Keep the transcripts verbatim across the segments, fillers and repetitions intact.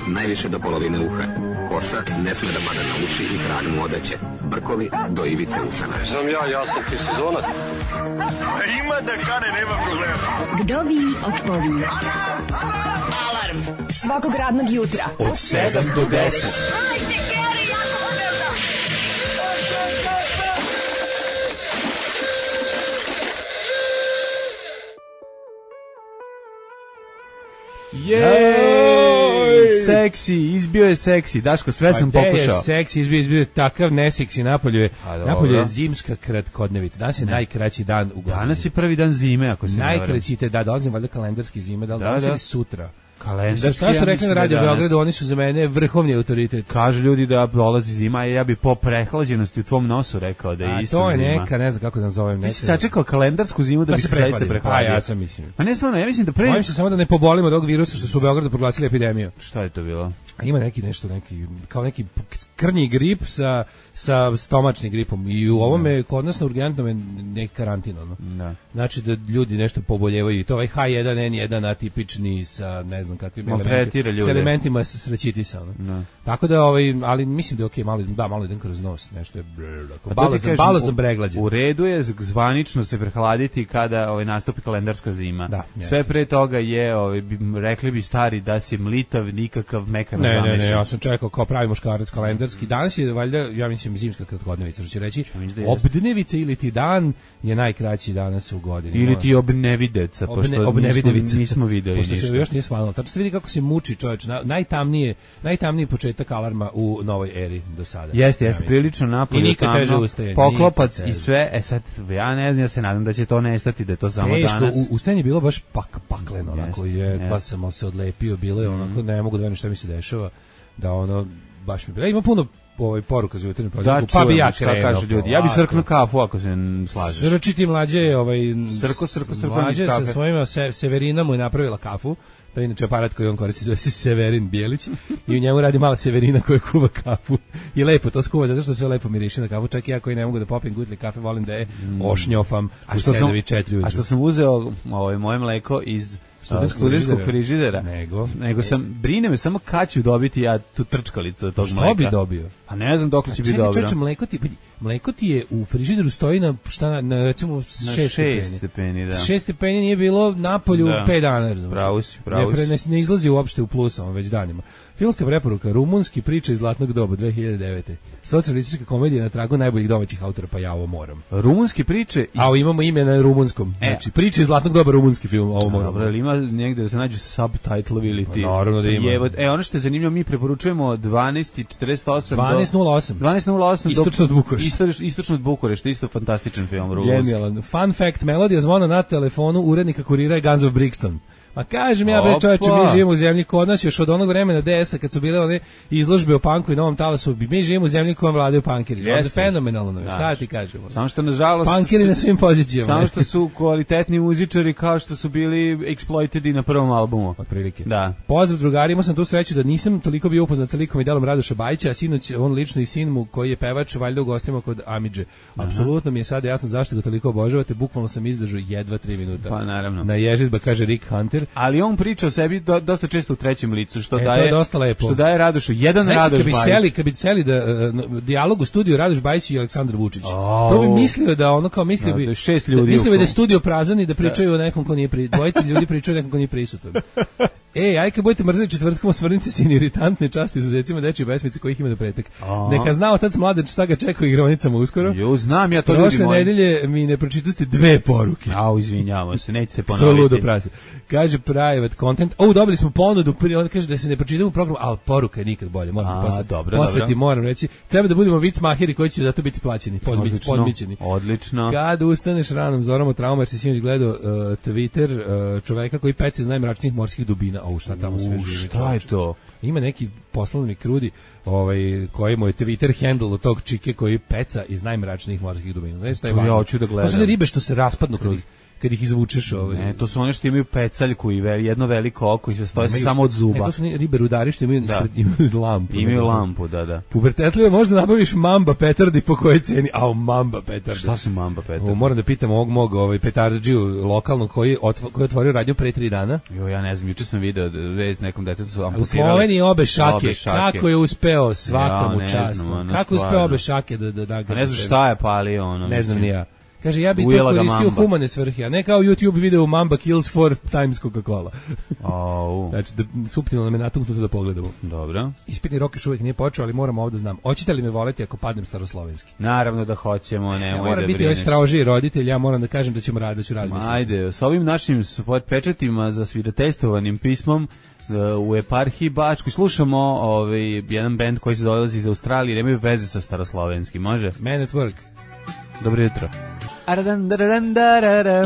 najviše do polovine uha. Kosa ne sme da pada na uši i trag mu odeće. Brkovi do ivice usana. Znam ja, ja sam ti sezonac. A ima da kane, nema problema. Vdovi odpovi. Alarm svakog radnog jutra od sedam do deset. Jej, seksi, izbio je seksi. Daško, sve sam pa pokušao. Je seksi, izbio, izbio je takav neseksi. Napolju je, napolju je zimska kratkodnevica. Danas je ne. najkraći dan u godini. Danas je prvi dan zime, ako se ne varam. Najkraći te, da, dolazim valjda kalendarski zime, da li da, danas da. ili sutra? Kalendarski. Da, šta su rekli na Radio Beogradu, oni su za mene vrhovni autoritet. Kažu ljudi da dolazi zima i ja bi po prehlađenosti u tvom nosu rekao da je isto zima. A to je neka, ne znam kako da nazovem. Ti si sačekao kalendarsku zimu da, da bi se zaista prehladio. A ja sam mislim. Pa ne stvarno, ja mislim da pre... Bojim se samo da ne pobolimo od ovog virusa što su u Beogradu proglasili epidemiju. Šta je to bilo? A ima neki nešto, neki, kao neki krnji grip sa, sa stomačnim gripom. I u ovome, kod nas na urgentnom je neki karantin. Ono. Da. Znači da ljudi nešto poboljevaju. I to ovaj ha jedan en jedan atipični sa ne znam kakvim elementima. S elementima sa srećitisa. Ono. Tako da, ovaj, ali mislim da je okej, okay, malo, da, malo idem kroz nos. Nešto je balazan, balazan breglađe. U redu je zvanično se prehladiti kada ovaj, nastupi kalendarska zima. Da, sve pre toga je, ovaj, rekli bi stari da si mlitav, nikakav mekan Ne, ne, ne, ja sam čekao kao pravi muškarac kalendarski. Danas je valjda, ja mislim, zimska kratkodnevica, što će reći, obdnevica ili ti dan je najkraći danas u godini. Ili ti obnevideca, Obne, pošto obnevidevica. nismo, nismo videli pošto ništa. Se još nije svalilo. Tačno se vidi kako se muči čovječ. Najtamnije, najtamniji početak alarma u novoj eri do sada. Jeste, jeste, ja prilično napolju. I nikad teže ustaje. Poklopac i sve, e sad, ja ne znam, ja se nadam da će to nestati, da je to samo Teško, danas. U, ustajanje je bilo baš pak, pakleno, onako, jest, je, jest. dva sam se odlepio, bilo je onako, ne mogu da velim šta mi se dešava. Da ono baš mi bilo. Ima puno ovaj poruka za jutarnju prozorku, pa bi ja krenuo. Kaže ljudi, ja bi srknuo kafu ako se slažeš. Srčiti mlađe, ovaj srko srko srko mlađe sa svojima se, Severina mu je napravila kafu. To je inače aparat koji on koristi, zove se Severin Bijelić i u njemu radi mala Severina koja kuva kafu. I lepo to skuva, zato što sve lepo miriši na kafu. Čak i ja koji ne mogu da popijem gutlje kafe, volim da je ošnjofam a što sam, a što sam uzeo ovaj, moje mleko iz studentskog frižidera. Nego, nego sam, brine me samo kad ću dobiti ja tu trčkalicu od tog što mleka. Što bi dobio? A ne znam dok li će biti dobro. Čekaj, mleko ti, mleko ti je u frižideru stoji na, šta, na, na recimo šest stepeni. stepeni da. šest stepeni nije bilo napolju da. pet dana. Razumiješ? Pravo si, pravo si. Ne, ne, ne izlazi uopšte u plus, on već danima. Filmska preporuka, rumunski priča iz Zlatnog doba, dve hiljade devete. Socijalistička komedija na tragu najboljih domaćih autora, pa ja ovo moram. Rumunski priče... Iz... A imamo ime na rumunskom. E. Znači, priče iz Zlatnog doba, rumunski film, ovo moram. Dobro, ali ima negde da se nađu subtitlovi ili ti... Naravno da ima. Jevo, e, ono što je zanimljivo, mi preporučujemo dvanaest četrdeset osam dvanaest nula osam. dvanaest nula osam Istočno od Bukurešta. Isto, istočno od Bukurešta, isto fantastičan film. Rumunski. Genijalan. Fun fact, melodija zvona na telefonu urednika kurira je Guns of Brixton. Ma kažem ja, bre, čovječe, mi živimo u zemlji kod nas još od onog vremena D S-a kad su bile one izložbe o panku i Novom Talasu, mi živimo u zemlji kojom vladaju pankeri. Ovo je fenomenalno, da. Šta ti kažemo? Samo što, nažalost... Pankeri na svim pozicijama. Samo što su kvalitetni muzičari kao što su bili exploited na prvom albumu. Od prilike. Da. Pozdrav drugari, imao sam tu sreću da nisam toliko bio upoznat sa likom i delom Radoša Bajića, a sinoć on lično i sin mu koji je pevač valjda u gostima kod Amidže. Apsolutno mi je sada jasno zašto ga toliko obožavate, bukvalno sam izdržao jedva tri minuta. Pa naravno. Na ježitba, kaže Rick Hunter. Ali on priča o sebi do, dosta često u trećem licu, što e, daje dosta lepo. Što daje Radošu jedan Znaš, Radoš kad bi Bajić. Seli, kad bi seli da uh, dijalog u studiju Radoš Bajić i Aleksandar Vučić. Oh. To bi mislio da ono kao mislio bi da, šest ljudi. Da, mislio bi da je studio prazan i da pričaju da. o nekom ko nije pri, dvojica ljudi pričaju o nekom ko nije prisutan. Ej, aj kad budete mrzeli četvrtkom, osvrnite se i iritantne časti izuzecima dečije besmice kojih ima do pretek. Aha. Neka zna otac mladen šta ga čeka u igraonicama uskoro. Jo, znam ja to Prošle ljudi moji. Prošle nedelje mi ne pročitaste dve poruke. Au, izvinjavamo se, neće se ponoviti. To ludo prasi. Kaže private content. O, dobili smo ponudu, on kaže da se ne pročitamo program, ali poruka je nikad bolje. Moram A, posle, dobro, posle dobro. ti moram reći. Treba da budemo vic maheri koji će zato biti plaćeni, podmić, podmićeni. Odlično. Kad ustaneš ranom zoramo trauma, jer si sinoć gledao uh, Twitter uh, čoveka koji pece iz najmračnijih morskih dubina. O, šta tamo sve živi. Šta je to? Ima neki poslovni krudi, ovaj koji mu je Twitter handle od tog čike koji peca iz najmračnijih morskih dubina. Znaš šta je? Ja hoću da gledam. To su ne ribe što se raspadnu kad ih kad ih izvučeš ovaj. Ne, to su one što imaju pecaljku i ve, jedno veliko oko i se stoje imaju, samo od zuba. Ne, to su ribe rudari što imaju, da. imaju lampu. Imaju ne, lampu, da, da. Pubertetljivo možda nabaviš mamba petardi po kojoj ceni, a mamba petardi. Šta su mamba petardi? O, moram da pitam ovog mog ovaj petardžiju lokalnog koji otvo, koji otvorio radnju pre tri dana. Jo, ja ne znam, juče sam video vez nekom detetu su amputirali. U Sloveniji obe šake, obe šake. Kako je uspeo svaka mu ja, čast. Kako je uspeo obe šake da da da. Pa ne znam šta je palio ono. Ne znam ni ja. Kaže, ja bih to koristio u humane svrhe, a ne kao YouTube video Mamba kills four times Coca-Cola. Oh. Znači, da, suptilno nam je natuknuto da pogledamo. Dobro. Ispitni rok još uvijek nije počeo, ali moramo ovdje znam. Hoćete li me voleti ako padnem staroslovenski? Naravno da hoćemo, nemoj ja, mora da biti ovaj straožiji roditelj, ja moram da kažem da ćemo raditi, da ću razmisliti. Ajde, s ovim našim pečetima za svirotestovanim pismom u eparhiji Bačkoj slušamo ovaj, jedan bend koji se dolazi iz Australije, nemaju veze sa staroslovenskim, može? Man at Work. Dobro jutro.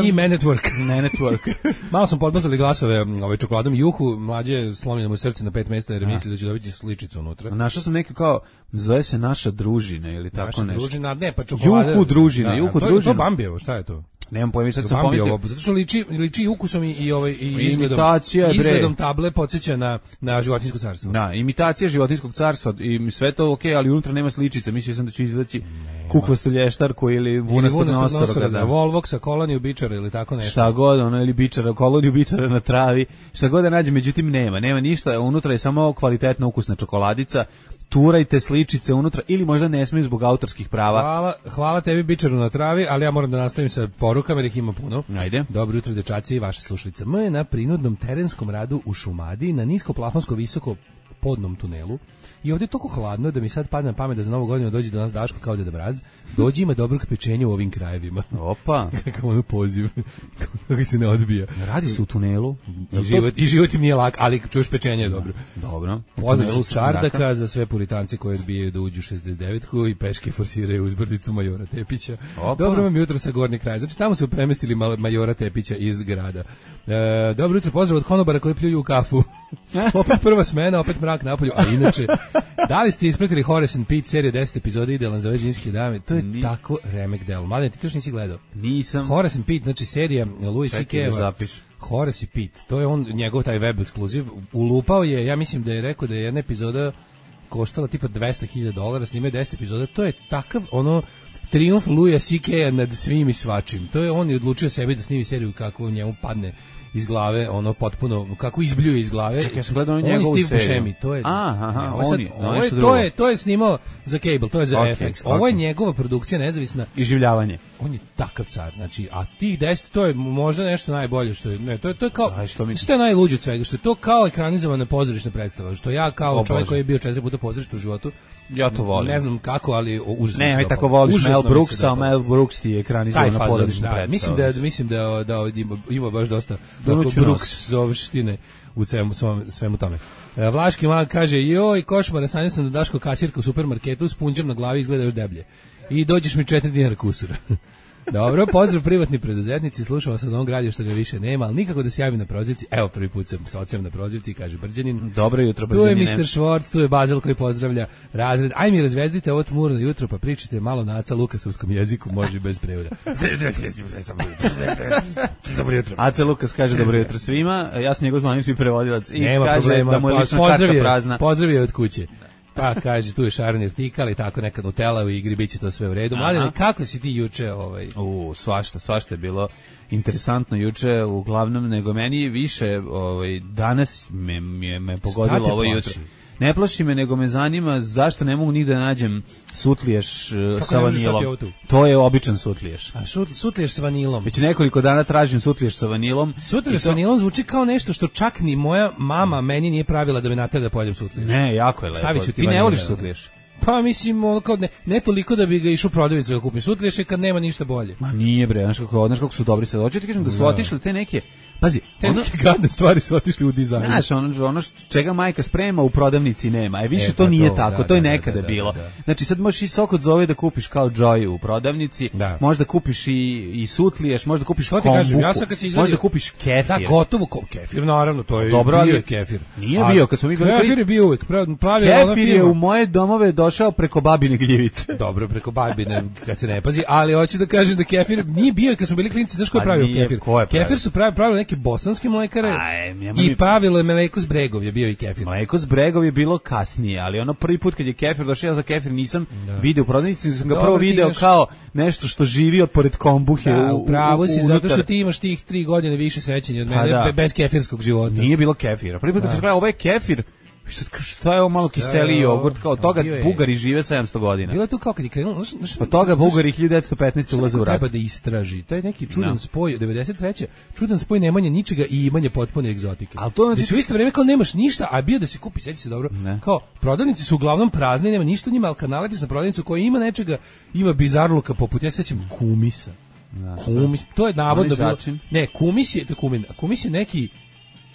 I Man at Work. Man at Work. Malo smo podmazali glasove ovaj čokoladom Juhu, mlađe slomljeno mu srce na pet mjesta jer misli da će dobiti sličicu unutra. Našao sam neki kao, zove se naša družina ili tako naša nešto. Družina, ne, pa čokolada. Juhu družina, da, Juhu to, družina. To Bambijevo, šta je to? Nemam pojma, sad sam pomislio. Zato što liči, liči ukusom i, i, ovaj, i izgledom, imitacija, izgledom table podsjeća na, na životinjsko carstvo. Da, imitacija životinjskog carstva i sve to okej, okay, ali unutra nema sličice. Mislio sam da će izvaći kukvastu lještarku ili vunastog nosora. Da, Volvoxa, koloniju bičara ili tako nešto. Šta god, ono, ili bičara, koloniju bičara na travi. Šta god da nađe, međutim nema. Nema ništa, unutra je samo kvalitetna ukusna čokoladica. Turajte sličice unutra ili možda ne smiju zbog autorskih prava. Hvala, hvala tebi bičaru na travi, ali ja moram da nastavim sa porukama jer ih ima puno. Ajde. Dobro jutro dečaci i vaša slušalica. M je na prinudnom terenskom radu u Šumadiji na nisko plafonsko visoko podnom tunelu. I ovdje je toliko hladno da mi sad padne na pamet da za novu godinu dođe do nas Daško kao Deda Mraz. Dođi, ima dobrog pečenja u ovim krajevima. Opa. Kakav ono poziv. Kako se ne odbija. Radi se u tunelu. I život, i život im nije lak, ali čuješ pečenje je dobro. Dobro. Pozdrav s Čardaka za sve Puritance koji odbijaju da uđu u šezdeset devetku i peške forsiraju uzbrdicu Majora Tepića. Opa. Dobro vam jutro sa gornji kraj. Znači tamo su premestili Majora Tepića iz grada. E, dobro jutro, pozdrav od konobara koji pljuju u kafu. Opet prva smena, opet mrak napolju, a inače, da li ste ispratili Horace and Pete seriju deset epizoda idealan za veđinske dame? To je Ni... tako remek delo. Mladen, ti to još nisi gledao? Nisam. Horace and Pete, znači serija Louis C K. Horace i Pete, to je on, njegov taj web ekskluziv. Ulupao je, ja mislim da je rekao da je jedna epizoda koštala tipa dvesta hiljada dolara, snimaju deset epizoda, to je takav, ono, trijumf Louisa C K nad svim i svačim. To je on je odlučio sebi da snimi seriju kako njemu padne iz glave, ono potpuno kako izbljuje iz glave. Čekaj, ja sam gledao njegovu seriju. Buscemi, to je. Aha, aha, ovo, sad, oni, ovo je, to je to je snimao za Cable, to je za okay, F X. Ovo okay. je njegova produkcija nezavisna iživljavanje. On je takav car, znači, a tih deset to je možda nešto najbolje što je, ne, to je to je kao Aj, što, mi... što je najluđe od svega, što je to kao ekranizovana pozorišna predstava, što ja kao o, čovjek Bože. Koji je bio četiri puta pozorište u životu. Ja to volim. Ne znam kako, ali užasno. Ne, aj tako voliš Mel Brooks, a Mel Brooks ti je ekranizovana pozorišna predstava. Mislim da mislim da da ima, ima baš dosta Brooks zovštine u svemu, svemu tome. Vlaški mag kaže, joj, košmara, sanjao sam da Daško kasirka u supermarketu s punđem na glavi izgleda još deblje. I dođeš mi četiri dinara kusura. Dobro, pozdrav privatni preduzetnici, slušao sam da on gradio što ga više nema, ali nikako da se javi na prozivci. Evo, prvi put sam sa ocem na prozivci, kaže Brđanin. Dobro jutro, Brđanine. Tu je mister Švorc, tu je Bazel koji pozdravlja razred. Aj mi razvedite ovo tmurno jutro, pa pričajte malo na Aca Lukasovskom jeziku, može i bez prevoda. Dobro jutro. Aca Lukas kaže dobro jutro svima, ja sam njegov zvanični prevodilac i nema kaže problema, da mu je lična karta prazna. Pozdravio od kuće. Pa kaže, tu je Šaran Irtikal i tako neka Nutella u igri, bit će to sve u redu. Mladine, kako si ti juče? Ovaj... U, svašta, svašta je bilo interesantno juče, uglavnom, nego meni više, ovaj, danas me, me, me pogodilo ovo jutro. Ne plaši me, nego me zanima zašto ne mogu nigde da nađem sutliješ uh, sa vanilom. To je običan sutliješ. A šut, sutliješ sa vanilom? Već nekoliko dana tražim sutliješ sa vanilom. Sutliješ to... sa vanilom zvuči kao nešto što čak ni moja mama meni nije pravila da me natera da pojedem sutliješ. Ne, jako je lepo. Ti, ti ne voliš sutliješ? Pa mislim, ono kao ne, ne toliko da bi ga išao u prodavnicu da kupim sutliješ kad nema ništa bolje. Ma nije bre, znaš kako, znaš kako su dobri sad. Hoću ti kažem da su otišli te neke. Pazi, te ono, neke gadne stvari su otišli u dizajn. Znaš, ono, ono čega majka sprema u prodavnici nema. E više e, to nije to, tako, da, to je da, nekada da, da, bilo. Da, da. Znači sad možeš i sok od zove da kupiš kao Joy u prodavnici, da. Možda kupiš i, i sutliješ, možda kupiš kombuku, kažem, ja izvadio, možda kupiš kefir. Da, gotovo kefir, naravno, to je dobro, bio je kefir. Nije bio, kad smo mi kefir je bio uvek. Pravi kefir je u moje domove došao došao preko babine gljivice. Dobro, preko babine kad se ne pazi, ali hoću da kažem da kefir nije bio kad smo bili klinci, znaš ko je pravio kefir? Ko je pravio? Kefir su pravi, pravili neke bosanske mlekare Aj, i pravilo je mleko s Bregov je bio i kefir. Mleko s Bregov je bilo kasnije, ali ono prvi put kad je kefir došao, ja za kefir nisam da. video u prodavnici, sam ga Dobar, prvo video imaš... kao nešto što živi od pored kombuhe. Da, u pravo si, unutar. zato što ti imaš tih tri godine više sećanja od mene, da. bez kefirskog života. Nije bilo kefira. Prvi put kad sam gledao ovaj kefir, šta je ovo malo kiseliji jogurt, kao od toga Bugari žive sedamsto godina. Bilo je tu kao kad je krenulo, od toga Bugari hiljadu devetsto petnaeste ulaze u rat. Treba da istraži, taj neki čudan no. spoj, devedeset treće čudan spoj nemanje ničega i imanje potpune egzotike. Al to znači, u isto vrijeme kao nemaš ništa, a bio da se kupi, sjeti se dobro, ne. kao prodavnice su uglavnom prazne, nema ništa u njima, al kad naletiš na prodavnicu koja ima nečega, ima bizarluka poput, ja se sećam kumisa. Da, kumis, to je navodno bilo. Ne, kumis je, to je kumin, kumis je neki.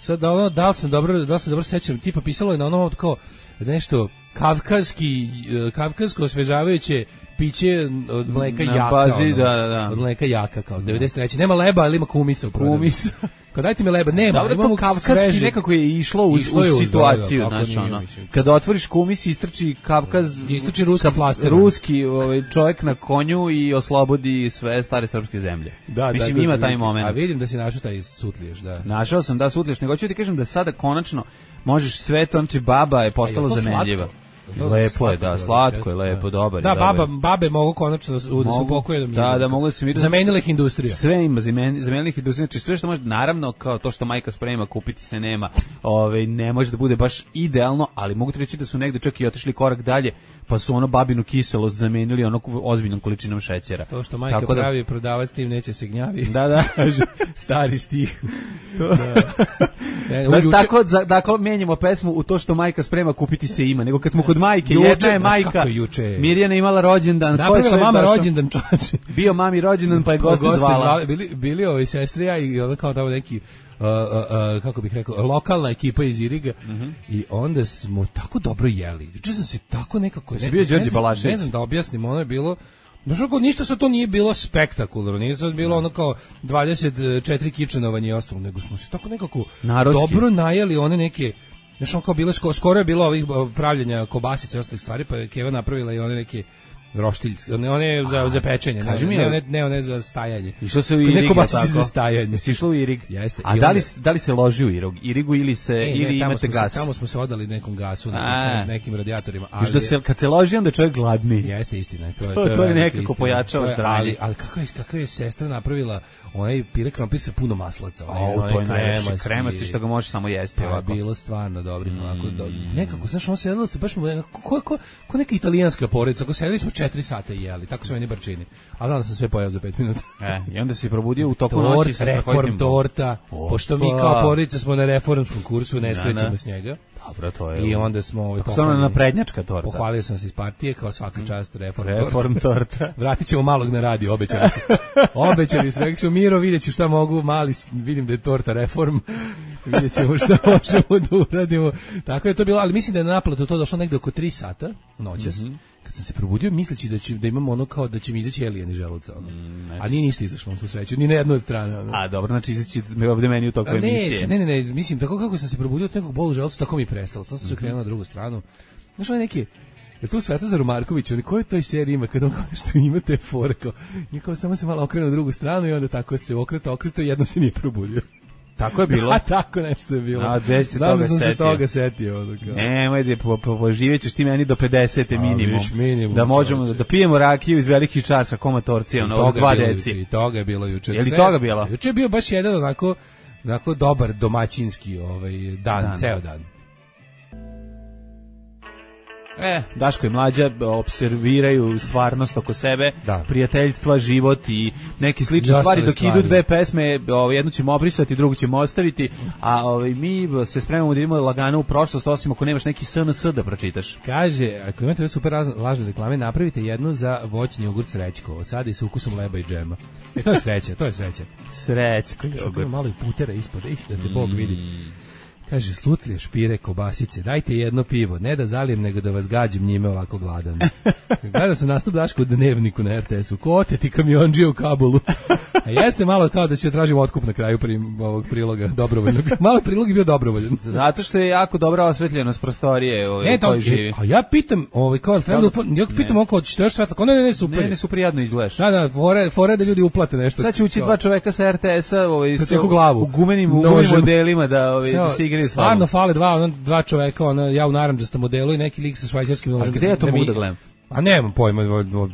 Sad da ono, da li sam dobro, da li se dobro sećam, tipa pisalo je na onom kao nešto kavkazski, kavkazsko osvežavajuće piće od mleka na jaka. Bazi, ono, da, da. Od mleka jaka, kao devedeset treće Nema leba, ali ima kumisa u prodavnici. Kumis. Kao dajte mi leba, nema. Dobro, to kavkazski nekako je išlo u, išlo u situaciju, da, da, znaš, ono. Kada otvoriš kumis, istrči Kavkaz, istrči ruski flaster. Ruski ovaj, čovjek na konju i oslobodi sve stare srpske zemlje. Da, mislim, da, ima da, taj moment. A vidim da si našao taj sutliješ, da. Našao sam da sutliješ, nego ću ti kažem da sada konačno možeš sve to, znači baba je postala zamenljiva. Lepo je, da, slatko je, lepo, dobar. Da, baba, babe mogu konačno da se upokoje da mi. Da, da mogu da se mi zamenila ih industrija. Sve ima zamenila ih industrija, znači sve što može, naravno kao to što majka sprema, kupiti se nema. Ovaj ne može da bude baš idealno, ali mogu ti reći da su negde čak i otišli korak dalje, pa su ono babinu kiselost zamenili ono ozbiljnom količinom šećera. To što majka da, pravi prodavac tim neće se gnjavi. Da, da, stari stih. To. Da. Ne, da, juče... Tako da dakle menjamo pesmu u to što majka sprema, kupiti se ima, nego kad smo kod majke, juče, jedna je majka. Mirjana imala rođendan, ko je sve mama rođendan, čoveče. Bio mami rođendan, pa je goste zvala. Zvali, bili bili ovi sestrija i onda kao tamo neki Uh, uh, uh, kako bih rekao, lokalna ekipa iz Iriga uh -huh. i onda smo tako dobro jeli. Juče sam se tako nekako... Ne, bio Đorđe Balašević. Ne znam da objasnim, ono je bilo... Znaš, ništa sa to nije bilo spektakularno, nije sad bilo ono kao dvadeset četiri kičenovanje i ostalo, nego smo se tako nekako Narodski. dobro najeli one neke... Znaš, ono kao bilo, skoro je bilo ovih pravljenja kobasice i ostalih stvari, pa je Keva napravila i one neke... roštiljske, one, one za, za pečenje, ne, ne, ne, ne one za stajanje. Išlo se u Irig, tako? Za stajanje. Si išlo u Irig? Jeste. A da li, da li se loži u Irigu, Irigu ili se, e, ili ne, imate gas? Se, tamo smo se odali nekom gasu, nekim, nekim radijatorima. Ali da se, kad se loži, onda čovjek gladni. Jeste, istina. To je, to, to je, to je nekako pojačava zdravlje. Ali, ali kako je, kako je sestra napravila onaj pire krompir sa puno maslaca. O, to je najlepši kremasti što ga možeš samo jesti. Pa bilo stvarno dobro. Mm. Onako, do, nekako, znaš, on se jedilo se baš ko, ko, ko neka italijanska porodica. Ako sedeli smo četiri sata i jeli, tako su meni barčini. A znam da sam sve pojao za pet minuta. E, i onda si probudio u toku Tort, noći sa reform torta, o, pošto mi kao porodica smo na reformskom kursu, ne skrećemo s njega. Dobro, to je. I onda smo ovaj pohvalili na prednjačka torta. Pohvalio sam se iz partije kao svaka čast reform, reform torta. torta. Vratićemo malog na radio, obećali su. Obećali su, rekli su Miro, videću šta mogu, mali vidim da je torta reform. Vidjećemo šta možemo da uradimo. Tako je to bilo, ali mislim da je na naplatu to došlo negde oko tri sata noćas. Mm -hmm. Kad sam se probudio misleći da će da imamo ono kao da će mi izaći elijeni želuca, ono. Mm, a nije ništa izašlo, smo sreću, ni na jednoj strani. Ono. A dobro, znači izaći me ovde meni u toku emisije. Ne, ne, ne, mislim tako kako sam se probudio od nekog bolu želuca, tako mi je prestalo. Sad sam se krenuo na drugu stranu. Znaš, ono neki je tu Svetozar Marković, on koji toj seriji ima kad on kao što ima te fore, kao, kao samo se malo okrene na drugu stranu i onda tako se okreta, okreta i jednom se nije probudio. Tako je bilo. A tako nešto je bilo. A gde se toga setio? Se toga setio. Nemoj da po, po, poživećeš ti meni do pedesete minimum. A, minimum. Da možemo da pijemo rakiju iz velikih časa komatorcija, ono, od dva deci. I toga je bilo juče. Je li toga bilo? Juče je bio baš jedan onako, onako dobar domaćinski ovaj, dan, dan, ceo dan. E, Daško i Mlađa observiraju stvarnost oko sebe, da. Prijateljstva, život i neke slične Jasne stvari. Dok stvari. Idu dve pesme, ovaj, jednu ćemo obrisati, drugu ćemo ostaviti, a ovaj, mi se spremamo da idemo lagano u prošlost, osim ako nemaš neki S N S da pročitaš. Kaže, ako imate super lažne reklame, napravite jednu za voćni jogurt Srećko, od sada i sa ukusom leba i džema. E, to je sreća, to je sreća. Srećko jogurt. Malo i putera ispod, ih, da te Bog vidi. Kaže, sutlje, špire, kobasice, dajte jedno pivo, ne da zalijem, nego da vas gađim njime ovako gladan. Gledao sam nastup Daško u Dnevniku na er te esu, ko te ti kamionđije u Kabulu. A jeste malo kao da će tražiti otkup na kraju prim, ovog priloga, dobrovoljnog. Malo prilog je bio dobrovoljan. Zato što je jako dobra osvetljenost prostorije ovaj, e, u kojoj živi. A ja pitam, ovaj, kao, treba da upla... ja pitam oko, ćete još svetla, kao ne, ne, ne, super. Ne, ne, super jadno izgledaš. Da, da, fore, fore da ljudi uplate nešto. Sad će ući dva čoveka sa er te esa ovaj, s, u, glavu. u gumenim, u gumenim modelima da, ovaj, da se igraju s vama. Stvarno fale dva, ono, dva čoveka, ono, ja u narandžastom modelu i neki lik sa švajcarskim nožem. A gde ja to mogu da gledam? A nemam pojma,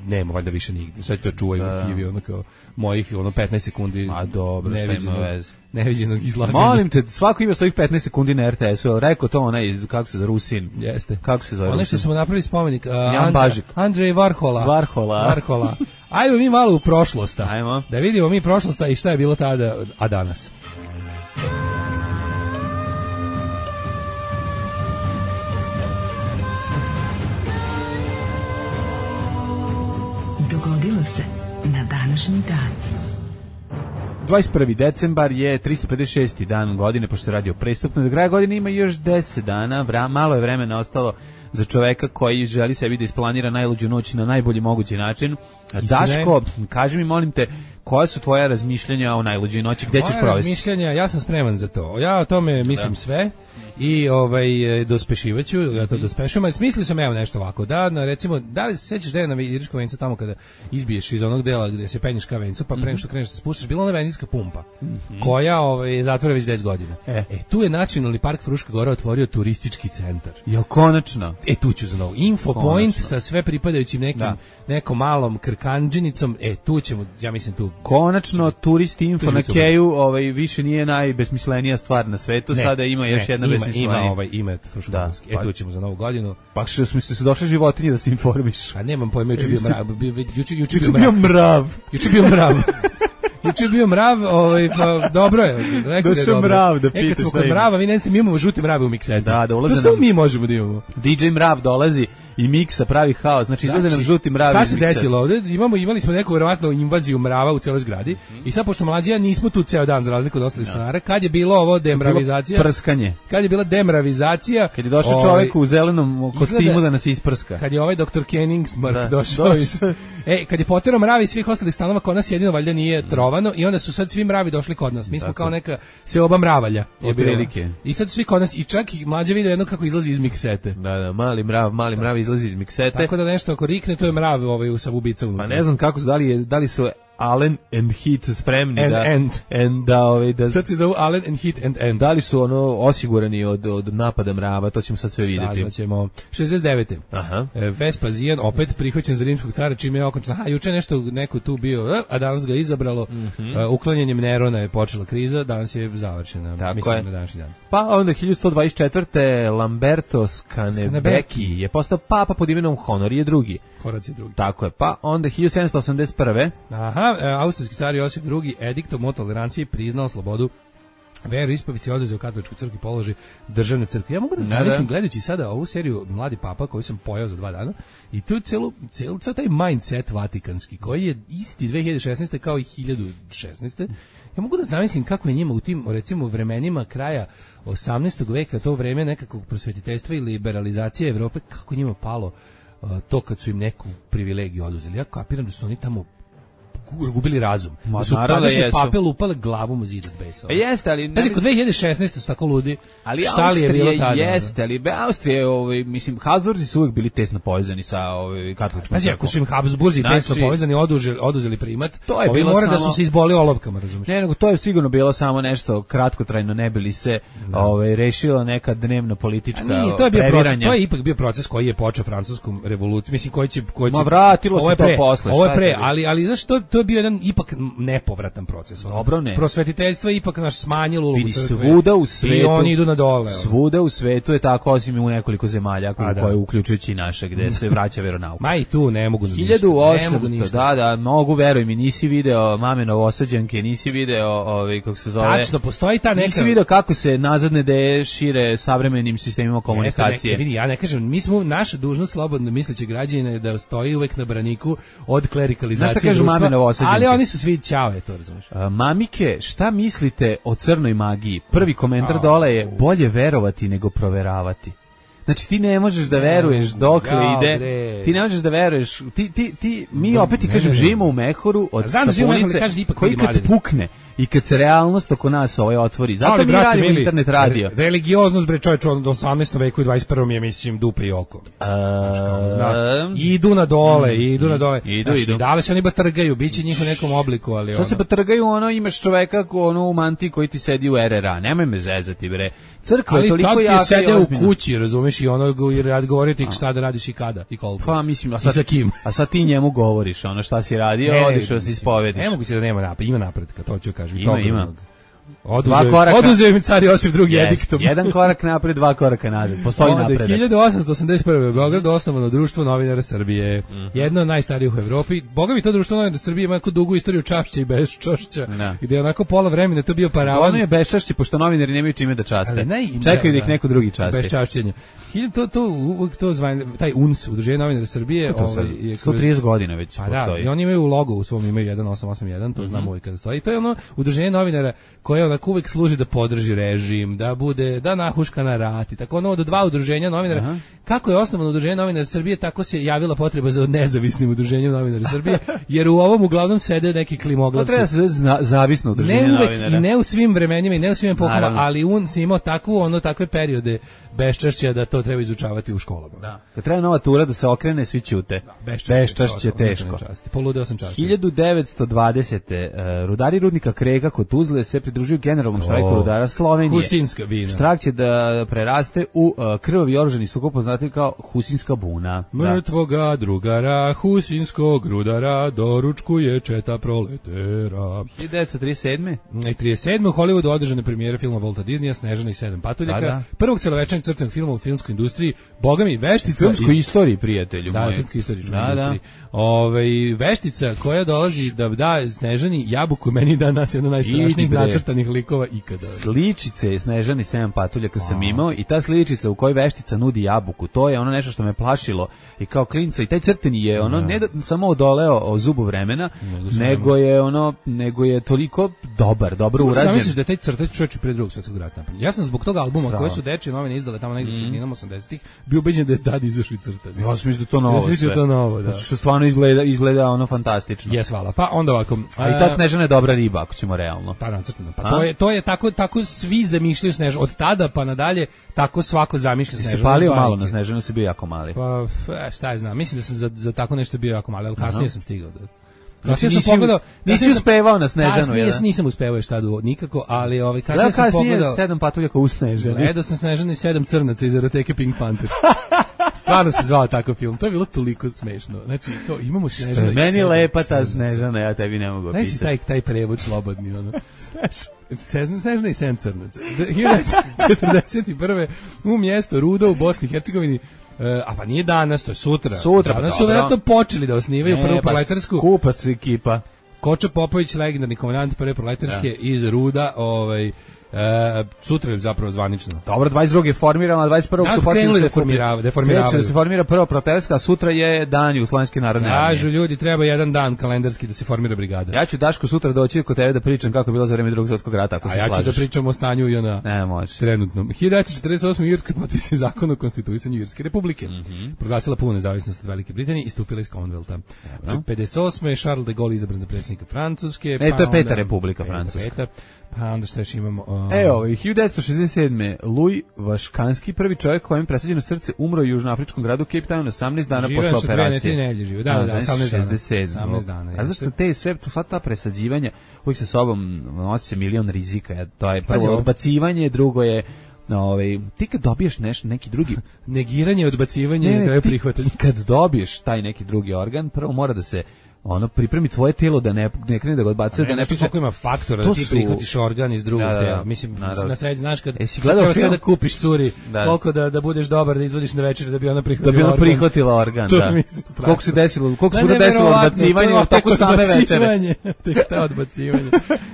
nema valjda više nigde. Sad to čuvaju u arhivi, ono kao mojih ono petnaest sekundi. A dobro, šta ima veze. Neviđenog izlaganja. Molim te, svako ima svojih petnaest sekundi na er te esu. Rekao to onaj, kako se zove, Rusin. Jeste. Kako se zove Rusin? Ono što smo napravili spomenik. Uh, Jan Bažik. Andrej Varhola. Varhola. Varhola. Ajmo mi malo u prošlost. Ajmo. Da vidimo mi prošlost i šta je bilo tada, a danas. Dogodilo se na današnji dan. dvadeset prvi decembar je tristo pedeset šesti dan godine, pošto se radi o prestupno. Do kraja godine ima još deset dana, vra, malo je vremena ostalo za čoveka koji želi sebi da isplanira najluđu noć na najbolji mogući način. Daško, kaži mi, molim te, koja su tvoja razmišljanja o najluđoj noći, gde ćeš provesti? Moja razmišljanja, ja sam spreman za to. Ja o tome mislim da. sve i ovaj dospešivaću, ja to dospešujem, ali smislio sam evo nešto ovako, da, na, recimo, da li se sećaš da je na Iriškom vencu tamo kada izbiješ iz onog dela gde se penješ ka vencu, pa pre nego što kreneš da se spuštaš, bila ona benzinska pumpa, mm-hmm. koja ovaj, je zatvora već deset godina. E. e, tu je Nacionalni park Fruška Gora otvorio turistički centar. Jel konačno? E, tu ću za novo. Info konačno. Point sa sve pripadajućim nekim, da. nekom malom krkanđenicom, e, tu ćemo, ja mislim tu. Konačno, turisti info na Keju, ovaj, više nije najbesmislenija stvar na svetu, ne, sada ima još ne, jedna besmislenija. Ima ovaj ime Fruškogorski. Da, e, tu ćemo za novu godinu. Pa što smo se došli životinje da se informiš. A nemam pojma, juče bio mrav. Juče juče bio mrav. Juče bio mrav. Juče bio mrav, ovaj, pa dobro je. Rekao da je mrav da pitaš. E, kad smo kod mrava, vi ne znate, mi imamo žute mrave u miksetu. Da, da ulaze nam. To samo mi možemo da imamo. di džej Mrav dolazi i miksa pravi haos. Znači, izlaze nam žuti mravi. Šta se desilo ovde? Imamo, imali smo neku verovatno invaziju mrava u celoj zgradi. I sad, pošto mlađija nismo tu ceo dan za razliku od ostalih stanara, kad je bilo ovo demravizacija? Prskanje. Kad je bila demravizacija? Kad je došao ovaj, čovjek u zelenom kostimu izgleda, da nas isprska. Kad je ovaj doktor Kenningsmark da, došao iz, e, kad je poterao mravi svih ostalih stanova, kod nas jedino valjda nije trovano i onda su sad svi mravi došli kod nas. Mi smo Tako. kao neka seoba mravalja. Je prilike. I sad svi kod nas i čak i mlađa vide jedno kako izlazi iz miksete. Da, da, mali mrav, mali mrav izlazi iz miksete. Tako da nešto ako rikne, to je mrav ovaj u sabubica unutra. Pa ne znam kako su, da li, je, da li su Allen and Heat spremni and, da and. and da ovaj da sad se zove Allen and Heat and and. Da li su ono osigurani od od napada mrava, to ćemo sad sve vidjeti. Saznaćemo. šezdeset devete Aha. Vespazijan opet prihvaćen za rimskog cara čime je okončan. Aha, juče nešto neko tu bio, a danas ga izabralo. Mm-hmm. Uh, uklanjanjem Nerona je počela kriza, danas je završena. Tako mislim je. Na današnji dan. Pa onda hiljadu sto dvadeset četvrte Lamberto Scanebecchi je postao papa pod imenom Honor je drugi. Horac je drugi. Tako je. Pa onda hiljadu sedamsto osamdeset prve Aha, e, austrijski car Josip drugi ediktom o toleranciji priznao slobodu veru ispovesti i oduzeo katoličku crkvu položaj državne crkve. Ja mogu da zamislim gledajući sada ovu seriju Mladi papa koju sam pojao za dva dana i tu je celu, celu, celu taj mindset vatikanski koji je isti dve hiljade šesnaeste kao i hiljadu šesnaeste Ja mogu da zamislim kako je njima u tim, recimo, vremenima kraja osamnaestog veka, to vreme nekakvog prosvetiteljstva i liberalizacije Evrope, kako njima palo uh, to kad su im neku privilegiju oduzeli. Ja kapiram da su oni tamo gubili razum. Ma, da su tadašnje pape lupale glavom u zid od besa. E, jeste, ali... Znači, kod dve hiljade šesnaeste su tako ludi. Ali šta li je bilo tada? Jeste, ali Austrija, ovaj, mislim, Habsburzi su uvijek bili tesno povezani sa ovaj, katoličkom. Znači, ako su im Habsburzi znači, tesno povezani, oduzeli, oduzeli primat, to je ovi bilo mora samo... da su se izboli olovkama, razumiješ? Ne, nego to je sigurno bilo samo nešto kratkotrajno, ne bili se no. ovaj, rešila neka dnevno politička nije, to je bio proces, to je ipak bio proces koji je počeo francuskom revolucijom, mislim, koji će... Koji će Ma vratilo se to posle. Ovo je pre, ali, ali znaš, to, to je bio jedan ipak nepovratan proces. Dobro, ne. Prosvetiteljstvo je ipak naš smanjilo ulogu crkve. Svuda u svetu. I oni idu na dole. Svuda u svetu je tako, osim u nekoliko zemalja, koje da. uključujući i naše, gde se vraća veronauka. Ma i tu ne mogu ništa. hiljadu osamsto Da, da, mogu, veruj mi, nisi video Mame Novosađanke, nisi video, ovaj, kako se zove... Tačno, postoji ta neka... Nisi video kako se nazadne ideje šire savremenim sistemima komunikacije. Ne, vidi, ja ne kažem, mi smo, naša dužnost slobodno misleći građana da stoji uvek na braniku od klerikalizacije društva Novosađenke. Ali oni su svi ćao, je to, razumiješ. Mamike, šta mislite o crnoj magiji? Prvi komentar dole je bolje verovati nego proveravati. Znači ti ne možeš da veruješ dokle ja, ide. bre. Ti ne možeš da veruješ. Ti ti ti mi opet ti kažem živimo u mehoru od sapunice koji kad pukne i kad se realnost oko nas ovaj otvori. Zato ali, mi brate, radimo mili, internet radio. Re, religioznost bre čovječe od osamnaestom veku i dvadeset prvom je mislim dupe i oko. A, da, idu na dole, mm, idu na dole. Idu, znači, idu. Da li se oni batrgaju, biće njih u nekom obliku, ali što ono. se batrgaju, ono imaš čoveka ko ono u mantiji koji ti sedi u R R A. Nemoj me zezati bre. Crkva je toliko jaka. Ali sede u kući, razumeš, i ono i rad govoriti šta da radiš i kada i koliko. Pa mislim, a sad sa kim? A sad ti njemu govoriš, ono šta si radio, ne, odiš da se ispovediš. Ne mogu se da nema napred, ima napretka, to ću kažem. Ima, ima. Oduzeo, oduzeo mi car Josif drugi yes, ediktom. Jedan korak napred, dva koraka nazad. Postoji napredak. hiljadu osamsto osamdeset prve u Beogradu osnovano društvo novinara Srbije. Mm -hmm. Jedno od najstarijih u Evropi. Boga mi to društvo novinara Srbije ima jako dugu istoriju čašća i beščašća. No. Gde je onako pola vremena to bio paravan. Ono je beščašće, pošto novinari nemaju čime da časte. Čekaju da ih neko drugi časti. Beščašćenje. To, to, uvijek to zvanje, taj U N S, Udruženje novinara Srbije. Ovaj, je sto trideset godina već pa postoji. Da, i oni imaju logo u svom, imaju jedan osam osam jedan, to mm -hmm. znamo uvijek kada stoji. I to je ono Udruženje novinara koje onako uvijek služi da podrži režim, da bude, da nahuška na rat i tako ono od dva udruženja novinara. Aha. Kako je osnovano Udruženje novinara Srbije, tako se javila potreba za nezavisnim udruženjem novinara Srbije, jer u ovom uglavnom sede neki klimoglavci. To treba se zna, zavisno udruženje ne uvek, novinara. I ne u svim vremenima i ne u svim epokama, ali on se imao takvu, ono, takve periode beščašća da to treba izučavati u školama. Da. Kad treba nova tura da se okrene, svi ćute. Da, beščašće je teško. Poludeo sam časti. hiljadu devetsto dvadesete. Uh, rudari rudnika Krega kod Tuzle se pridružuju generalnom štrajku rudara Slovenije. Husinska bina. Štrajk će da preraste u uh, krvavi oružani sukob poznati kao Husinska buna. Mrtvoga drugara, Husinskog rudara, doručkuje četa proletera. hiljadu devetsto trideset sedme. I trideset sedme u Hollywoodu održane premijere filma Volta Disneya, Snežana i sedam patuljaka. Da, da. Prvog celovečernjeg crtanog filma u filmskoj industriji, boga mi, veštica... Filmskoj iz... istoriji, prijatelju da, moj. Da, filmskoj istoriji. Da, da. Ove, veštica koja dolazi da da Snežani jabuku, meni da nas jedna najstrašnijih nacrtanih likova ikada. Sličice Snežani sedam patuljaka sam imao i ta sličica u kojoj veštica nudi jabuku, to je ono nešto što me plašilo i kao klinca i taj crteni je ono ne da, samo odoleo o zubu vremena, ne, nego je ono nego je toliko dobar, dobro urađen. Šta misliš da taj crtač čovjek pre drugog svjetskog rata? Ja sam zbog tog albuma Strava. Koje su dečije novine izdale tamo negde u sredinom osamdesetih bio ubeđen da je tad izašao crtani. Ja sam mislio da to novo. Ja sam mislio da to novo, da. Što stvarno izgleda izgleda ono fantastično. Jes, hvala. Pa onda ovako, a i ta Snežana je dobra riba, ako ćemo realno. Pa nacrtano. Pa a? to je to je tako tako svi zamišljaju Snežanu od tada pa nadalje, tako svako zamišlja Snežanu. Se palio malo na Snežanu, se bio jako mali. Pa šta ja znam, mislim da sam za, za tako nešto bio jako mali, al kasnije sam stigao do Znači, sam pogledao, nisi uspevao na Snežanu, kasnije, jedan? Nisam uspevao još tada nikako, ali ovaj kasnije sam pogledao sedam patuljaka u Snežani. Gledao sam Snežanu i sedam crnaca iz eroteke Pink Panther. Stvarno se zvao takav film. To je bilo toliko smešno. Znači, kao, imamo Snežanu. Meni lepa ta Snežana, ja tebi ne mogu opisati. Znači, taj, taj prevod slobodni, ono. Snežana i sedam crnaca. hiljadu devetsto četrdeset prve u mjesto Rudo u Bosni i Hercegovini. Uh, a pa nije danas, to je sutra. Sutra, danas su vjerojatno počeli da osnivaju prvu proletarsku. Kupac ekipa. Koča Popović, legendarni komandant prve proletarske ja. Iz Ruda, ovaj E, sutra je zapravo zvanično. Dobro, dvadeset druge je formirano, a dvadeset prvog su počeli da formiravaju. Da se formira prva proletarska, a sutra je dan Jugoslovenske narodne armije. Kažu ljudi, treba jedan dan kalendarski da se formira brigada. Ja ću Daško sutra doći kod tebe da pričam kako je bilo za vreme Drugog svjetskog rata, ako a se ja slažeš. ću da pričam o stanju i ona ne, može. Trenutnom. hiljadu devetsto četrdeset osme. u Irskoj potpisan zakon o konstituisanju Irske republike. Mm -hmm. Proglasila punu nezavisnost od Velike Britanije i stupila iz Commonwealtha. Znači, pedeset osme. Charles de Gaulle izabran za predsjednika Francuske. E, to je peta republika Francuska. Pa onda što još imamo... Uh... E, ovo, hiljadu devetsto šezdeset sedme. Louis Vaškanski, prvi čovjek kojem presađeno srce, umro u južnoafričkom gradu Cape Town osamnaest dana posle operacije. Žive su dve nedelje žive, da, da, da, osamnaest dana. A zašto te sve, sva ta presađivanja, uvijek sa sobom nosi milion rizika, to je prvo odbacivanje, drugo je ovaj ti kad dobiješ nešto neki drugi negiranje, odbacivanje i na kraju prihvatanje. Kad dobiješ taj neki drugi organ, prvo mora da se ono pripremi tvoje telo da ne ne krene da ga odbacuje, da ne piše koliko ima faktora da ti su... prihvatiš organ iz drugog da, da, tela. Mislim naravno. Na sreći znaš kad jesi gledao sve da kupiš curi, da. Koliko da da budeš dobar da izvodiš na večer da bi ona prihvatila. Da bi ona prihvatila organ, da. Koliko se desilo, koliko se bude desilo odbacivanje u toku same večere. Tek ta odbacivanje.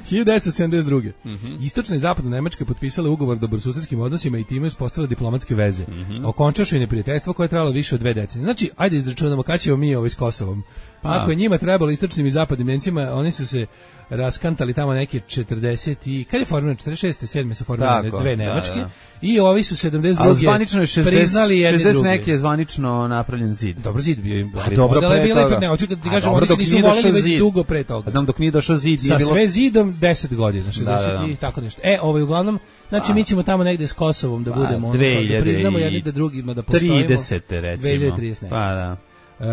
hiljadu devetsto sedamdeset druge. Mm-hmm. Istočna i zapadna Nemačka potpisala ugovor o dobrosusedskim odnosima i time uspostavila diplomatske veze. Mm-hmm. Okončavši neprijateljstvo koje je trajalo više od dve decenije. Znači, ajde izračunamo kad ćemo mi ovaj s Kosovom. Pa ako je njima trebalo istočnim i zapadnim Nemcima, oni su se raskantali tamo neke četrdeset i kad je formirano četrdeset šeste sedme su formirane dve Nemačke da, da. I ovi su sedamdeset druge zvanično je šezdeset, priznali jedni šezdeset neki je zvanično napravljen zid. Dobro zid bio im. Dobro pre bile, toga. Ne, hoću da ti kažem, oni se nisu volili već zid. Dugo pre toga. Znam dok nije došao zid. Sa bilo... sve zidom deset godina, šezdeset da, da, da. I tako nešto. E, ovaj uglavnom, znači a. mi ćemo tamo negde s Kosovom da budemo, ono, da priznamo jedni da drugima da postojimo. tridesete recimo. dve hiljade tridesete Pa da. Uh,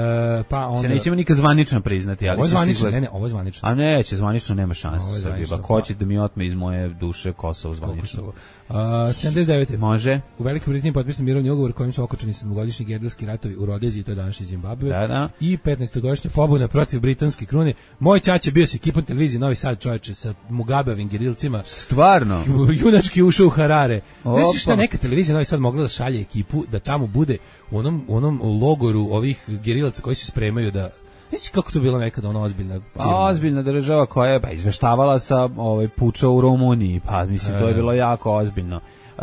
pa onda... Se nećemo nikad zvanično priznati, ali... Ovo je zvanično, ne, ne, ovo je zvanično. A neće, zvanično nema šanse Srbije. Pa ko će da mi otme iz moje duše Kosovo zvanično? Uh, sedamdeset devete Može. U Velikoj Britaniji potpisan mirovni ugovor kojim su okončani sedmogodišnji gerilski ratovi u Rodeziji, to je današnji Zimbabve. Da, da. I petnaestogodišnja pobuna protiv britanske krune. Moj ćaća bio sa ekipom televizije Novi Sad, čoveče, sa Mugabevim gerilcima. Stvarno? Junački ušao u Harare. Znaš šta, neka televizija Novi Sad mogla da šalje ekipu da tamo bude u onom, u onom logoru ovih gerilaca koji se spremaju da... Znaš kako to bila nekada ona ozbiljna firma? Ozbiljna država koja je pa, izveštavala sa ovaj, puča u Rumuniji, pa mislim, to je bilo jako ozbiljno. Uh,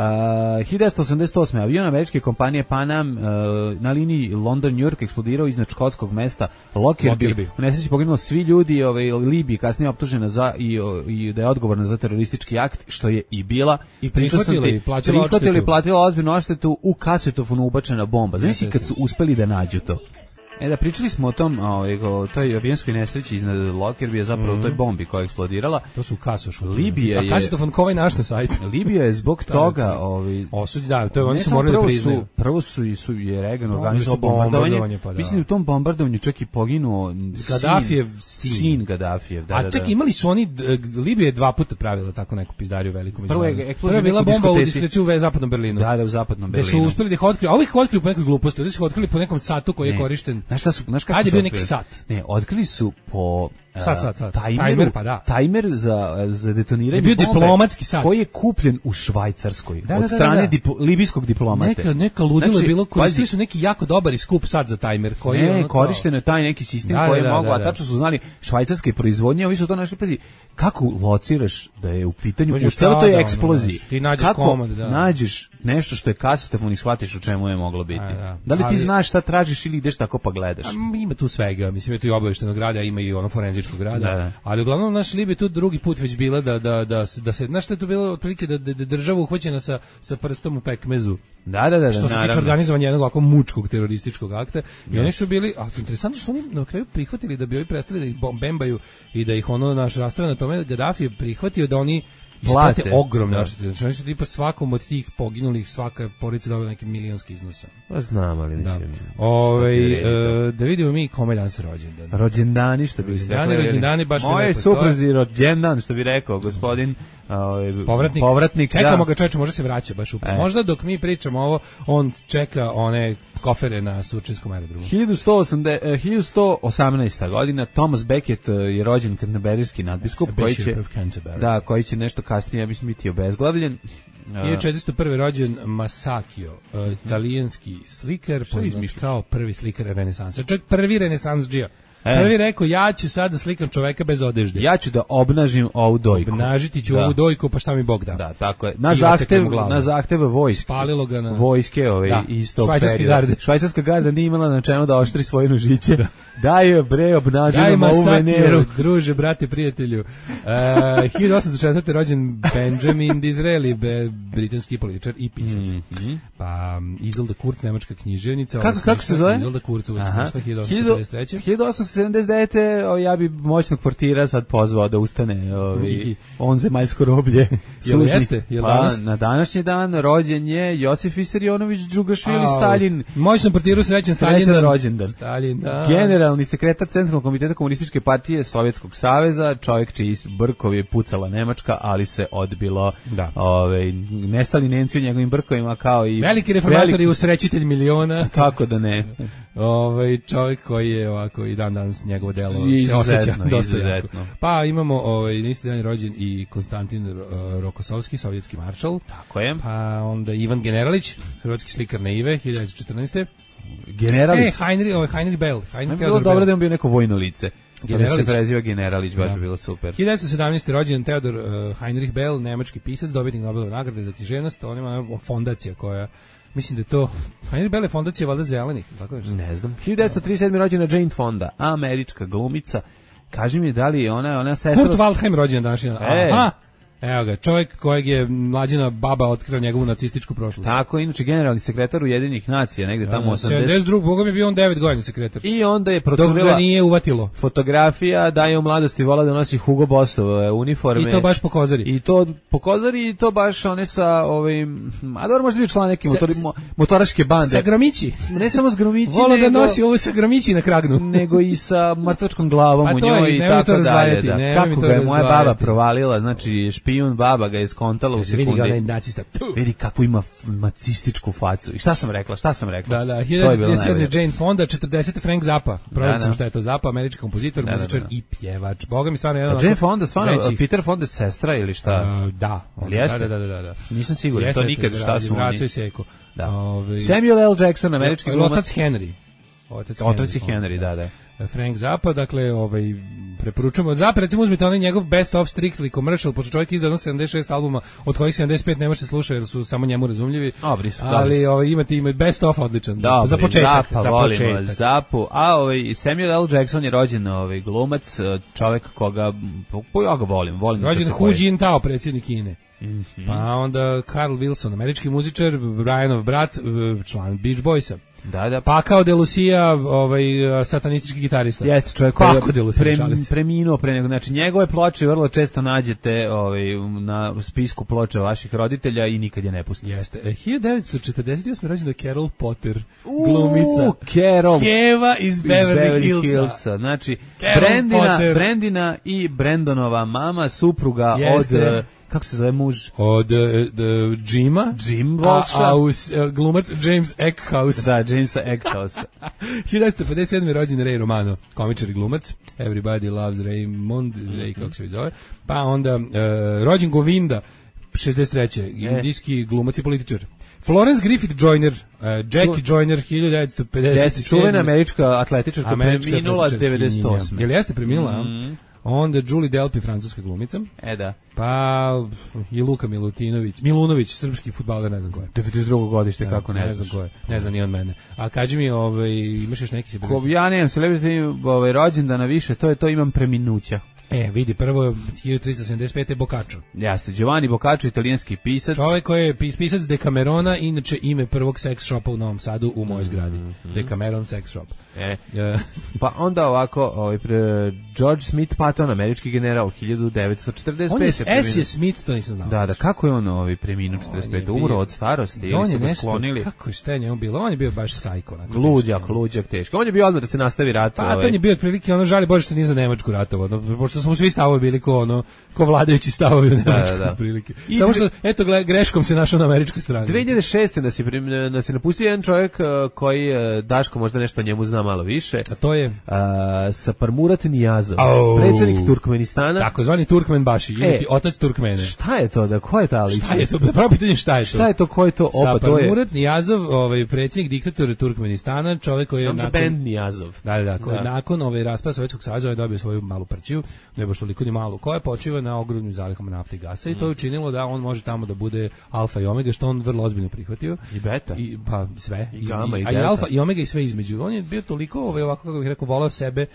hiljadu devetsto osamdeset osme avion američke kompanije Pan Am uh, na liniji London-New York eksplodirao iznad škotskog mesta Lockerbie. U nesreći poginulo svi ljudi, ovaj, Libiji kasnije optužena za i, i da je odgovorna za teroristički akt, što je i bila. I prihvatili, platila prihvatili, platila ozbiljnu odštetu, u kasetofonu ubačena bomba. Znači kad su uspeli da nađu to. E da, pričali smo o tom, o toj avijanskoj nesreći iznad Lockerbie, zapravo mm-hmm. toj bombi koja je eksplodirala. To su kasošu. Libija je... A kasetofon kovaj naš na sajtu. Libija je zbog toga... Ovi, Osudi, da, to je, oni su morali da priznaju. Su, prvo su i su je Reagan organizovao bombardovanje. Pa, da. Mislim da u tom bombardovanju čak i poginuo Gaddafijev sin. Sin Gaddafijev, da, A da, čak da. imali su oni, Libija je dva puta pravila tako neku pizdariju veliku. Prvo je, Prvo je bila bomba u diskoteci u zapadnom Berlinu. Da, da, u zapadnom Berlinu. Da su uspeli da ih otkriju, a ovih otkrili po nekoj gluposti, da su otkrili po nekom satu koji je korišten. Znaš šta su, znaš kako bio neki sat. Ne, otkrili su po Sat, sat, sat. Tajmeru, tajmer, pa da. Tajmer za, za detoniranje je bio bombe, diplomatski sat. koji je kupljen u Švajcarskoj da, od da, strane da, da. Diplo, libijskog diplomate. Neka, neka ludilo znači, je bilo, koristili su neki jako dobar i skup sat za tajmer. Koji ne, je ono korišteno je taj neki sistem da, koji je da, mogao, da, a da. tačno su znali švajcarske proizvodnje, ovi su to našli, pazi, kako lociraš da je u pitanju, u celoj toj eksploziji, ti nađeš kako komad, da. nađeš nešto što je kasetofon i shvatiš u čemu je moglo biti. A, da. Da li ti Ali, znaš šta tražiš ili ideš tako pa gledaš? A, ima tu svega, mislim, je tu i obaveštenog rada, ima i ono forenzičkog rada, da, da. ali uglavnom naš Libija tu drugi put već bila da, da, da, da se, znaš što je to bilo otprilike da, da, da država uhvaćena sa, sa prstom u pekmezu. Da, da, da, što se tiče organizovanja jednog ovako mučkog terorističkog akta. I yes. oni su bili, a interesantno su oni na kraju prihvatili da bi ovi prestali da ih bembaju i da ih ono naš rastrave na tome. Gaddafi je prihvatio da oni isplate ogromne odštete. Znači oni su tipa svakom od tih poginulih, svaka porodica dobila neke milionske iznose. Pa znam, ali mislim. Da, Ove, e, da vidimo mi kome dan se rođendan. Rođendani, što bi se rekli. Rođendani, baš Moje supruzi rođendan, što bi rekao gospodin ovaj povratnik. povratnik Čekamo da. ga, čoveče, može se vraća baš upravo. E. Možda dok mi pričamo ovo, on čeka one kofere na Surčinskom aerodromu. hiljadu sto osamnaesta godina Thomas Becket je rođen kanterberijski nadbiskup koji će da, koji će nešto kasnije, ja mislim, biti obezglavljen. hiljadu četiristo prve rođen Masakio, uh, italijanski slikar, poznat kao prvi slikar renesansa. Čovjek prvi renesansdžija. E. Prvi rekao, ja ću sad da slikam čoveka bez odežde. Ja ću da obnažim ovu dojku. Obnažiti ću da. ovu dojku, pa šta mi Bog da. Da, tako je. Na zahtev, na zahtev vojske. Spalilo ga na... Vojske, ove, da. isto Švajcarske garde. Švajcarska garda nije imala na čemu da oštri svoje nožiće. Da. Daj, bre, obnažimo ovu Veneru. Druže, brate, prijatelju. Uh, hiljadu osamsto četvrte rođen Benjamin Disraeli, be, britanski političar i pisac. Mm -hmm. Pa Isolde Kurz, nemačka književnica. Kako, kako se zove? Isolde Kurz, hiljadu osamsto pedeset treće hiljadu osamsto sedamdeset devete ja bi moćnog portira sad pozvao da ustane ovi, on zemaljsko roblje. Jel jeste? Jel pa, danas? Na današnji dan rođen je Josif Visarionović Džugašvili Stalin. Moćnom portiru srećan Stalin. Srećan rođendan. Stalin, da. Generalni sekretar Centralnog komiteta Komunističke partije Sovjetskog saveza, čovjek čiji brkov je pucala Nemačka, ali se odbilo. Da. Ove, nestali Nemci u njegovim brkovima kao i... Veliki reformator i usrećitelj miliona. Kako da ne? Ovaj čovjek koji je ovako i dan danas njegovo delo se osjeća dosta jako. Pa imamo ovaj na isti dan rođen i Konstantin uh, Rokosovski, sovjetski maršal. Tako je. Pa onda Ivan Generalić, hrvatski slikar naive, hiljadu devetsto četrnaeste Generalić. E, Heinrich, ovaj Heinrich Bell, Heinrich Bilo dobro da on bio neko vojno lice. Generalić se preziva Generalić, baš bi bilo super. hiljadu devetsto sedamnaeste rođen Theodor uh, Heinrich Bell, nemački pisac, dobitnik Nobelove nagrade za književnost, on ima fondacija koja mislim da je to, a je Bele fondacija valjda zelenih, tako nešto. Ne znam. hiljadu devetsto trideset sedme rođena Jane Fonda, američka glumica. Kaži mi da li je ona, ona sestra... Kurt Waldheim rođen današnji. E. Aha. Evo ga, čovjek kojeg je mlađina baba otkrila njegovu nacističku prošlost. Tako, inače generalni sekretar Ujedinjenih nacija, negde tamo osamdeset. sedamdeset drugog. Boga mi je bio on devet godina sekretar. I onda je Dok procurila ga nije uvatilo. fotografija da je u mladosti vola da nosi Hugo Bossove uniforme. I to baš po kozari. I to po kozari i to baš one sa ovim, a dobro možda bi član neke motori, mo, motoraške bande. Sa gromići. Ne samo s gromići, Vola nego, da nosi ovo sa gromići na kragnu. nego i sa mrtvačkom glavom pa u to njoj je, i tako dalje. Da. Kako ga je moja razdvajati. baba provalila, znači špijun baba ga je skontala u Vidi ga onaj sekundi. nacista. Vidi kakvu ima nacističku facu. I šta sam rekla, šta sam rekla? Da, da, To je hiljadu devetsto bilo trideset sedme. najbolje. Jane Fonda, četrdesete Frank Zappa. Provjerit Da, sam da. šta je to Zappa, američki kompozitor, Da, da, muzičar da. i pjevač. Boga mi stvarno jedan A Jane Fonda, stvarno, većih- Peter Fonda je sestra ili šta? Uh, da, Ali jeste? da, da, da, da, da. Nisam siguran, Jeste, to nikad šta su Braco oni. i Seko. Da. Ovaj, Samuel L. Jackson, američki Otac glumac. Henry. Otac Otac i Fonda. Henry, da, da. Frank Zappa, dakle, ovaj, preporučujemo od Zappa, recimo uzmite onaj njegov Best of Strictly Commercial, pošto čovjek izdao sedamdeset šest albuma, od kojih sedamdeset pet ne može se slušati jer su samo njemu razumljivi, Dobri su, ali dobri su. ovaj, imate ima Best of odličan, Dobri, za početak, Zappa, za volimo početak. Zappu. A ovaj, Samuel L. Jackson je rođen ovaj, glumac, čovjek koga, po, ja ga volim, volim. Rođen kad se Hu pojavi. Jintao, predsjednik Kine. Mhm. Pa onda Carl Wilson, američki muzičar, Brianov brat, član Beach Boysa. Da, da. Pa kao De Lucia, ovaj, satanistički gitarista. Jeste čovjek koji Kako De je Lucia, pre, šalim se. preminuo pre nego. Znači, njegove ploče vrlo često nađete ovaj, na spisku ploča vaših roditelja i nikad je ne pustite. Jeste. E, hiljadu devetsto četrdeset osme rođena Carol Potter, glumica. U, Carol. Keva iz Iz Beverly Hillsa. Znači, Carol Brandina, Potter. Brandina i Brandonova mama, supruga Jeste. od, eh, kako se zove muž? Od uh, Jima. Jim A, Walsha. a us, uh, glumac James Eckhouse. Da, Jamesa Egghouse. hiljadu devetsto pedeset sedme rođen Ray Romano, komičar i glumac. Everybody loves Raymond, Ray kako se zove. Pa onda uh, rođen Govinda, šezdeset treće indijski glumac i političar. Florence Griffith Joyner, uh, Jackie Joyner, hiljadu devetsto pedeset sedme. Jeste, čuvena američka atletičarka, Američka preminula atletičarkinja. devedeset osme. Jel jeste preminula? a? Mhm. Onda Julie Delpy, francuska glumica. E da. Pa i Luka Milutinović, Milunović, srpski fudbaler, ne znam ko je. devedeset drugo godište, kako ne, ne znam ko je. Ne znam ni on mene. A kaži mi, ovaj, imaš još neki se Ko, ja nemam celebrity ovaj, rođendana više, to je to, imam preminuća. E, vidi, prvo je hiljadu tristo sedamdeset pete Boccaccio. Jeste, Giovanni Boccaccio, italijanski pisac. Čovjek koji je pis- pisac Decamerona, inače ime prvog sex shopa u Novom Sadu u mojoj zgradi. Mm-hmm. Decameron sex shop. E. E, Pa onda ovako, ovaj, pre, George Smith Patton, američki general, hiljadu devetsto četrdeset pete. on je S preminuo. je Smith, to nisam znao. Da, da, kako je on ovaj, preminuo četrdeset pete? On je Umro bio- od starosti ili on su je ga nešto, sklonili? kako je šta je njemu bilo? On je bio baš sajko. onako, Luđak, nešto. luđak, teško. On je bio odmah da se nastavi rat. Pa ovaj. to on je bio otprilike ono žali Bože što nije za Nemačku ratovao, no, pošto smo svi stavovi bili ko ono ko vladajući stavovi u Nemačku da. otprilike. I Samo dve- što eto gle, greškom se našao na američkoj strani. dve hiljade šeste da se prim- da se napustio jedan čovjek uh, koji uh, Daško možda nešto o njemu zna malo više. A to je Uh, Saparmurat Niyazov, Au. predsjednik Turkmenistana. takozvani Turkmenbaši, ili E, ti otac Turkmene. Šta je to da ko je ta ličnost? Šta je to? Pravo pitanje šta je to? Šta je to, ko je to? Opa, to je Saparmurat Niyazov, ovaj predsjednik diktator Turkmenistana, čovjek koji je Sam za nakon band Niyazov. Da, da, da, koji Da. nakon ovaj raspada Sovjetskog saveza je dobio svoju malu prćiju, ne baš toliko ni malu, koja počiva na ogromnim zalihama nafte i gasa i to je učinilo da on može tamo da bude alfa i omega, što on vrlo ozbiljno prihvatio. I beta. I pa sve I gama, i a i delta. alfa i omega i sve između. On je bio toliko ovaj ovako kako bih rekao voleo sebe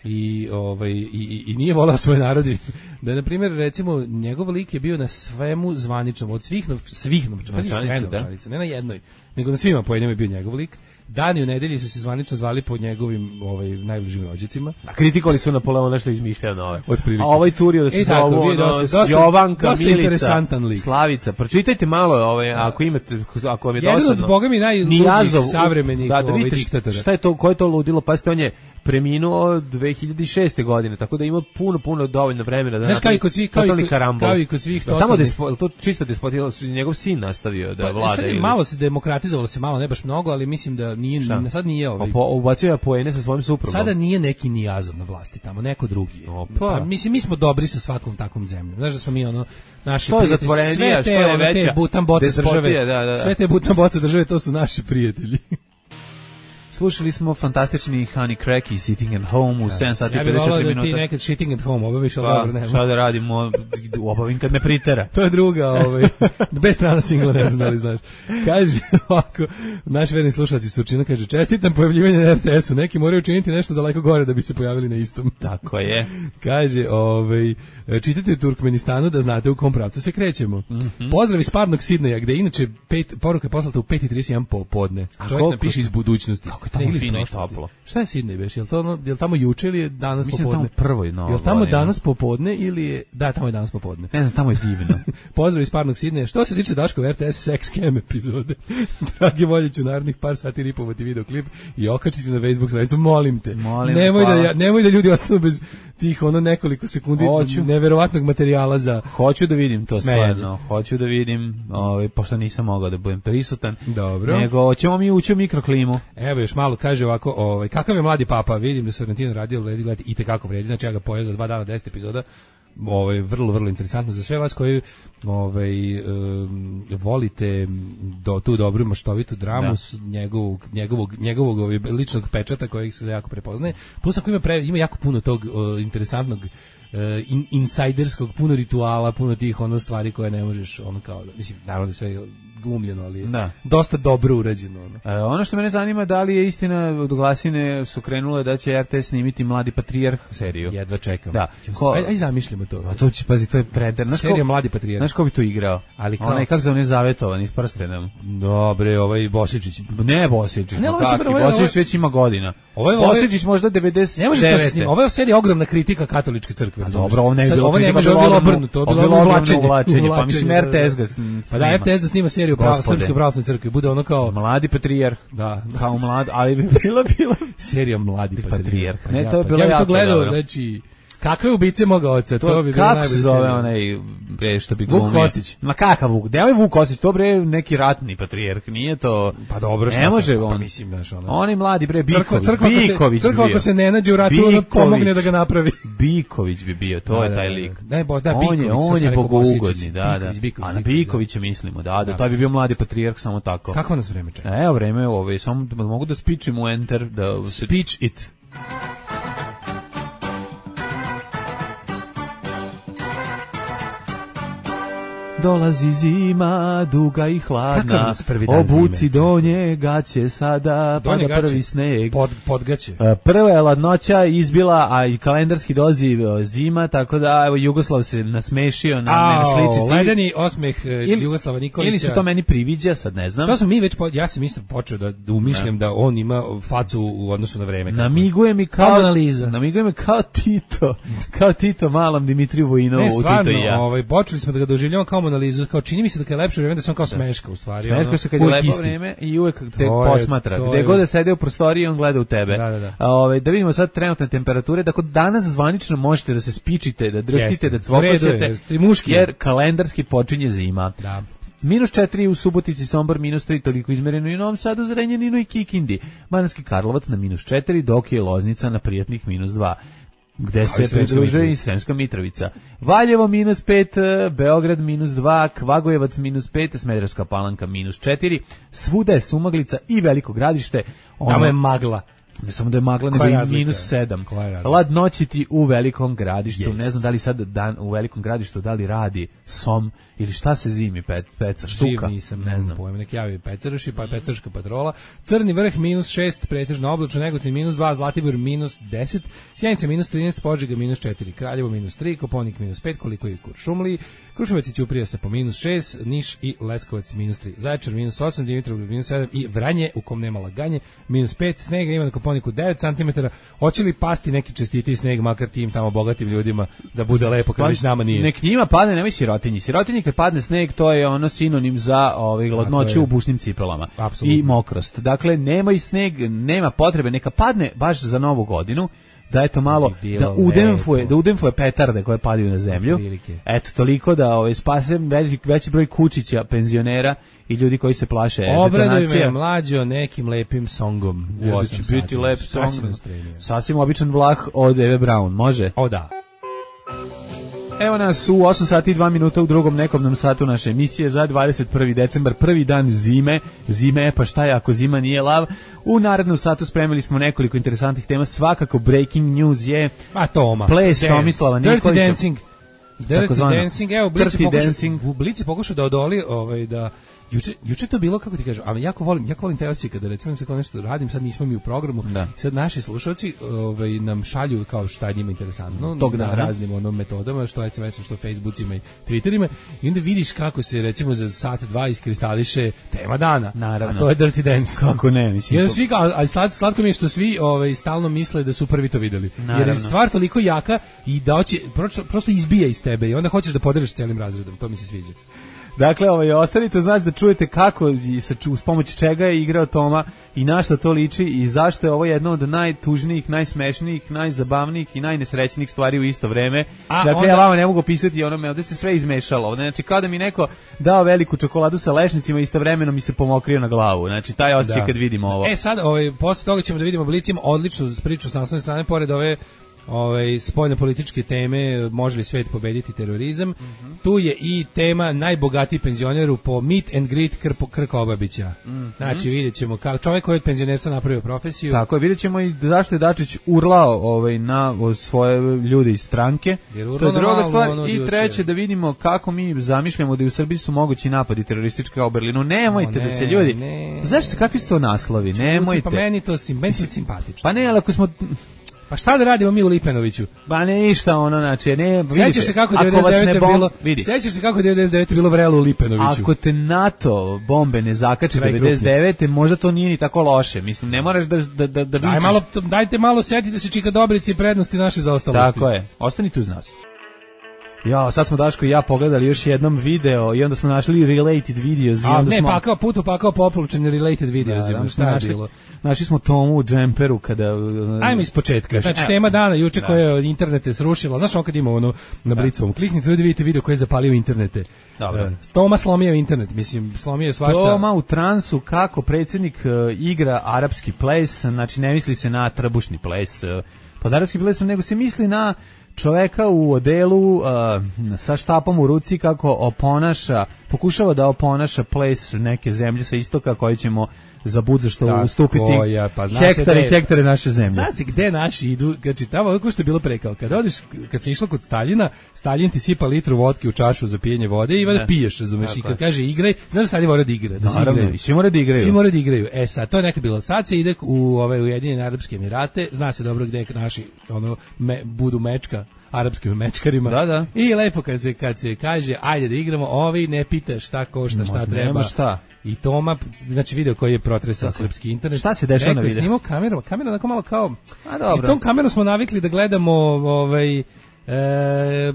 i ovaj i, i, i nije voleo svoj narod i da je, na primjer, recimo njegov lik je bio na svemu zvaničnom od svih nov, svih novčanica, pazi, sve Novčanice, da. novčanice, ne na jednoj, nego na svima po jednom je bio njegov lik. Dani u nedelji su se zvanično zvali po njegovim ovaj najbližim rođacima. A kritikovali su Napoleona što izmišljao nove. Otprilike. A ovaj turio da se I tako, zovu bio je ono, dosta- dosta- Jovanka, dosta Milica, interesantan lik. Slavica. Pročitajte malo, ovaj, ako imate, ako vam je Jedan dosadno. od boga mi najluđih Niyazov, savremenih da, da ovaj, vidite diktatora. šta je to, ko je to ludilo, pa ste on je preminuo dve hiljade šeste godine, tako da ima puno, puno dovoljno vremena da Znaš, kao i kod svih- kao i totalni kod- karambol. kao i kod svih Da, tamo totalnih- despo, to čisto despotilo, su njegov sin nastavio da Pa, vlada. sad je ili- malo se demokratizovalo se malo, ne baš mnogo, ali mislim da nije Šta? sad nije ovaj. Pa po, ubacio je poene sa svojim suprugom. Sada nije neki Niyazov na vlasti tamo, neko drugi je. Opa. Pa, mislim, mi smo dobri sa svakom takvom zemljom. Znaš da smo mi ono, naši Što je prijatelji, zatvorenija, sve te, što je ono, veća te butan boce despotija, države, da, da, da. sve te butan boce države, to su naši prijatelji. slušali smo fantastični Honey Crack i Sitting at Home u sedam sati i pedeset četiri minuta. Ja bih volao da ti nekad Sitting at Home obaviš, ali dobro, nema. Šta da radimo, obavim kad me pritera. To je druga, ovaj, bez strana singla, ne znam da li znaš. Kaže ovako, naš verni slušalci Surčina kaže, čestitam pojavljivanje na er te esu, neki moraju učiniti nešto daleko gore da bi se pojavili na istom. Tako je. Kaže, ovaj, čitate u Turkmenistanu da znate u kom pravcu se krećemo. Mm-hmm. Pozdrav iz parnog Sidneja, gde inače pet, poruka je poslata u pet i trideset jedan popodne. Čovjek napiše iz budućnosti. Kako je tamo fino i toplo. Šta je Sidnej beš? Je li to je li tamo juče ili je danas Mislim popodne? Mislim tamo prvoj novo. Je li tamo godina. Danas popodne ili je... Da, tamo je danas popodne. Ne znam, tamo je divno. Pozdrav iz parnog Sidneja. Što se tiče Daškove er te es Sex Cam epizode, dragi volje ću narednih par sati ripovati videoklip i okačiti na Facebook stranicu. Molim te. Molim, nemoj, da ja, nemoj da ljudi ostanu bez tih ono nekoliko sekundi Hoću. neverovatnog materijala za... Hoću da vidim to smejanje. Stvarno. Hoću da vidim, ovaj, pošto nisam mogao da budem prisutan. Dobro. Nego, ćemo mi ući u mikroklimu. Evo još malo kaže ovako, ovaj, kakav je mladi papa, vidim da se Sorrentino radio, Lady Glad i tekako vredi, znači ja ga pojeo za dva dana, deset epizoda, ovaj, vrlo, vrlo interesantno za sve vas koji ovaj, um, volite do, tu dobru maštovitu dramu da. s njegovog, njegovog, njegovog ovaj, ličnog pečata kojeg se jako prepoznaje, plus ako ima, pre, ima jako puno tog uh, interesantnog in, insajderskog, puno rituala, puno tih ono stvari koje ne možeš ono kao, mislim, naravno da sve glumljeno, ali da. dosta dobro urađeno. Ono. E, ono što mene zanima, da li je istina, od glasine su krenule da će er te es snimiti Mladi patrijarh seriju. Jedva čekam. Da. Ko, aj, aj zamišljamo to. A to će, pazi, to je preder. Serija Mladi patrijarh. Znaš ko bi to igrao? Ali kao... Onaj, kako se on je zavetovan, iz prstenom. Dobre, ovaj Bosičić. Ne Bosičić, ne, kakvi, ovaj, Bosičić već ima godina. Ovaj, Bosičić možda devedeset devet. Ne može to snimati. Ovo je serija ogromna kritika katoličke crkve. Dobro, ovo ne bi bilo. Ovo ne može bilo obrnuto, to je bilo uvlačenje. Pa mislim er te es ga snima. Pa da, er te es da snima seriju srpske pravoslavne crkve, bude ono kao Mladi patrijarh. Da, kao mlad, ali bi bila bila serija Mladi patrijarh. Ne, to je bilo jako. Ja bih to gledao, znači kakve ubice moga oca, to, to bi bilo najbolje. Kako se zove onaj bre što bi glumio? Vuk Kostić. Ma kakav Vuk? Da je Vuk Kostić, to bre neki ratni patrijarh, nije to. Pa dobro, ne može on. Pa mislim znaš ono. Oni mladi bre Biković, crkva, Biković. Crkva ako se ne nađe u ratu, onda pomogne da ga napravi. Biković bi bio, to je taj lik. Ne, boš da Biković. On je bogougodni, da, da. A na Bikovića da. mislimo, da, da, to bi bio mladi patrijarh samo tako. Kako nas vreme čeka? Evo vreme, ovaj samo mogu da spičim u enter da speech it. Dolazi zima, duga i hladna, obuci donje gaće sada, pada prvi sneg. Pod, podgaće. Prva je ladnoća izbila, a i kalendarski dolazi zima, tako da evo Jugoslav se nasmešio na mene sličici. Ledeni osmeh ili, Jugoslava Nikolića. Ili se to meni priviđa, sad ne znam. To sam mi već, po, ja sam isto počeo da, da umišljam da. da on ima facu u odnosu na vreme. Namiguje mi kao, analiza. Namiguje mi kao Tito, kao Tito malom Dimitriju Vojinovu u Tito i ja. Ovaj, počeli smo da ga doživljamo kao analizu, kao čini mi se da kad je lepše vreme da se on kao smeška u stvari. Smeška se kad je lepo vreme i uvek te posmatra. Gde god da sede u prostoriji on gleda u tebe. Da, da, da. A, ove, da vidimo sad trenutne temperature, dakle danas zvanično možete da se spičite, da drhtite, da cvokoćete, jer kalendarski počinje zima. Da. Minus četiri u Subotici, Sombor, minus tri, toliko izmereno i u Novom Sadu, Zrenjaninu i Kikindi. Banatski Karlovac na minus četiri, dok je Loznica na prijatnih minus dva. Gde se pridružuje i Sremska Mitrovica. Valjevo minus pet, Beograd minus dva, Kvagojevac minus pet, Smederevska Palanka minus četiri, svuda je sumaglica i Veliko Gradište. Tamo je magla. Ne samo da je magla, nego i minus sedam. Ladnoći ti u Velikom Gradištu. Yes. Ne znam da li sad dan u Velikom Gradištu da li radi som ili šta se zimi, pet, peca, štuka. Živ nisam, ne znam. Pojem, nek javi Pecarši, pa Pecarška patrola. Crni vrh minus šest, pretežno oblačno, Negotin minus dva, Zlatibor minus deset, Sjenica minus trinaest, Požega minus četiri, Kraljevo minus tri, Koponik minus pet, koliko je Kuršumliji, Kruševac i Ćuprija se po minus šest, Niš i Leskovac minus tri, Zaječar minus osam, Dimitrovgrad minus sedam i Vranje, u kom nema laganje, minus pet, snega ima na Koponiku devet centimetara. Hoće li pasti neki čestiti sneg, makar tim tamo bogatim ljudima, da bude lepo kad već nama nije? Nek njima padne, nemoj sirotinji. Sirotinji kad padne sneg, to je ono sinonim za ovaj hladnoću u bušnim cipelama. Absolutno. I mokrost. Dakle, nema i sneg, nema potrebe, neka padne baš za Novu godinu. Da eto malo da udemfuje, da udemfuje petarde koje padaju na zemlju. Eto toliko da ovaj spase veći, veći broj kučića penzionera i ljudi koji se plaše detonacija. Obraduj me mlađo nekim lepim songom u osam sati. Biti lep song. Sasvim običan vlah od Eve Braun, može? O da. Evo nas u osam sati i dva minuta u drugom nekobnom satu naše emisije za dvadeset prvi decembar, prvi dan zime. Zime, pa šta je ako zima nije lav? U narednom satu spremili smo nekoliko interesantnih tema, svakako breaking news je a Toma. Ples Tomislava Nikolića. Dirty Dancing. Dirty Dancing, evo, u Blici pokušao da odoli, ovaj, da Juče, juče to bilo, kako ti kažem, a jako volim, jako volim te osjećaje kada recimo se kao nešto radim, sad nismo mi u programu, da. Sad naši slušalci ovaj, nam šalju kao šta je njima interesantno, tog na raznim onom metodama, što es em es-om, što Facebookima i Twitterima, i onda vidiš kako se recimo za sat, dva iskristališe tema dana, naravno. A to je Dirty Dance. Kako ne, mislim. Jer svi, ali slatko, slatko mi je što svi ovaj, stalno misle da su prvi to videli. Naravno. Jer je stvar toliko jaka i da hoće, prosto izbija iz tebe i onda hoćeš da podeliš celim razredom, to mi se sviđa. Dakle, ovaj, ostanite uz nas da čujete kako i sa, uz pomoć čega je igrao Toma i na što to liči i zašto je ovo jedno od najtužnijih, najsmešnijih, najzabavnijih i najnesrećnijih stvari u isto vreme. A, dakle, onda... ja vama ne mogu opisati onome, ovdje se sve izmešalo. Ovdje, znači, kao da mi neko dao veliku čokoladu sa lešnicima i istovremeno mi se pomokrio na glavu. Znači, taj osjećaj kad vidimo ovo. E, sad, ovaj, posle toga ćemo da vidimo Blicim odličnu priču s naslovne strane, pored ove Ove, spoljne političke teme, može li svet pobediti terorizam. Mm-hmm. Tu je i tema najbogatiji penzioneru po meet and greet Krpo, Krka Obabića. Mm-hmm. Znači vidjet ćemo kao čovjek koji je od penzionerstva napravio profesiju. Tako je, vidjet ćemo i zašto je Dačić urlao ovaj, na svoje ljude iz stranke. To je druga stvar. I treće, da vidimo kako mi zamišljamo da u Srbiji su mogući napadi teroristički kao u Berlinu. Nemojte o, ne, da se ljudi... Ne, zašto, kakvi su to naslovi? Nemojte. Pa meni to sim, meni to simpatično. Pa ne, ali ako smo... Pa šta da radimo mi u Lipenoviću? Ba ništa ono, znači, ne, vidite. Sećaš se kako devedeset devete bom... bilo, vidi. Sećaš se kako devedeset devete bilo vrelo u Lipenoviću? Ako te NATO bombe ne zakače devedeset devete, možda to nije ni tako loše. Mislim, ne moraš da da da da Daj malo, dajte malo setite se Čika Dobrici i prednosti naše zaostalosti. Tako je. Ostanite uz nas. Ja, sad smo Daško i ja pogledali još jednom video i onda smo našli related videos. I A onda ne, smo... pakao putu, pakao poplučeni related videos. Da, da, šta je bilo? Našli smo Tomu u džemperu kada... Ajmo iz početka. Znači, tema dana juče da. Koja je internete srušila. Znaš on kad ima ono na Blicovom. Kliknite da vidite video koji je zapalio internete. Dobro. Uh, Toma slomio internet. Mislim, slomio svašta. Toma u transu kako predsjednik uh, igra arapski ples. Znači, ne misli se na trbušni ples. Uh, pod arapski plesom, nego se misli na... čoveka u odelu uh, sa štapom u ruci kako oponaša, pokušava da oponaša ples neke zemlje sa istoka koje ćemo za budza što tako ustupiti ja, pa hektare i hektare naše zemlje. Zna se gde naši idu, znači tamo kako što je bilo prekao, kad odeš, kad se išlo kod Staljina, Staljin ti sipa litru vodke u čašu za pijenje vode i vada piješ, razumeš, i kad kaže igraj, znaš da Staljin mora da igra, da se igraju. Svi mora da igraju. Svi mora da igraju. E sad, to je nekad bilo. Sad se ide u ove Ujedinjene Arapske Emirate, zna se dobro gde naši ono, me, budu mečka arapskim mečkarima. Da, da. I lepo kad se, kad se kaže, ajde da igramo, ovi ne pita šta košta, šta treba. Nema šta. I Toma, znači video koji je protresao srpski internet. Šta se dešava na videu? Snimao kamerom, kamera onako malo kao... A dobro. S tom kamerom smo navikli da gledamo ovaj... E,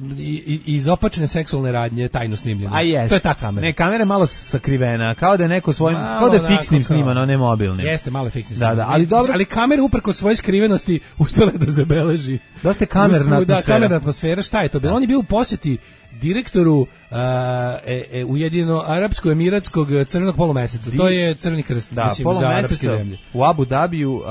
iz opačne seksualne radnje tajno snimljene. A jest. To je ta kamera. Ne, kamera je malo sakrivena, kao da je neko svojim, malo kao da je fiksnim snimano, ne mobilnim. Jeste, malo fiksnim da, da, ali dobro. Ali kamera uprko svoje skrivenosti uspela da zabeleži. Dosta kamerna atmosfera. Da, kamerna atmosfera, šta je to bilo? On je bio u posjeti direktoru uh, e, e, Ujedinjeno Arapsko Emiratskog crvenog polumeseca. To je Crveni krst, da, mislim, za arapske zemlje. U Abu Dabiju uh,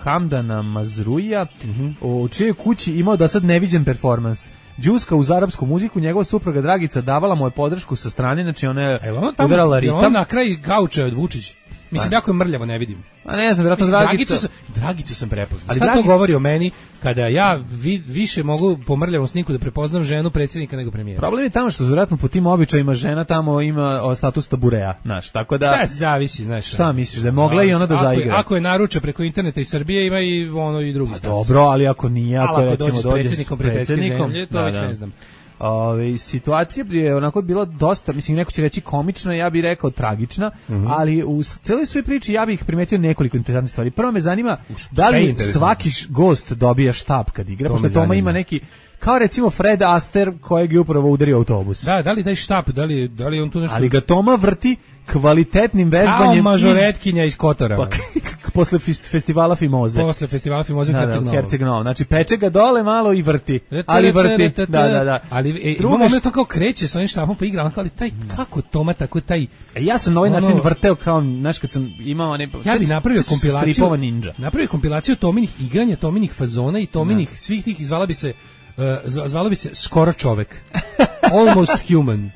Hamdana Mazruija, mm-hmm. u čijoj kući imao da sad neviđen performans. Đuska uz arapsku muziku, njegova supruga Dragica davala mu je podršku sa strane, znači ona je udarala ritam. Je on na kraj gauča od Vučić. Mislim, jako je mrljavo, ne vidim. A ne znam, vjerojatno Dragicu... Dragicu, Dragicu sam prepoznao. Ali šta Dragi... to govori o meni kada ja vi, više mogu po mrljavom sniku da prepoznam ženu predsjednika nego premijera? Problem je tamo što vjerojatno po tim običajima žena tamo ima status tabureja, znaš, tako da... Da, zavisi, znaš. Šta misliš, da je mogla i ona da zaigra? Ako, ako je naruča preko interneta i Srbije, ima i ono i drugi status. Dobro, ali ako nije, ako, ali ako recimo dođe s predsjednikom prijateljske zemlje, to da, već da. ne znam. Ove, situacija je onako bila dosta, mislim, neko će reći komična, ja bih rekao tragična, mm-hmm. ali u celoj svoj priči ja bih primetio nekoliko interesantnih stvari. Prvo me zanima da li svaki gost dobija štab kad igra, pošto Toma ima neki, kao recimo Fred Astaire kojeg je upravo udario autobus. Da, da li daj štab, da li, da li on tu nešto... Ali ga Toma vrti kvalitetnim vežbanjem. Kao mažoretkinja iz, iz Kotora. Pa, posle festivala Fimoze. Posle festivala Fimoze u Herceg Novom. Herceg Novom. Znači peče ga dole malo i vrti. Ali vrti. Da, da, da. Ali e, drugo što to kao kreće sa onim štapom pa igra, ali taj kako Toma tako taj. Ja sam na ovaj način vrteo kao, znaš, kad sam imao ne. Ja bih napravio kompilaciju Napravio kompilaciju Tominih igranja, Tominih fazona i Tominih svih tih, izvala bi se zvalo bi se skoro čovek. Almost human.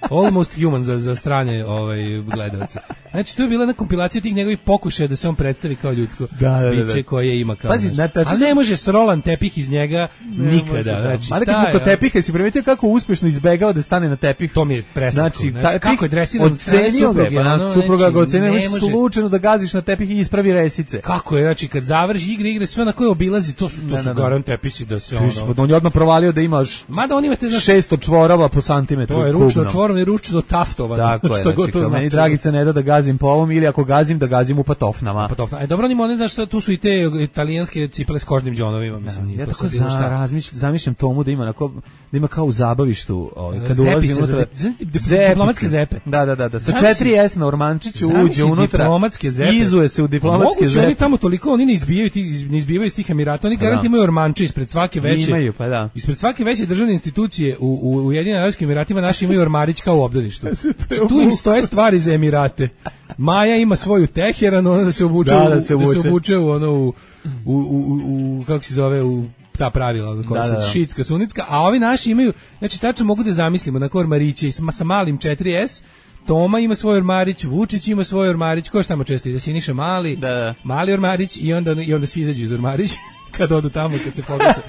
Almost human za, za strane ovaj, gledalce. Znači, to je bila jedna kompilacija tih njegovih pokušaja da se on predstavi kao ljudsko da, da, da, biće da. koje ima kao Pazi, naš. Ali ne može srolan tepih iz njega ne nikada. Može, znači, ali kad smo kod tepiha, si primetio kako uspešno izbegao da stane na tepih? To mi je prestavko. Znači, znači kako je dresiran od supruge, pa na supruga ga ocenio, ne može slučajno da gaziš na tepih i ispravi resice. Kako je, znači, kad završi igre, igre, sve na koje obilazi, to su, to su garant tepisi da se ono... On je odmah provalio da imaš Mada on imate, znači, šesto čvorova po santimetru. To je ručno čvorom i ručno taftovano. Tako je, znači, kao meni Dragica ne da da gazim po ovom, ili ako gazim, da gazim u patofnama. Patofna. E, dobro, oni oni, znaš, tu su i te italijanske cipele s kožnim džonovima, mislim. Ja tako zamišljam Tomu da ima, na ko, da ima kao u zabavištu, ovaj, kad ulazi unutra. Diplomatske zepe. Da, da, da, da. Sa četiri es na ormančiću uđe unutra. Diplomatske zepe. Izuje se u diplomatske zepe. Oni tamo toliko, oni ne izbijaju, ne izbijaju iz tih Emirata, oni garanti imaju ormanče ispred svake veće. Imaju, pa da. Ispred svake veće državne institucije u u Ujedinjenim Arapskim Emiratima naši imaju ormarić kao u obdaništu. Tu im stoje stvari za Emirate. Maja ima svoju Teheran, ona da se obuče, da, da se, da se obuče u ono u, u, u, u kako se zove, u ta pravila, koja su šitska, sunitska, a ovi naši imaju, znači tačno mogu da zamislimo na ormariće sa, sa malim četiri es, Toma ima svoj ormarić, Vučić ima svoj ormarić, ko je tamo često ide, Siniša Mali, da, da. Mali ormarić i onda, i onda svi izađu iz ormarića kad odu tamo, kad se pogase,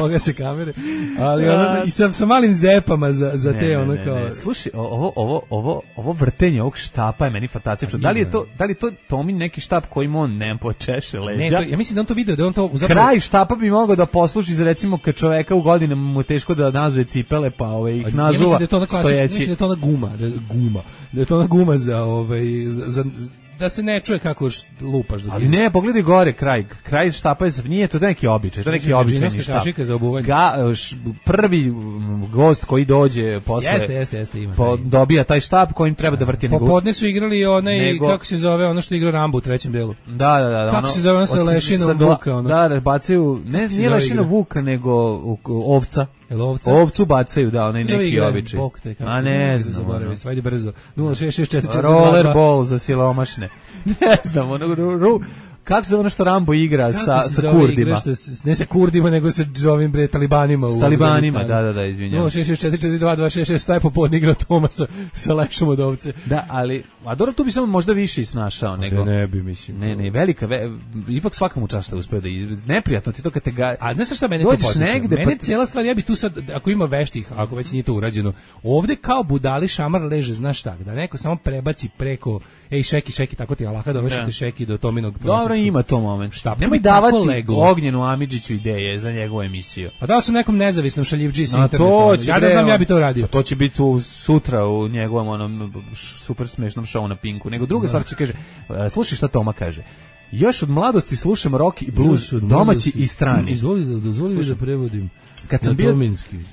pogase kamere, ali ono, i sa, sa malim zepama za, za ne, te ono ne, kao... Ne. Slušaj, ovo, ovo, ovo, ovo vrtenje ovog štapa je meni fantastično. Da li je to, da li je to Tomin neki štap kojim on ne počeše leđa? Ne, to, ja mislim da on to video, da on to... Zapravo... Kraj štapa bi mogao da posluži za, recimo, kad čoveka u godinama mu teško da nazuje cipele, pa ove, ih nazuva ja mislim da je to ona klasič, mislim da je to ona guma, da je guma, da je to ona guma za, ovaj, za, za da se ne čuje kako lupaš. Da ali ne, pogledaj gore, kraj, kraj štapa je, nije to neki običaj, to neki običajni štap. Za Ga, š, prvi gost koji dođe posle, jeste, jeste, jeste, ima, po, dobija taj štap kojim treba da vrti. Popodne su igrali onaj, nego, kako se zove, ono što igra Rambo u trećem delu. Da, da, da. Kako ono, se zove, ono sa lešinom Vuka. Ono. Da, da, bacaju, ne, nije lešina Vuka, nego ovca. Ovca? Ovcu bacaju, da, onaj neki običaj. A ne znam, ajde brzo. nula šest šest četiri četiri rollerball za silomašne. Ne znam, ono, ru, kako se ono što Rambo igra sa, sa Kurdima? Što, ne sa Kurdima, nego sa ovim bre talibanima. S talibanima, da, da, da, izvinjam. nula šest šest četiri četiri dva dva šest šest, staje popodne igra Toma sa, sa lešom od ovce. Da, ali, a dobro, tu bi samo možda više snašao. Nego, ne, ne bi, mislim. Ne, ne, velika, ve, ipak svakamu čast da uspeo da iz... neprijatno ti to kad te ga... A znaš šta mene to podsjeća? Mene pa... cijela stvar, ja bi tu sad, ako ima veštih, ako već nije to urađeno, ovde kao budali šamar leže, znaš šta, da neko samo prebaci preko, ej, šeki, šeki, tako ti Allaha dovećete šeki do Tominog prosječka. Dobro, ima to moment. Šta? Nemoj davati Ognjenu Amidžiću ideje za njegovu emisiju. A dao sam nekom nezavisnom šaljivdži sa interneta. Ja da znam, ja bi to radio. To će biti u, sutra u njegovom onom super smešnom šovu na Pinku. Nego druga stvar će kaže, slušaj šta Toma kaže. Još od mladosti slušam rock i blues, domaći i strani. Izvoli da, dozvoli da prevodim. Kad sam bio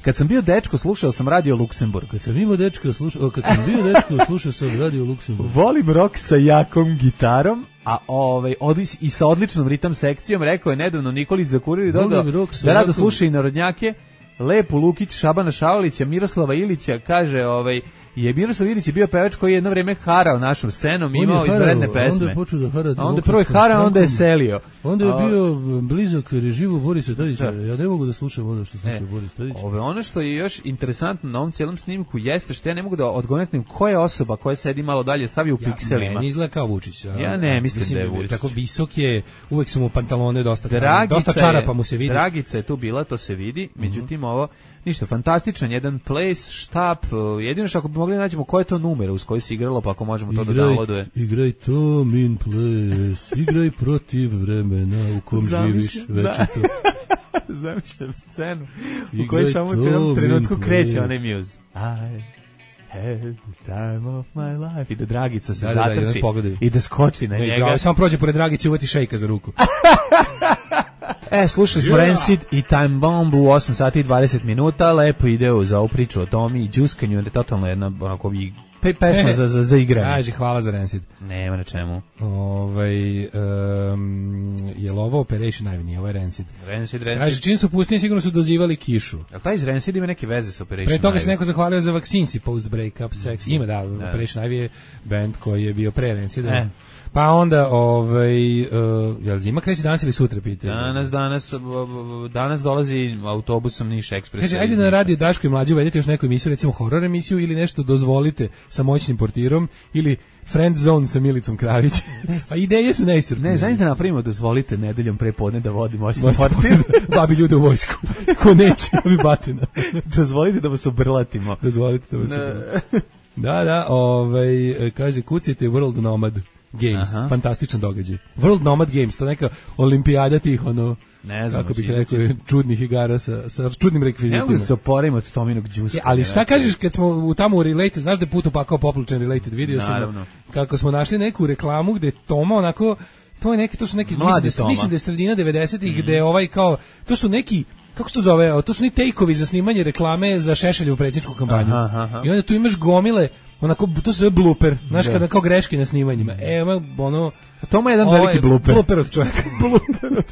kad sam bio dečko slušao sam Radio Luksemburg. Kad sam imao dečko slušao, kad sam bio dečko slušao sam Radio Luksemburg. Volim rock sa jakom gitarom, a ovaj odlis i sa odličnom ritam sekcijom, rekao je nedavno Nikolić Zakurili dodao da rado sluša i narodnjake, Lepu Lukić, Šabana Šaulića, Miroslava Ilića, kaže ovaj je Miroslav Ilić je bio pevač koji je jedno vrijeme harao našom scenom, imao izvredne pesme. Onda je počeo da hara. Onda prvo je harao, onda je selio. Onda je bio blizak režimu Borisa Tadića. Ja ne mogu da slušam ono što sluša Boris Tadić. Ove, ono što je još interesantno na ovom cijelom snimku jeste što ja ne mogu da odgonetnem koja je osoba koja sedi malo dalje, sav je u ja, pikselima. Meni izgleda kao Vučić. Ja, ja ne mislim, mislim da je Vučić. Tako visok je, uvek su mu pantalone dosta, Dragica dosta čarapa mu se vidi. Dragica je tu bila, to se vidi. Međutim, mm-hmm. ovo ništa, fantastičan, jedan place, štap, jedino što ako bi mogli nađemo koje je to numer uz koji se igralo, pa ako možemo to igraj, da downloaduje. Igraj Tomin place, igraj protiv vremena u kom živiš, već je to. Zamišljam scenu u kojoj samo u jednom trenutku kreće onaj muse. I had the time of my life. I da Dragica se da, zatrči da, da, i da skoči na ne, njega. Da, samo prođe pored Dragice i uvati šejka za ruku. E, slušali smo yeah. Rancid i Time Bomb u osam sati i dvadeset minuta, lepo ide za ovu priču o Tomi i džuskanju, je totalno jedna onako vi pe, pesma e, za, za, za igranje. Kaži, hvala za Rancid. Nema na čemu. Ovaj, um, je li ovo Operation Ivy, nije ovo je Rancid. Rancid, Rancid. Kaži, čim su pustili, sigurno su dozivali kišu. Jel taj iz Rancid ima neke veze sa Operation Ivy? Pre toga se neko zahvalio za Vaksinci, Post Breakup Sex. Ima, da, da. Operation Ivy je band koji je bio pre Rancida. E. Pa onda, ovaj, uh, jel zima kreće danas ili sutra, pitaju? Danas, danas, danas dolazi autobusom Niš Ekspres. Kaže, ajde na radio Daško i Mlađe uvedete još neku emisiju, recimo horor emisiju ili nešto dozvolite sa moćnim portirom ili Friend Zone sa Milicom Kravić. A ideje su neiscrpne. Ne, zajedno napravimo, dozvolite nedeljom prepodne da vodi moćni portir. Babi ljude u vojsku. Ko neće, babi batina. Dozvolite da vas obrlatimo. Dozvolite da vas obrlatimo. Da, da, ovaj, kaže, kucite World Nomad Games, aha, fantastičan događaj. World Nomad Games, to neka olimpijada tih, ono, ne znam, kako bih rekao, čudnih igara sa, sa čudnim rekvizitima. Ne se oporavimo od Tominog džuska. Ali šta kažeš kad smo u tamo u Related, znaš da je put upakao poplučen Related, vidio naravno sam kako smo našli neku reklamu gde Toma onako, to je neki, to su neki, mislim da, mislim da je sredina devedesetih, mm, gde je ovaj kao, to su neki, kako se to zove, to su ni take-ovi za snimanje reklame za Šešeljevu predsjedničku kampanju. Aha, aha. I onda tu imaš gomile, onako, to se zove blooper, znaš, kada kao greške na snimanjima. E, ono... Toma je jedan ovaj, veliki blooper. Blooper od čovjeka. Blooper.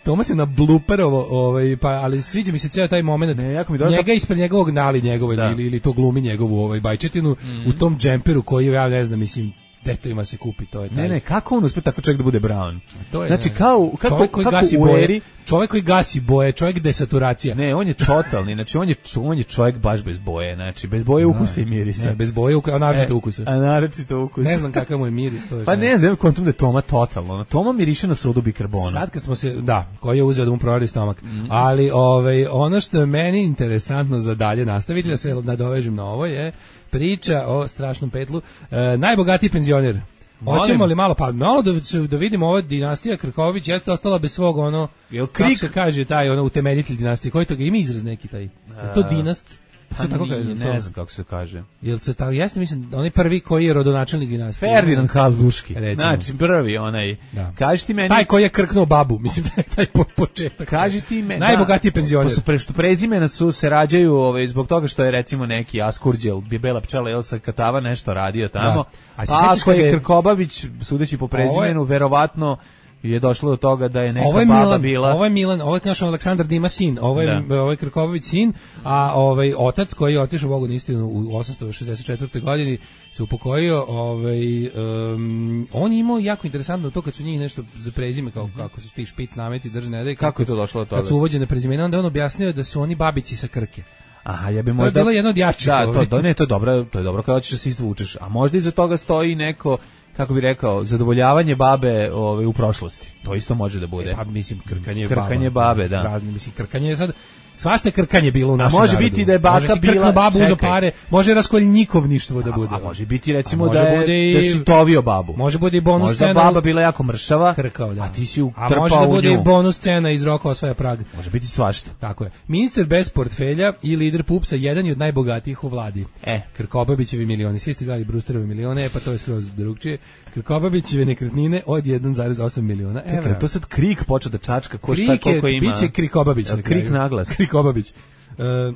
Toma se na blooperovo, ovaj, pa, ali sviđa mi se cijel taj moment. Ne, jako mi njega to... ispred njegovog nali njegovoj, ili, ili to glumi njegovu ovaj, bajčetinu, mm-hmm, u tom džemperu koji, ja ne znam, mislim, detovima se kupi, to je taj. Ne, ne, kako on uspe tako čovjek da bude Brown? To je, znači, kao, kako, čovjek koji kako gasi u boje, eri... čovjek koji gasi boje, čovjek desaturacija. Ne, on je totalni, znači, on je, on je čovjek baš bez boje, znači, bez boje ukusa i mirisa. Ne, bez boje, a naročito e, ukusa. A naročito ukusa. Ne znam kakav mu je miris. To je pa ne znam, kontum da je Toma totalno. Toma miriše na sodu bikarbona. Sad kad smo se, da, koji je uzeo da mu provali stomak. Mm-hmm. Ali, ovaj, ono što je meni interesantno za dalje nastaviti, da se nadovežem na ovo, je priča o strašnom petlu. E, najbogatiji penzioner. Hoćemo li malo, pa malo da, da vidimo ova dinastija Krković jeste ostala bez svog ono, Jel kako se kaže taj ono utemeljitelj dinastije, koji to ga ima izraz neki taj, je to dinast? Pa tako kaže, ne to? Znam kako se kaže. Jel se tako, jeste mislim, onaj prvi koji je rodonačelnik dinastije. Ferdinand Habsburški. Znači, prvi onaj. Da. Kaži ti meni. Taj koji je krknuo babu, mislim taj, taj po, početak. Kaži ti meni. Najbogatiji penzioner. Pa pre što prezimena su se rađaju ovaj, zbog toga što je recimo neki Askurđel, Bibela pčela Elsa Katava nešto radio tamo. Da. A, a ako je Krkobabić, sudeći po prezimenu, je... verovatno je došlo do toga da je neka ovo je baba Milan, bila. Ovo je Milan, ovo je naš Aleksandar Dima sin, ovo je, da. Ovo je Krkobabić sin, a ovaj otac koji je otišao Bogu na istinu u osamsto šezdeset četvrtoj godini se upokojio, ovaj, um, on je imao jako interesantno to kad su njih nešto za prezime, kao, kako su ti špit nameti držne rede. Kako je to došlo do toga? Kad su uvođene prezimena, onda on objasnio da su oni babići sa Krke. Aha, ja bi možda... To je bilo jedno od jačih. Da, to, to, ne, to je dobro, to je dobro kada ćeš da se izvučeš. A možda iza toga stoji neko, kako bi rekao, zadovoljavanje babe ove, u prošlosti. To isto može da bude. E, pa mislim, krkanje, krkanje baba, babe, da. Razne, mislim, krkanje je sad... Svašta krkanje bilo u našem narodu. A može narodu. biti da je baka može bila... babu za pare, može raskoljnikovništvo da bude. A, a može biti recimo da je, i, da si tovio babu. Može bude i bonus možda scena. Možda baba bila jako mršava, krkao, da. A ti si utrpao u nju. A može da bude i bonus scena iz Roka osvaja Prag. Može biti svašta. Tako je. Ministar bez portfelja i lider Pupsa, jedan je od najbogatijih u vladi. E. Krkobabićevi milioni. Svi ste gledali Brusterove milione, pa to je skroz drugčije. Krkobabićeve nekretnine od jedan zarez osam miliona evra. Čekaj, to sad Krik počeo da čačka, ko šta koliko ima. Biće Krikobabić. Krik naglas. Krikobabić. Uh,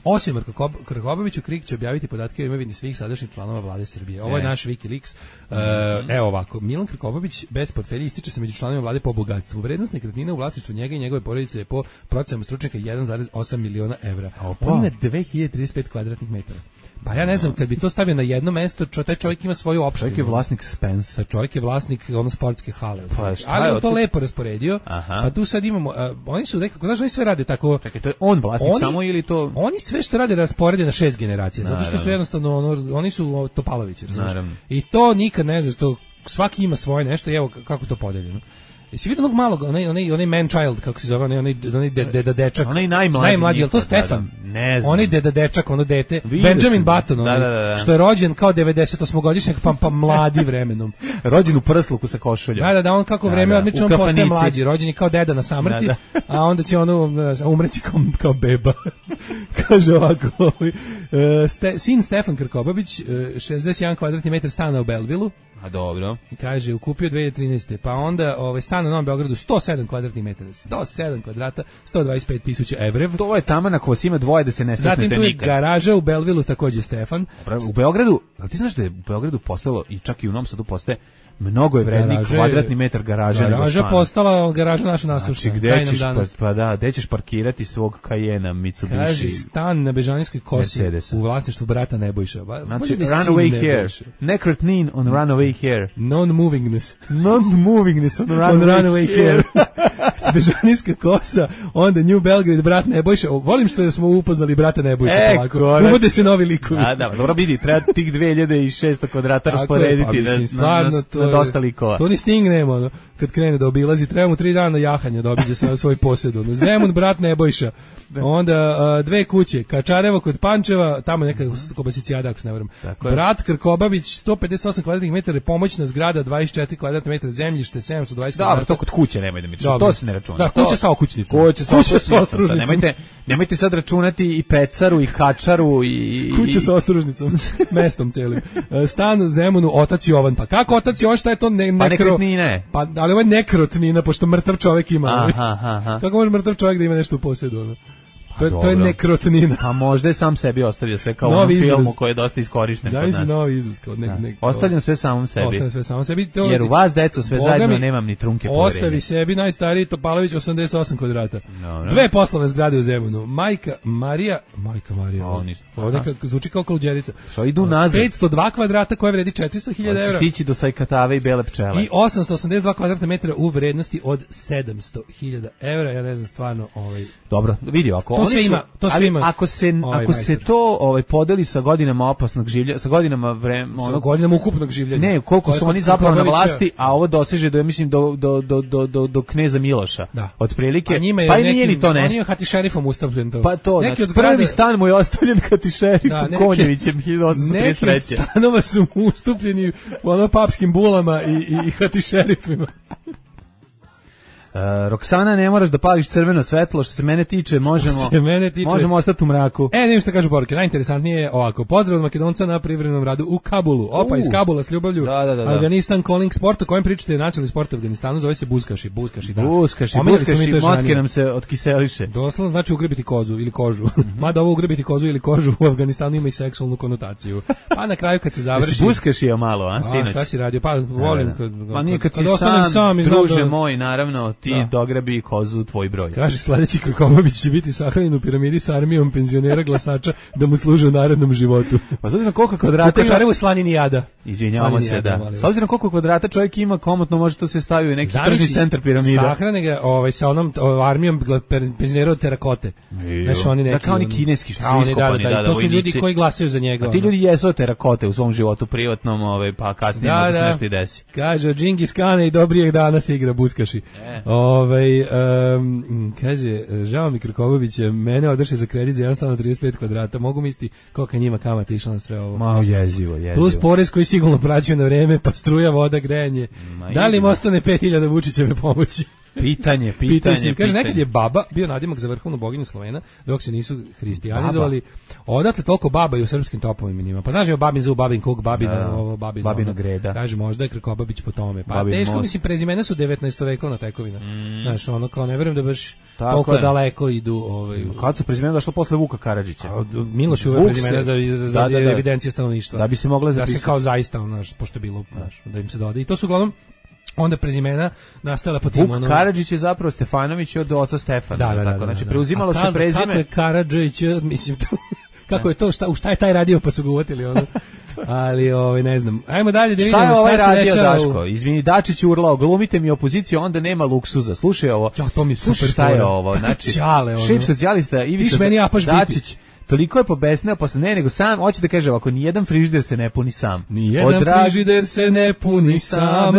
osim Krkobabiću, Krik će objaviti podatke o imovini svih sadašnjih članova vlade Srbije. Ovo je e. naš WikiLeaks. Uh, mm-hmm. Evo ovako, Milan Krkobabić bez portfelja ističe se među članovima vlade po bogatstvu. Vrednost nekretnine u vlasništvu njega i njegove porodice je po procenama stručnjaka jedan zarez osam miliona evra. On ima dve hiljade trideset pet kvadratnih metara. Pa ja ne znam, kad bi to stavio na jedno mesto, čo, taj čovjek ima svoju opštinu. Čovjek je vlasnik Spensa. Čovjek je vlasnik ono sportske hale. Pa, ali on to ti... lepo rasporedio. Aha. Pa tu sad imamo, uh, oni su nekako, znaš, oni sve rade tako. Čekaj, to je on vlasnik oni, samo ili to... Oni sve što rade rasporede na šest generacija, zato što su jednostavno, ono, oni su Topalovići, razumiješ. I to nikad ne znaš, to svaki ima svoje nešto i evo kako to podeljeno. Jesi vidio onog malog, onaj, onaj, onaj man child, kako se zove, onaj, onaj, onaj deda dečak. Onaj najmlađi. Najmlađi, je li to Stefan? Da, da, ne znam. Onaj deda dečak, ono dete. Vidio Benjamin Button, onaj, da, da, da. Što je rođen kao devedesetosmogodišnjak, pa, pa mladi vremenom. Rođen u prsluku sa košuljom. Da, da, da, on kako vreme da, da. odmiče, on postaje mlađi. Rođen je kao deda na samrti, da, da. A onda će ono umreći kao, kao beba. Kaže ovako, uh, ste, sin Stefan Krkobabić, uh, šezdeset jedan kvadratni metar stana u Belvilu. A dobro. Kaže, ukupio dve hiljade trinaeste. Pa onda ovaj, stan na Novom Beogradu sto sedam kvadratnih metara. sto sedam kvadrata, sto dvadeset pet tisuća evra. To je tamo na ko ima dvoje da se ne sretnete nikad. Zatim tu je garaža u Belvilu, takođe Stefan. U Beogradu, ali ti znaš da je u Beogradu postalo, i čak i u Novom Sadu postaje, mnogo je vredniji Garaže- kvadratni metar garaže nego Garaža stana. postala garaža naša nasušna. Znači, Daj gde nam ćeš, pa, danas. pa da, gde ćeš parkirati svog Cayena, Mitsubishi? Kaže stan na Bežanijskoj kosi Mercedesa. u vlasništvu brata Nebojša. Ba- Znači, bolje da je sin runaway here. Nebojša. Nekretnin on runaway here. Non-movingness. Non-movingness on runaway, On runaway here. here. Bežanijska kosa, onda New Belgrade, brat Nebojša. O, volim što smo upoznali brata Nebojša. E, polako. konačno. Uvode se novi likovi. A, da, dobro vidi, treba tih dve hiljade šesto kvadrata Tako je, rasporediti pa mislim, na, stvarno, na, to na je- dosta likova. To ni Sting nema, ono, kad krene da obilazi, treba mu tri dana jahanja da obiđe svoj, svoj posjed. Ono. Zemun, brat Nebojša. Onda a, dve kuće, Kačarevo kod Pančeva, tamo neka Kobasicijada, ako se ne varam. Tako je. Brat Krkobabić, sto pedeset osam kvadratnih metara, pomoćna zgrada, dvadeset četiri kvadratnih metara, zemljište, sedamsto dvadeset Dobro, kvadrata. to kod kuće nemoj da mi češ, Dobro. to se ne računa. Da, To- kuća sa okućnicom. Kuća sa Kuća sa okućnicom, sad ostružnicom. Nemojte, nemojte sad računati i pecaru, i kačaru, i... Kuća sa ostružnicom, mestom celim. E, Stan u Zemunu, otac Jovan. Pa kako otac Jovan, šta je to ne, Pa nekro... nekretnine. Pa, ali ovo je nekrotnina, pošto mrtav čovjek ima. Aha, aha, aha. Kako može mrtav čovjek da ima nešto u posjedu? Ono? To, je, to je dobro. nekrotnina. Pa možda je sam sebi ostavio sve kao u Novi onom filmu izraz. koji je dosta iskorišten kod Zamisli nas. novi izraz. Kao nek, nek, Ostavljam sve samom sebi. Ostavljam sve samo sebi. To, Jer u vas, deco, sve Boga zajedno mi, nemam ni trunke Ostavi poverenja. sebi najstariji Topalović osamdeset osam kvadrata. Dobro. Dve poslovne zgrade u Zemunu. Majka Marija, majka Marija. O, Ovo nisam. ovdje Aha. kako- zvuči kao kaluđerica. Što idu nazad. petsto dva kvadrata koje vredi četiristo hiljada Hoćeš evra. stići do Sajkatave i Bele pčele. I osamsto osamdeset dva kvadratna metra u vrednosti od sedamsto hiljada evra. Ja ne znam stvarno ovaj Dobro, vidi, ako To oni sve su, ima, to sve ali ima. ako se Ovaj ako se majstor. to ovaj podeli sa godinama opasnog življa, sa godinama vremena, ono ono godinama ukupnog življenja. ne, koliko su Koliko oni zapravo na Krkobabića- vlasti, a ovo doseže do ja mislim do do do do do, do kneza Miloša. Da. Otprilike. Pa njima je pa i nekim, nije ni to on nešto. je hati šerifom ustavljen to. Pa to, neki znači, od zgrada, prvi stan mu je ostavljen kati šerifu Da, neki- Konjevićem hiljadu osamsto trideset neki od treće. stanova su mu ustupljeni u ono papskim bulama i, i, i hati šerifima. Uh, Roksana, ne moraš da pališ crveno svetlo, što se mene tiče, možemo se mene tiče- možemo ostati u mraku. E, ne što kažu poruke. Najinteresantnije je ovako. Pozdrav od Makedonca na privremenom radu u Kabulu. Opa, U. iz Kabula s ljubavlju. Da, da, da, da. Afganistan calling sport, o kojem pričate nacionalni sport u Afganistanu, zove se buzkaši. Buzkaši, da. Buskaši, Pominjali smo mi buskaši, to još motke ranije. nam se otkiseliše. Doslovno znači ugrbiti kozu ili kožu. Mada ovo ugrbiti kozu ili kožu u Afganistanu ima i seksualnu konotaciju. Pa na kraju kad se završi... Jesi buskašio malo, a, A, sinoć? šta si radio? Pa volim kad... Ma nije kad, si ostanem sam, sam i znam druže da- moj, naravno, ti Da. dograbi kozu tvoj broj. Kaže sledeći Krkobabić će biti sahranjen u piramidi sa armijom penzionera glasača da mu služe u narednom životu. Pa s obzirom koliko U kvadrata ima... Kačarevu slanini jada. Izvinjavamo Slanini se, jada, da. molim S vas. obzirom koliko kvadrata čovjek ima, komotno može to se staviti u neki Zamisli, tržni centar piramida. Sahrane ga ovaj, sa onom o, armijom gla- per- penzionera od terakote. Znaš, oni neki, Da, kao oni ono- kineski što A, su oni, iskopani, da, da, to su ljudi vojnici. koji glasaju za njega. A ti ono. ljudi jesu od terakote u svom životu privatnom, ovaj, pa kasnije Da, možda se da. nešto i desi. Kaže, od Džingis Kane i dobrijeg dana se igra buskaši. E. Ovaj, em, kaže, žao mi Krkobabića, mene odrše za kredit za jedan stan od trideset pet kvadrata. Mogu misliti kolika njima kamata išla na sve ovo. Malo jezivo, jezivo. Plus porez koji sigurno praćaju na vreme, pa struja, voda, grejanje. Ma Da li im idemo. ostane pet hiljada Vučićeve pomoći? Pitanje, Pitanje, pitanje, Kaže, pitanje. nekad je baba bio nadimak za vrhovnu boginju Slovena, dok se nisu hristijanizovali. Odatle toliko baba i u srpskim topovima njima. Pa znaš, je babin zub, babin kuk, babina, Da. ovo, babina, Babina ono. greda. Kaže, možda je Krkobabić po tome. Pa Babin teško, most. mislim, prezimena su devetnaestovekovna tekovina. Znaš, ono, kao ne verujem da baš Tako toliko je. daleko idu. Ovaj, Kad se prezimena došlo posle Vuka Karadžića? a, od- Miloš je uvek Vuk prezimena se- za, za, za da, da, da. evidencije stanovništva. Da bi se mogla Da se zapisati. kao zaista, ono, znaš, pošto je bilo, znaš, da im se doda. I to su uglavnom onda prezimena nastala po tim, Vuk ono... Karadžić je zapravo Stefanović od oca Stefana. Da, da, da, tako? da, Znači, da. preuzimalo A se kad- prezime. Kako je Karadžić, mislim, to, kako je to, šta, u šta je taj radio, pa su ga uvatili, ono. Ali, ovaj, ne znam. Ajmo dalje da vidimo Šta je ovaj šta se radio, dešava. u- Daško? Izvini, Dačić je urlao, glumite mi opoziciju, onda nema luksuza. Slušaj ovo. Ja, to mi je Slušaj super šta je fora. ovo. Znači, Ćale, ono. šef socijalista Ivica meni apaš biti. Dačić toliko je pobesneo posle ne, nego sam, hoće da kaže ovako, nijedan frižider se ne puni sam. Nijedan O, dragi- frižider se ne puni sam.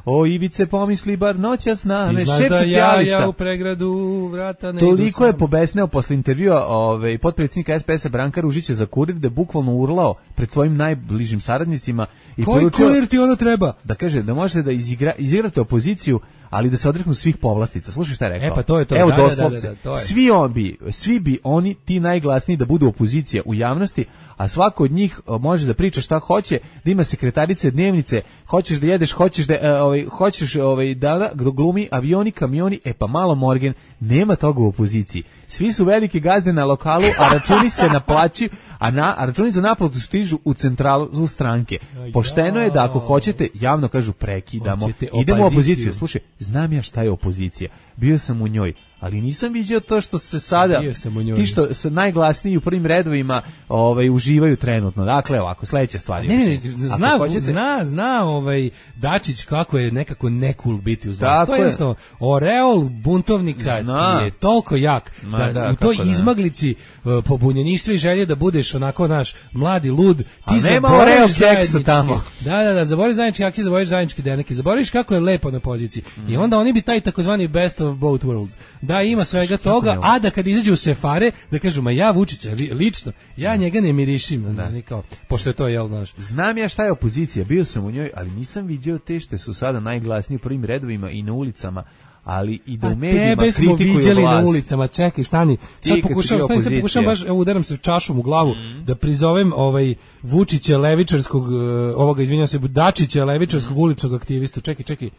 O Ivice pomisli bar noćas na me. Ti znaš Šef da ja, socijalista. ja u pregradu vrata ne idu Toliko je sam. pobesneo posle intervjua ovaj potpredsjednika es pe es-a Branka Ružića za Kurir da je bukvalno urlao pred svojim najbližim saradnicima i Koji poručio kurir ti ono treba? da kaže da možete da izigra, izigrate opoziciju, ali da se odreknu svih povlastica. Slušaj šta je rekao. E, pa to je to. Evo Da, da, da, doslovce. da, da, to je. Svi on bi, svi bi oni ti najglasniji da budu opozicija u javnosti, a svako od njih o, može da priča šta hoće, da ima sekretarice, dnevnice, hoćeš da jedeš, hoćeš da e, ovaj hoćeš ovaj da da glumi avioni, kamioni, e pa malo Morgan, nema toga u opoziciji. Svi su velike gazde na lokalu, a računi se naplaćuju, a, na, a računi za naplatu stižu u centralu stranke. Pošteno je da ako hoćete, javno kažu prekidamo, idemo u opoziciju. Slušaj, znam ja šta je opozicija, bio sam u njoj, ali nisam vidio to što se sada ti što se najglasniji u prvim redovima ovaj uživaju trenutno. Dakle, ovako sledeća stvar je. Ne, ne, zna, hoćete... zna, zna ovaj Dačić kako je nekako nekul biti uz vlast. To je jednostavno oreol buntovnika zna. Je toliko jak Ma, da, da u toj izmaglici uh, pobunjeništva i želje da budeš onako naš mladi lud, ti zaboravljaš seksa tamo. Da, da, da, zaboraviš zajednički akcije, zaboraviš zajednički deneke, zaboraviš kako je lepo na poziciji. Mm. I onda oni bi taj takozvani best of both worlds. Da ima svega toga, a da kad izađu u sefare, da kažu, ma ja Vučića, lično, ja njega ne mirišim, da. Kao, pošto je to, jel, znaš. Znam ja šta je opozicija, bio sam u njoj, ali nisam vidio te što su sada najglasniji u prvim redovima i na ulicama, ali i da u medijima kritikuju vlast. Tebe smo viđali na ulicama, čekaj, stani, sad pokušam, stani, sad pokušam baš, evo, udaram se čašom u glavu, mm. da prizovem ovaj Vučića levičarskog, ovoga, izvinjam se, Dačića levičarskog mm. uličnog aktivistu, čekaj, čekaj,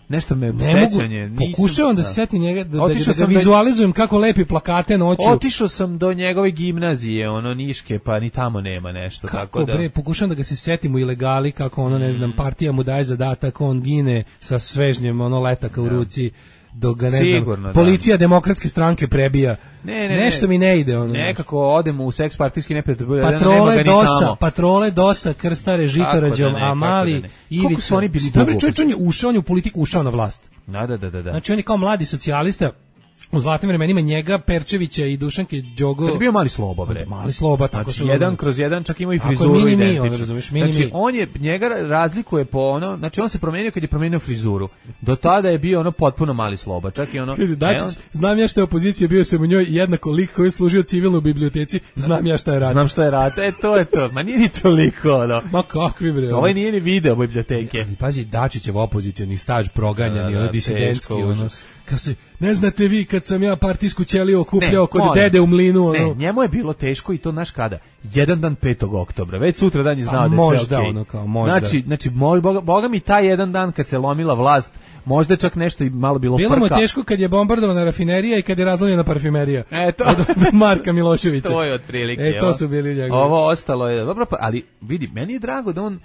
nešto me ne sećanje, mogu, pokušavam da, da se setim njega, da, da, da, da vizualizujem kako lepi plakate noću. Otišao sam do njegove gimnazije, ono Niške, pa ni tamo nema nešto. Kako tako da... bre, pokušavam da ga se setim u ilegali, kako ono, ne znam, partija mu daje zadatak, on gine sa svežnjem, ono letaka u ruci, dok ga, ne Sigurno, znam, policija da. Demokratske stranke prebija. Ne, ne, nešto ne, mi ne ide. Ono, nekako odemo u seks partijski neprijatelj. Patrole nema DOS-a, patrole DOS-a, krstare Žitorađom, da a mali Ivica. Kako su oni bili dugo? Čovječ, on je ušao, on je u politiku ušao na vlast. Da, da, da, da. Znači on je kao mladi socijalista, u zlatnim vremenima njega, Perčevića i Dušanke Đogo. Kad je bio Mali Sloba, bre. Mali Sloba, tako znači, su. jedan kroz jedan, čak ima i frizuru mini, identičnu. On, razumiješ, mini, znači, on je, njega razlikuje po ono, znači on se promenio kad je promenio frizuru. Do tada je bio ono potpuno Mali Sloba, čak i ono... Kaže, Dačić, on... znam ja šta je opozicija, bio sam u njoj jednako lik koji je služio civilno u biblioteci, znam ja šta je rat. Znam šta je rat, e, to je to, ma nije ni toliko, ono. Ma kakvi, bre. Ovaj nije ni video biblioteke. Ali, pazi, Dačićev opozicioni staž proganja, ni ono disidentski, ono. Kad se, ne znate vi kad sam ja partijsku ćeliju okupljao ne, kod molim, dede u mlinu. Ono. Ne, njemu je bilo teško i to znaš kada? Jedan dan petog oktobra, već sutra dan je znao da je sve okej. Ono kao, možda. Znači, znači moj, boga, boga mi taj jedan dan kad se lomila vlast, možda čak nešto i malo bilo frka. Bilo mu teško kad je bombardovana rafinerija i kad je razlomljena parfimerija. E, to. Od Marka Miloševića. To je otprilike. E, to su bili njegovi. Ovo ostalo je, dobro, ali vidi, meni je drago da on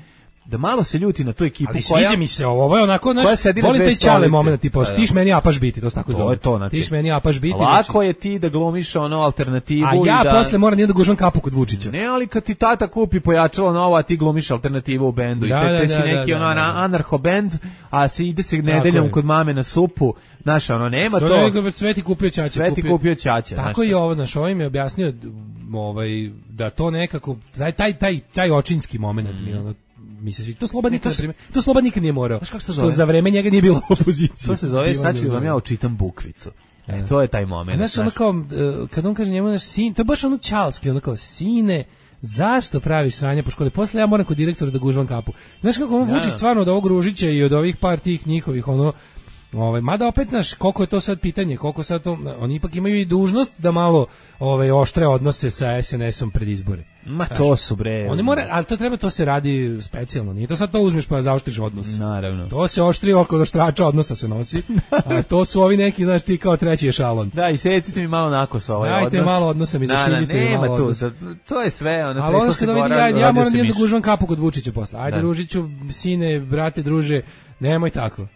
da malo se ljuti na tu ekipu ali koja... Ali sviđa mi se ovo, ovo je onako, naš, volim taj čale moment, tipa, da, da. Tiš meni apaš biti, to se tako zove. To, znači, tiš meni apaš biti. Lako znači, je ti da glumiš ono alternativu. A ja i da... posle moram da gužvam kapu kod Vučića. Ne, ali kad ti tata kupi pojačalo novo, a ti glumiš alternativu u bendu. Da, I te, da, te si da, neki da, ono da, da. anarcho bend, a se ide se nedeljom kod mame na supu. Znaš, ono, nema Sve to. Sveti kupio ćaće. Sveti kupio, kupio ćaće. Tako je ovo, znaš, ovaj mi je objasnio ovaj, da to nekako, taj, taj, taj, taj očinski moment mm. mi ono, mi se svi to Sloba nikad to, to Sloba nikad nije morao. Znaš kako se to zove? To za vreme njega nije bilo opozicije. To se zove, sad ću vam ja očitam bukvicu. E, to je taj moment. Znaš, ono kao, kad on kaže njemu, naš sin, to je baš ono čalski, ono kao, sine, zašto praviš sranje po školi? Posle ja moram kod direktora da gužvam kapu. Znaš kako on Vučić stvarno od ovog Ružića i od ovih par tih njihovih, ono, ovaj, mada opet, znaš, koliko je to sad pitanje, koliko sad to, oni ipak imaju i dužnost da malo ovaj, oštre odnose sa es en esom pred izbore. Ma znaš, to su bre. Oni mora, ali to treba, to se radi specijalno, nije to sad to uzmeš pa zaoštriš odnos. Naravno. To se oštri oko oštrača odnosa se nosi, a to su ovi neki, znaš, ti kao treći ešalon. Da, i secite mi malo nakos ovaj Dajte odnos. Dajte malo odnosa mi zaširite mi malo odnosa. To je sve, ono, ali ono što vidi, ja, ja moram da gužvam kapu kod Vučića posle. Ajde, da. Ružiću, sine, brate, druže, nemoj tako.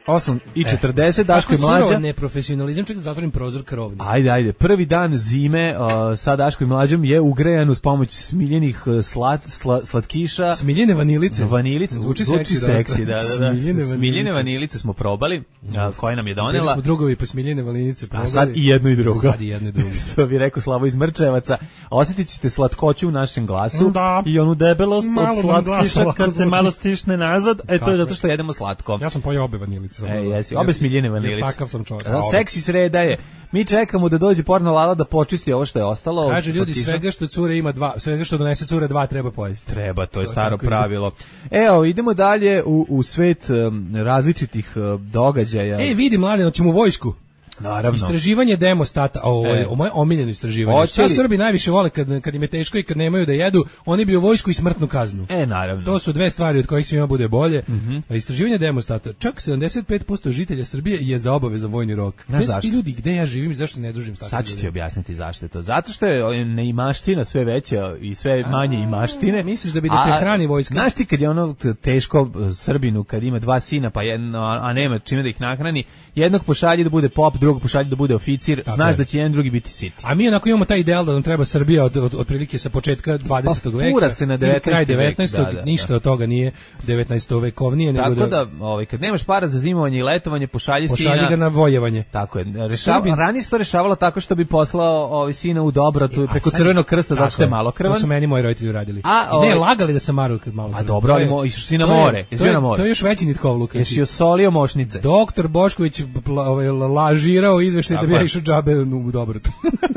osam i četrdeset, e, Daško i Mlađa. Kako neprofesionalizam, čekaj da zatvorim prozor krovni. Ajde, ajde. Prvi dan zime uh, sa Daško i Mlađom je ugrejan uz pomoć smiljenih uh, slat, sla, slatkiša. Smiljene vanilice. Vanilice. Zvuči, zvuči seksi, seksi, da, da, da. Smiljene vanilice. Smiljene vanilice smo probali, uh, koje nam je donela. Bili smo drugovi pa smiljene vanilice probali. A sad i jedno i drugo. Sad i jedno i drugo. Što bi rekao Slavo iz Mrčevaca. Osjetit ćete slatkoću u našem glasu. Da. I onu debelost od slatkiša kad se malo stišne nazad. E, to je zato što jedemo slatko. Ja sam pojeo obe vanilice. E, jesi, obe smiljene vanilice. Takav sam čovjek. Seksi sreda je. Mi čekamo da dođe porno Lala da počisti ovo što je ostalo. Kažu ljudi, svega što cure ima dva, svega što donese cure dva treba pojesti. Treba, to je to staro pravilo. Evo, idemo dalje u, u svet um, različitih uh, događaja. Ej, vidi mlade, hoćemo u vojsku. Naravno. Istraživanje Demostata, ovo je e. moje omiljeno istraživanje. Šta Srbi najviše vole kad, kad im je teško i kad nemaju da jedu, oni bi u vojsku i smrtnu kaznu. E, naravno. To su dve stvari od kojih svima bude bolje. Mm-hmm. A istraživanje Demostata, čak sedamdeset pet posto žitelja Srbije je za obavezan vojni rok. Znaš zašto? Ti ljudi, gde ja živim i zašto ne družim s takvim Sad ću ti objasniti zašto je to. Zato što je neimaština sve veća i sve manje imaštine. Misliš da bi da te hrani vojska? Znaš ti kad je ono teško Srbinu, kad ima dva sina, pa jedno, a nema čime da ih nahrani, jednog pošalje da bude pop, drugog pošalje da bude oficir, tako znaš je. Da će jedan drugi biti siti. A mi onako imamo taj ideal da nam treba Srbija od, od, od prilike sa početka dvadesetog pa, veka. Se na devetnaestom kraj devetnaestog Da, da, ništa da. Od toga nije devetnaestovekovnije. Tako nego da, da ovaj, kad nemaš para za zimovanje i letovanje, pošalji, pošalji sina. ga na vojevanje. Tako je. Rešava, ranije se to rešavalo tako što bi poslao ovaj, sina u Dobrotu preko Crvenog krsta, zato što je malo krvan. To su meni moji roditelji uradili. A, ovaj, ne, lagali da sam maru kad malo. A dobro, ali mo, išli si na more. To je, to je još veći nitkovluk. Jesi osolio mošnice? Doktor Bošković ovaj, lažirao izveštaj da bi ja išao džabe u Dobrotu.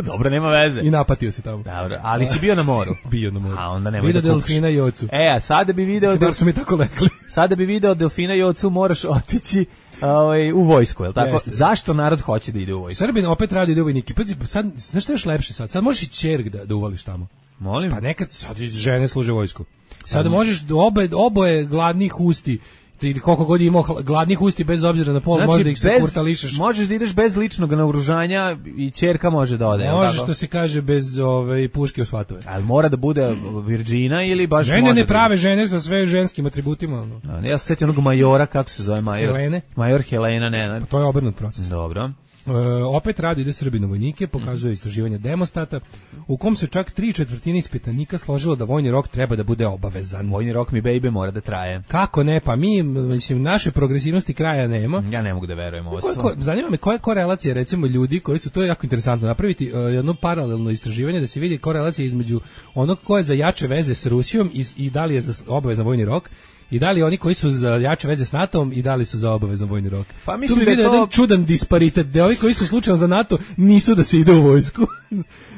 Dobro, nema veze. I napatio se tamo. Dobro, ali si bio na moru. Bio na moru. A onda nemoj video da kukaš. Delfina i ocu. E, a sada bi video... Sada su mi tako lekli. Sada bi video Delfina i ocu moraš otići ovaj, u vojsku, je li tako? Jeste. Zašto narod hoće da ide u vojsku? Srbin opet radi da ide u vojnike. Sad, znaš što je još lepše sad? Sad možeš i čerg da, da uvališ tamo. Molim? Pa nekad sad žene služe vojsku. Sad um. možeš obe, oboje gladnih usti ili koliko god imao gladnih usti bez obzira na pol, znači, možda ih se kurtališeš. Možeš da ideš bez ličnog naoružanja i ćerka može da ode. Može što se kaže bez ove puške u svatove. Ali mora da bude virđina ili baš žene može ne da prave žene sa sve ženskim atributima. No. A, ja se sjetio onog majora, kako se zove major? Helene. Major Helena, ne, ne. Pa to je obrnut proces. Dobro. E, opet radi ide Srbinu vojnike, pokazuje istraživanje Demostata, u kom se čak tri četvrtine ispitanika složilo da vojni rok treba da bude obavezan. Vojni rok mi baby mora da traje. Kako ne, pa mi, mislim, naše progresivnosti kraja nema. Ja ne mogu da verujem ovo sve. Zanima me koja je korelacija, recimo, ljudi koji su, to je jako interesantno, napraviti uh, jedno paralelno istraživanje da se vidi korelacija između onog ko je za jače veze s Rusijom i, i da li je za obavezan vojni rok. I da li oni koji su za jače veze s NATO-om i da li su za obavezan vojni rok? Pa mislim tu da je to jedan čudan disparitet, da ovi koji su slučajno za NATO nisu da se ide u vojsku.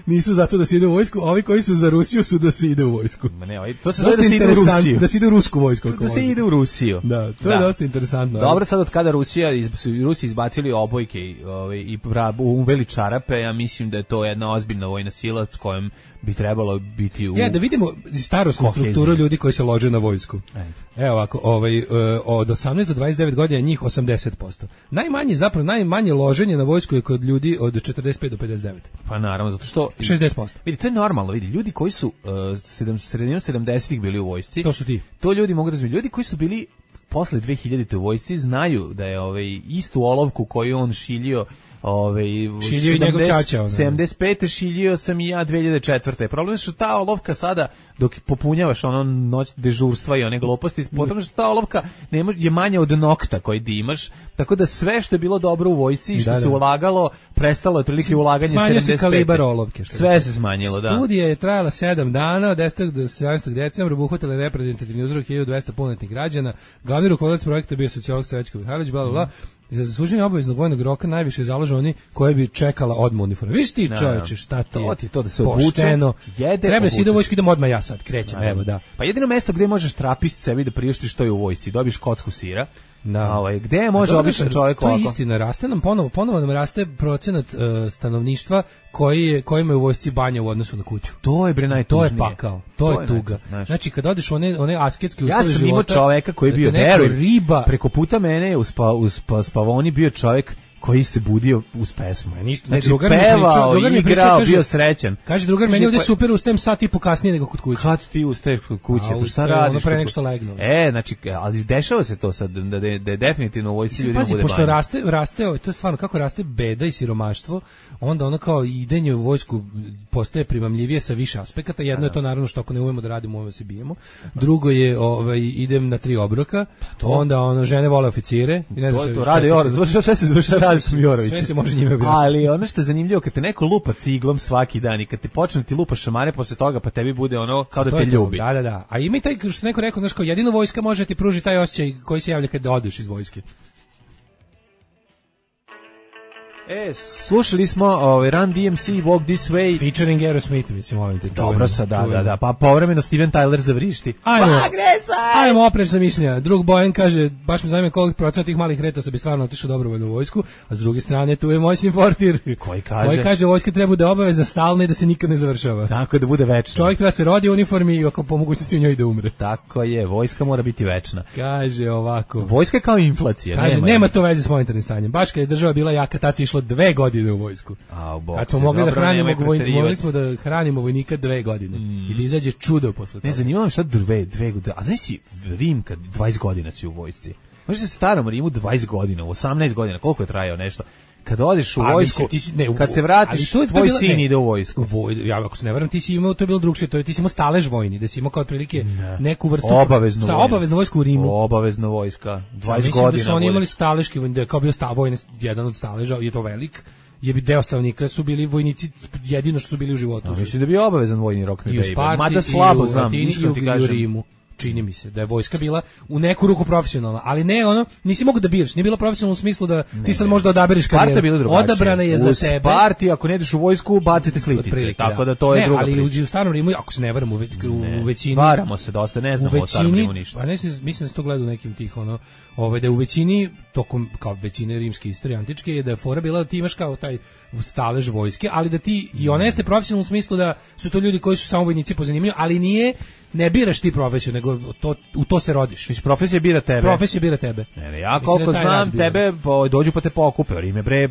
Nisu zato da se ide u vojsku, a ovi koji su za Rusiju su da se ide u vojsku. Ma ne, ovaj, to se zove da se ide u Rusiju. Da se ide u rusku vojsku. Da se ide u Rusiju. Da, to da. je dosta interesantno. Dobro, sad od kada Rusija, iz, su Rusi izbacili obojke ovaj, i uveli čarape, ja mislim da je to jedna ozbiljna vojna sila s kojom bi trebalo biti u... Ja, da vidimo starosnu strukturu ljudi koji se lože na vojsku. Ajde. Evo ovako, ovaj, od osamnaest do dvadeset devet godina njih osamdeset posto. Najmanje, zapravo najmanje loženje na vojsku je kod ljudi od četrdeset pet do pedeset devet. Pa naravno, zato što... šezdeset posto. Vidi, to je normalno, vidi, ljudi koji su uh, sedam, sredinom sedamdesetih bili u vojsci... To su ti. To ljudi mogu razumjeti. Ljudi koji su bili posle dve hiljadite u vojsci znaju da je ovaj, istu olovku koju on šiljio Ove, šilio i njegov čača. sedamdeset pete šiljio sam i ja dve hiljade četvrte. Problem je što ta olovka sada, dok popunjavaš ono noć dežurstva i one gluposti, potom što ta olovka nema, je manja od nokta koji ti imaš, tako da sve što je bilo dobro u vojsci i što da, da. se ulagalo, prestalo je prilike ulaganje sedamdeset pete. Smanjio se kalibar olovke. Što sve se smanjilo, da. Studija je trajala sedam dana, od desetog do sedamnaestog decembra, obuhvatila reprezentativni uzorok hiljadu dvesta punoletnih građana. Glavni rukovodilac projekta bio sociolog Srećko Mihajlović, bla bla bla. Za zasluženje obaveznog vojnog roka najviše zalažu oni koji bi čekala odmah uniformu. Viš ti, čoveče, šta ti je? To ti to da se pošteno. Obuče, jede, treba si ide u vojsku, idem odmah ja sad, krećem, Ajde. Evo da. Pa jedino mesto gde možeš trapist sebi da priuštiš to je u vojsci, dobiš kocku sira. Da. Ovaj, gde može običan čovjek to ovako? To je istina, raste nam ponovo, ponovo nam raste procenat uh, stanovništva koji je, koji ima u vojsci banja u odnosu na kuću. To je bre najtužnije. To je pakao, to, to je tuga. Naj, znači kad odeš u one, one asketske uslove života... Ja sam imao čoveka koji je bio, veruj, riba. Preko puta mene je u, spa, u spa, spavoni bio čovjek koji se budio uz pesmu. Ja ništa, znači, drugar pevao, mi igrao, priča, kaže, bio srećan. Kaže drugar, meni ovdje super ustajem sat i po kasnije nego kod kuće. Kad ti ustaješ kod kuće? A, pa šta radiš? Ono pre nek što legnu. E, znači, ali dešava se to sad, da, da, da je definitivno u vojsci ljudima bude banja. Pošto raste, raste, to je stvarno, kako raste beda i siromaštvo, onda ono kao idenje u vojsku postaje primamljivije sa više aspekata. Jedno je to naravno što ako ne umemo da radimo, umemo se bijemo. Drugo je, ovaj, idem na tri obroka, onda ono, žene vole oficire. I ne znam to, to radi Jorović, šta se završa radi s Jorovićem. Može njime objasniti. Ali ono što je zanimljivo, kad te neko lupa ciglom svaki dan i kad te počne ti lupa šamare posle toga, pa tebi bude ono kao da te ljubi. Da, da, da. A ima i taj, što neko rekao, znaš, kao jedino vojska može ti pruži taj osjećaj koji se javlja kad odeš iz vojske. E, slušali smo ovaj Run D M C Walk This Way featuring Aerosmith, mislim, molim te. Dobro sa, da, da, da, pa povremeno Steven Tyler zavrišti. Ajmo, ajmo oprečna mišljenja. Drug Bojan kaže, baš me zanima koliko procenta tih malih retosa bi stvarno otišao dobrovoljno u vojsku, a s druge strane tu je Mojsin Fortir, koji kaže, koji kaže vojska treba da obaveza stalna i da se nikad ne završava. Tako da bude večna. Čovjek treba se rodi u uniformi i ako po mogućnosti u njoj da umre. Tako je, vojska mora biti večna. Kaže ovako. Vojska je kao inflacija. Kaže, nema, nema to veze s monetarnim stanjem. Baš kad je država bila jaka, tad se išlo dve godine u vojsku. A, bok, kad smo mogli da hranimo vojnika, mogli smo da hranimo vojnika dve godine mm. i da izađe čudo posle toga. Ne, zanimalo me šta dve, dve godine. A znaš si Rim kad dvadeset godina si u vojsci. Možeš se starom Rimu dvadeset godina, osamnaest godina, koliko je trajao nešto. Kad odeš u vojsku, mislim, ne, u, kad se vratiš, to je, to tvoj bila, sin ne, ide u vojsku. Voj, ja, ako se ne varam, ti si imao, to je bilo drugčije, to je, ti si imao stalež vojni, da si imao kao otprilike ne. neku vrstu... Obaveznu vojnu. Obaveznu vojsku u Rimu. Obavezna vojska, dvadeset ja, godina. Da su oni imali staleški vojni, da je kao bio sta, vojni, jedan od staleža, je to velik, je bi deo stavnika su bili vojnici jedino što su bili u životu. No, mislim da bi obavezan vojni rok mi baby. Mada slabo znam, iskreno ti kažem. U Rimu. Čini mi se da je vojska bila u neku ruku profesionalna, ali ne ono, nisi mogao da biraš, nije bila profesionalna u smislu da ne, ti sad možda odabereš karijeru. Odabrana je za tebe. U Sparti, ako ne ideš u vojsku, bacite slitice, prilike, tako da to je ne, druga priča. Ne, priča. ali u starom Rimu, ako se ne varam, u, ve, u većini... Varamo se dosta, ne znamo o starom Rimu ništa. Pa ne, mislim da se to gleda u nekim tih, ono, ovaj, da u većini, tokom, kao većine rimske istorije antičke, je da je fora bila da ti imaš kao taj stalež vojske, ali da ti, i ona jeste profesionalno u smislu da su to ljudi koji su samo vojnici po zanimanju, ali nije, ne biraš ti profesiju, nego to, u to se rodiš. Mislim, profesija bira tebe. Profesija bira tebe. Ne, ne, ja koliko da znam, tebe po, dođu pa te pokupe, Rim je bre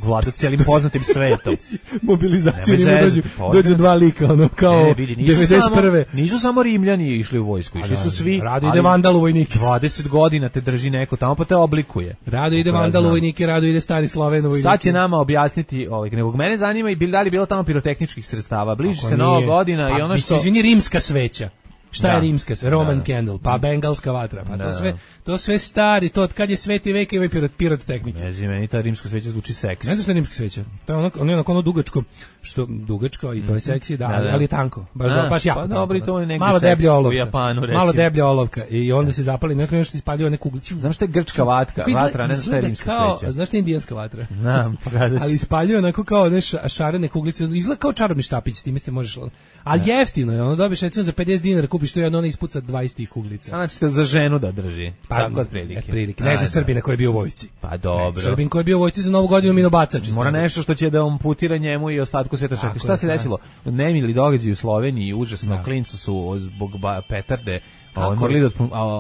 vlada celim poznatim svetom. Mobilizacija Rima dođu, dođu dva lika, ono, kao ne, vidi, nisu devedeset prve. Samo, nisu samo Rimljani išli u vojsku, išli su svi. Rado ide vandal u vojnike. dvadeset godina te drži neko tamo pa te oblikuje. Rado ide vandal u vojnike, rado ide stari Sloven u vojnike. Sad će nama objasniti, ovaj, nego mene zanima i da li bilo tamo pirotehničkih sredstava. Bliži se Nova godina pa, i ono što... Izvini, rimska sveća. Šta da. je rimska sve? Roman da. candle, pa bengalska vatra, pa da. to sve, to sve stari, to od kad je sveti vek ima pirot, pirotehnike. Ne znam, meni ta rimska sveća zvuči seksi. Ne znaš šta je rimska sveća? To je ono, ono, ono, ono dugačko, što dugačko i to je seksi, da, da, ali, ali je tanko. Baš, da, baš jako. Pa dobro, to je negdje malo deblja olovka. U Japanu, recimo. Malo deblja olovka i onda se zapali, neko nešto ispaljuje neku kuglicu. Znaš šta je grčka vatka, vatra, ne znam šta je rimska kao, sveća. Znaš šta je indijanska vatra? Znam, pokazat ću. Ali ispaljuje onako kao ne šarene kuglice, izgleda kao čarobni štapić, s time se možeš. Ali jeftino je, ono dobiš recimo za pedeset dinara kupiš to i ono ispuca dvadeset kuglica. Znači te za ženu da drži. Pa, tako otprilike. Otprilike. Ne za Srbina koji je bio u vojsci. Pa dobro. Ne, Srbin koji je bio u vojsci za Novu godinu minobacač. Mora nešto što će da amputira njemu i ostatku sveta. Šta, šta se desilo? Nemili događaji u Sloveniji, užasno, da. Klincu su zbog petarde Oni morali da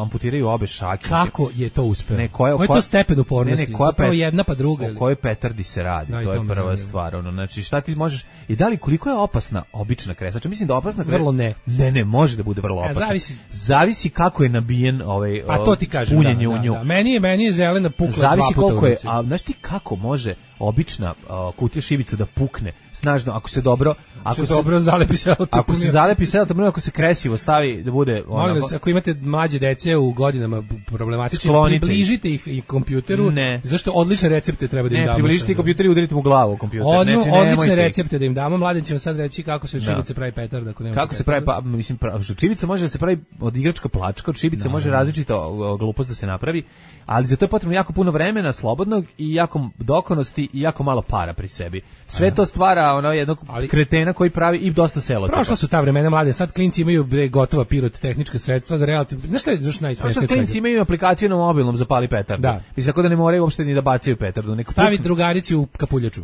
amputiraju obe šake. Kako je to uspeo? Ne, koja, Koji je to stepen upornosti? Ne, ne, koja pet, jedna pa druga. O kojoj petardi se radi, no, to je prva zanimljivo. Stvar. Ono, znači, šta ti možeš... I da li, koliko je opasna obična kresača? Mislim da opasna kresača... Vrlo ne. Ne, ne, može da bude vrlo opasna. Ja, zavisi. Zavisi kako je nabijen ovaj, a to ti kažem, punjenje da, u nju. Da, da. Meni je, meni je zelena pukla zavisi dva puta koliko u je, a znaš ti kako može obična uh, kutija šibica da pukne snažno ako se dobro ako se dobro zalepi se ako se zalepi se ako se kresivo stavi da bude ono vas, ako imate mlađe dece u godinama problematično približite ih i kompjuteru ne. Zašto odlične recepte treba da im ne, damo približite kompjuter i udarite mu glavu u kompjuter Odno, znači odlične recepte da im damo mladen će vam sad reći kako se šibice pravi petarda ako nema kako se pravi pa mislim šibica može da se pravi od igračka plačka od šibice može različita glupost da se napravi ali za to je potrebno jako puno vremena slobodnog i jako dokonosti i jako malo para pri sebi. Sve to stvara ono jednog ali, kretena koji pravi i dosta selo. Prošla su ta vremena mlade, sad klinci imaju bre gotova pirotehnička sredstva, relativno. Znaš šta je još najsmešnije? Sad klinci imaju aplikaciju na mobilnom za pali petardu. Da. Mislim tako da ne moraju uopšte ni da bacaju petardu, nek stavi drugarici u kapuljaču.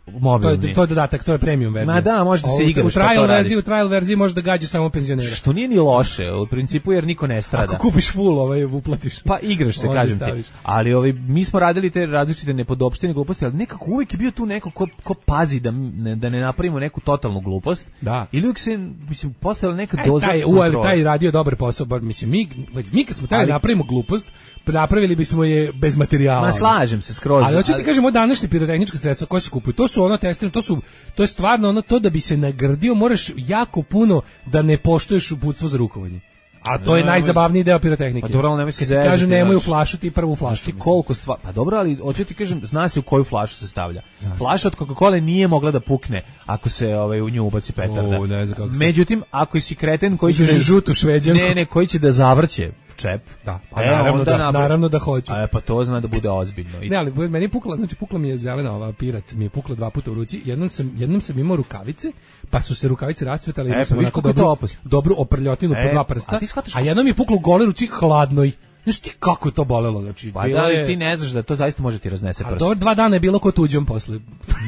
Mobilni. To je, to je dodatak, to je premium verzija. Ma da, možete se igrati. U trial verziji, u trial verziji može da gađa samo penzionera. Što nije ni loše, u principu jer niko ne strada. Ako kupiš full, ovaj uplatiš. Pa igraš se, kažem ti. Ali ovaj mi smo radili te različite nepodopštine gluposti, ali nekako uvijek je bio tu neko ko, ko pazi da ne, da ne napravimo neku totalnu glupost. Da. Ili uvijek se mislim postavila neka doza. Taj, u, taj radio dobar posao, bar mislim mi mi kad smo taj napravimo glupost, napravili bismo je bez materijala. Ma slažem se skroz. Ali hoću ti kažem, od današnje pirotehnička sredstva koje se kupuju, to su ono testirano, to su to je stvarno ono to da bi se nagrdio, moraš jako puno da ne poštuješ uputstvo za rukovanje. A to je najzabavniji deo pirotehnike. Pa dobro, ali nemoj se zezati. Kažu nemoj u flašu, ti prvu flašu. Ti koliko stvar. Pa dobro, ali hoću ti kažem, zna se u koju flašu se stavlja. Flaša od Coca-Cole nije mogla da pukne ako se ovaj u nju ubaci petarda. O, ne znam kako. Međutim, ako si kreten koji će da žutu šveđanku. Ne, ne, koji će da zavrće čep. Da, pa e, naravno, da, napravi, naravno da hoću. A pa to zna da bude ozbiljno. I... Ne, ali meni je pukla, znači pukla mi je zelena ova pirat, mi je pukla dva puta u ruci. Jednom sam, jednom sam imao rukavice, pa su se rukavice rascvetale i e, sam pa onako dobru, dobru oprljotinu e, po dva prsta. A, a jednom mi je puklo u gole ruci hladnoj. Znaš ti kako je to bolelo, znači, pa da, je... ti ne znaš da to zaista može ti raznese prst. A dobro, dva dana je bilo ko tuđom posle.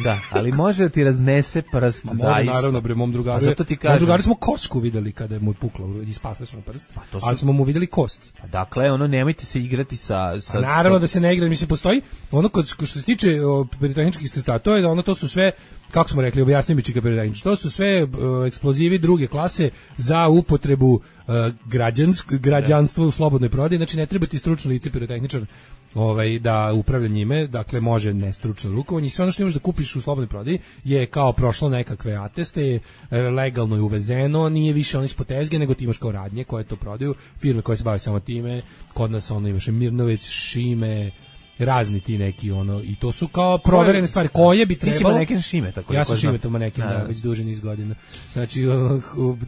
Da, ali može da ti raznese prst, može, zaista. naravno, bre, mom drugaru. A zato ti kažem. Mom drugaru smo kosku videli kada je mu puklo i spasli smo prst, pa to su... ali smo mu videli kost. Pa dakle, ono, nemojte se igrati sa... sa a naravno da se ne igra, mislim, postoji ono kod, što se tiče pirotehničkih sredstava, to je da ono, to su sve, kako smo rekli, objasni mi čika pirotehnički, to su sve uh, eksplozivi druge klase za upotrebu uh, građansk, građanstva u slobodnoj prodaji, znači ne treba ti stručno lice pirotehničar ovaj, da upravlja njime, dakle može nestručno rukovanje i sve ono što imaš da kupiš u slobodnoj prodaji je kao prošlo nekakve ateste, legalno je uvezeno, nije više ono ispod tezge, nego ti imaš kao radnje koje to prodaju, firme koje se bave samo time, kod nas ono imaš Mirnović, Šime, razni ti neki ono i to su kao proverene stvari koje bi trebalo. Ti si maneken Šime, tako ja sam Šime to maneken, da, već duže niz godina. Znači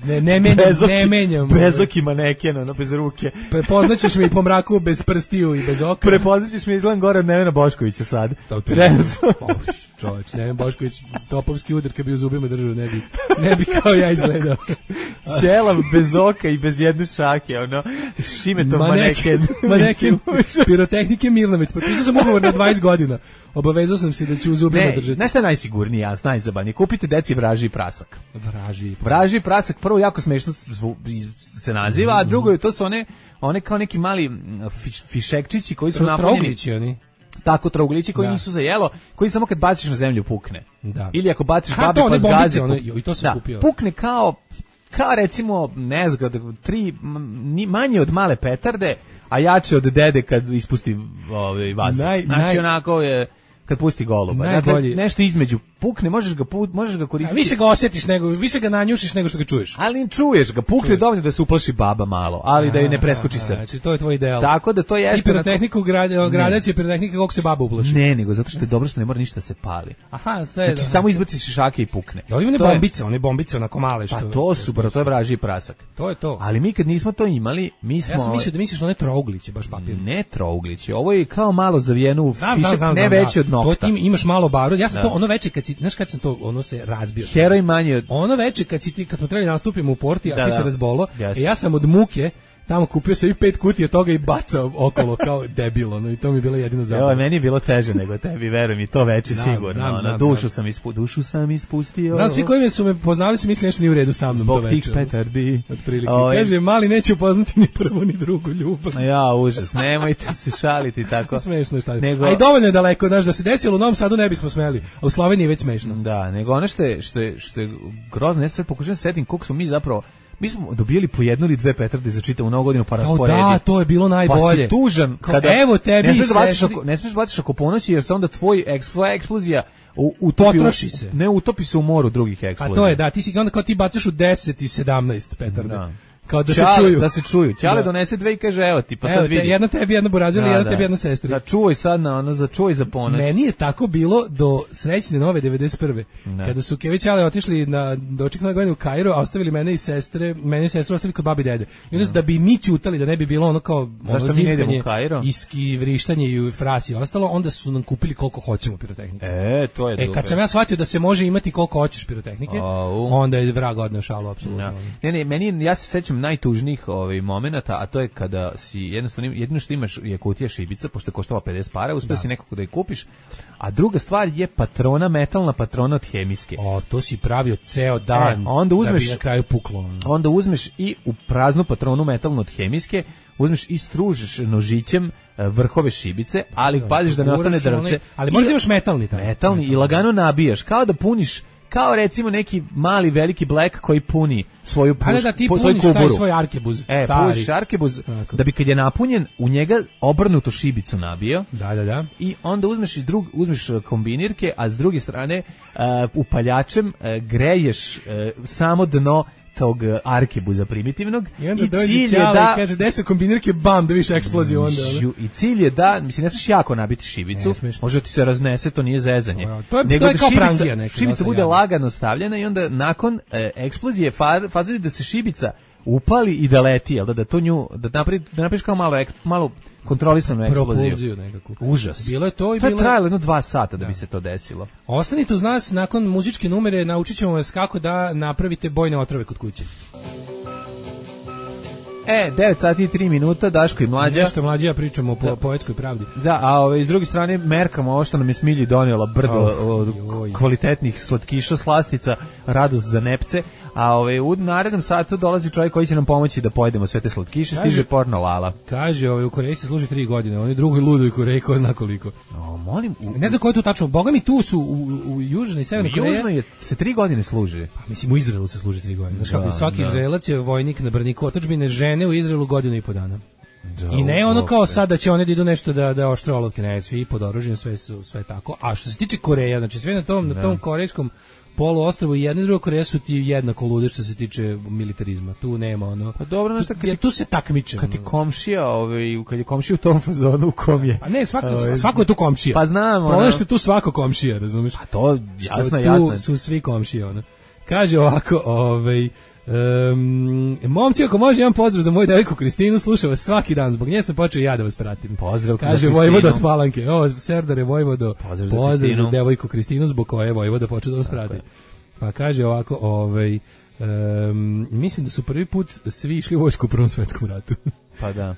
ne ne menjam, bezoki, ne menjam. Bezoki maneken, ono bez ruke. Prepoznaćeš me i po mraku bez prstiju i bez oka. Prepoznaćeš me izgledam gore od Nevena Boškovića sad. Čovječ, Neven Bošković, topovski udar kad bi u zubima držao, ne bi, ne bi kao ja izgledao. Ćelav bez oka i bez jedne šake, ono, Šimetov maneken. Maneken, pirotehnike Milnović, potpisao sam ugovor na dvadeset godina, obavezao sam se da ću u zubima ne, držati. Znaš šta je najsigurniji, ja, najzabavniji, kupite deci vraži prasak. Vraži prasak. Vraži prasak, prvo jako smešno se naziva, a drugo je, to su one, one kao neki mali fiš, fišekčići koji su napunjeni. Trouglići oni. Tako trouglići koji da. nisu za jelo, koji samo kad baciš na zemlju pukne. Da. Ili ako baciš Aha, babi pa zgazi, one, i to sam da, kupio. Pukne kao kao recimo ne znam, tri manje od male petarde, a jače od dede kad ispusti ovaj vazduh. Naj, znači naj... onako je kad pusti goluba. Dakle, nešto između pukne, možeš ga put, možeš ga koristiti. A više ga osjetiš nego, više ga nanjušiš nego što ga čuješ. Ali čuješ ga, pukne čuješ. Dovoljno da se uplaši baba malo, ali a, da je ne preskoči srce. Znači to je tvoj ideal. Tako da to jeste. I pirotehniku gradacije pirotehnika kako se baba uplaši. Ne, nego zato što je dobro što ne mora ništa se pali. Aha, sve. Znači da, samo izbaciš šake i pukne. Da, one bombice, one bombice onako male što. Pa to su, bro, to je vražji prasak. To je to. Ali mi kad nismo to imali, mi smo. Ja sam mislio da misliš one trougliće, baš papir. Ne trougliće, ovo je kao malo zavijeno, ne veće od nokta. To imaš malo barod. Ja sam to ono veče kad si, znaš kad sam to ono se razbio. Heroj manje od... Ono veče kad si ti, kad smo trebali nastupimo u Porti, a da, ti se razbolo, e, ja sam od muke tamo kupio se i pet kutija toga i bacao okolo kao debil, ono, i to mi je bilo jedino zabavno. Evo, meni je bilo teže nego tebi, veruj mi, to veče znam, sigurno. Znam, ono, znam, dušu, znam. Sam ispu, dušu sam ispustio. Znam, svi koji me su me poznali su mislili nešto nije u redu sa mnom zbog to veče. Zbog tih petardi. Otprilike. Ove... Kaže, mali neće upoznati ni prvu ni drugu ljubav. Ja, užas, nemojte se šaliti tako. Smešno je šta. Nego... A i dovoljno je daleko, znaš, da se desilo u Novom Sadu ne bismo smeli, a u Sloveniji je već smešno. Da, nego ono što je, što je, što je grozno, ja sad pokušam setim koliko smo mi zapravo mi smo dobili po jednu ili dve petarde za čitavu novu godinu pa rasporedi. Da, to je bilo najbolje. Pa si tužan kao, kada evo tebi ne smiješ da baciš oko, ne smiješ baciš oko ponoći jer se onda tvoj eksplozija, eksplozija utopi, potroši se. Ne utopi se u moru drugih eksplozija. A to je da, ti si onda kao ti bacaš u deset i sedamnaest petarde. Da. Kao da Čale, se čuju. Da se čuju. Ćale da. donese dve i kaže evo ti, pa evo, sad vidi. Te, jedna tebi, jedna Burazili, da, jedna da. tebi, jedna sestri. Da čuvaj sad na ono, za čuvaj za ponoć. Meni je tako bilo do srećne nove devedeset prve. Da. Kada su Kevi Ćale otišli na doček nove godine u Kairo, a ostavili mene i sestre, mene i sestru ostavili kod babi i dede. I onda da. da bi mi ćutali, da ne bi bilo ono kao ono zivkanje, iski, vrištanje i frasi i ostalo, onda su nam kupili koliko hoćemo pirotehnike. E, to je E, kad sam ja shvatio da se može imati koliko hoćeš pirotehnike, oh. onda je vrag odneo šalu, apsolutno. Ja. Ne, ne, meni, ja se sećam najtužnijih ovaj momenata, a to je kada si jednostavno jedino što imaš je kutija šibica, pošto je koštala pedeset para, uspeo da. si nekako da je kupiš. A druga stvar je patrona, metalna patrona od hemijske. O, to si pravio ceo dan. E, onda uzmeš, da bi na kraju puklo. Onda uzmeš i u praznu patronu metalnu od hemijske, uzmeš i stružeš nožićem vrhove šibice, ali da, paziš da ne ostane drvce. Onaj, ali možda imaš metalni tamo. Metalni, metalni i lagano nabijaš, kao da puniš kao recimo neki mali veliki black koji puni svoju puš, ali da ti po, puniš taj svoj arkebuz e, stari. Puniš arkebuz da bi kad je napunjen u njega obrnuto šibicu nabio. Da, da, da. I onda uzmeš iz drug, uzmeš kombinirke, a s druge strane uh, upaljačem uh, greješ uh, samo dno tog arkebuza primitivnog i, onda i cilj je da kaže gde se kombinirke bam da više eksploziju onda žu, i cilj je da mislim ne smiješ jako nabiti šibicu može ti se raznese to nije zezanje no, to je, nego to je da kao šibica, prangija neka šibica bude jadno. Lagano stavljena i onda nakon e, eksplozije far, fazi da se šibica upali i da leti, jel da, da to nju, da napravi, da napraviš kao malo, malo kontrolisanu eksploziju. Nekako. Užas. Bilo je to i to bilo... je trajalo jedno dva sata da, da bi se to desilo. Ostanite uz nas, nakon muzičke numere naučit ćemo vas kako da napravite bojne otrove kod kuće. E, devet sati i tri minuta, Daško i Mlađa. Nešto Mlađa, ja pričamo o po, poetskoj pravdi. Da, a ove, iz druge strane merkamo ovo što nam je Smilji donijela brdo oh, od joj. kvalitetnih slatkiša, slastica, radost za nepce. A ove, u narednom satu dolazi čovjek koji će nam pomoći da pojedemo sve te slatkiše, stiže porno Lala. Kaže, ove, u Koreji se služi tri godine, oni drugoj ludoj Koreji, ko zna koliko. O, molim, u, ne znam ko je tu tačno, boga mi tu su u, u Južnoj i Severnoj Koreji. Južno je, se tri godine služi. Pa, mislim, u Izraelu se služi tri godine. Znaš, da, svaki da. Izraelac je vojnik na braniku otadžbine, žene u Izraelu godinu i po dana. Da, I ne ono kao sad da će one da idu nešto da da oštre olovke, ne, svi pod oružjem, sve su sve tako. A što se tiče Koreje, znači sve na tom da. na tom korejskom poluostrvu i jedna i druga Koreja su ti jednako lude što se tiče militarizma. Tu nema ono. Pa dobro, znači kad ti, tu se takmiče. Kad ti komšija, ovaj, kad je komšija u tom fazonu u kom je. Pa ne, svako ovaj, svako je tu komšija. Pa znamo. Pa ono što je tu svako komšija, razumeš? Pa to jasno, jasno. Tu su svi komšije, ono. Kaže ovako, ovaj Um, momci, ako može, jedan pozdrav za moju devojku Kristinu, slušam vas svaki dan, zbog nje sam počeo ja da vas pratim. Pozdrav, kaže Vojvoda od Palanke. O, Serdare Vojvodo, pozdrav za, pozdrav za devojku Kristinu, zbog koje je Vojvoda počeo da vas prati. Pa kaže ovako, ovaj, um, mislim da su prvi put svi išli u vojsku u Prvom svetskom ratu. Pa da.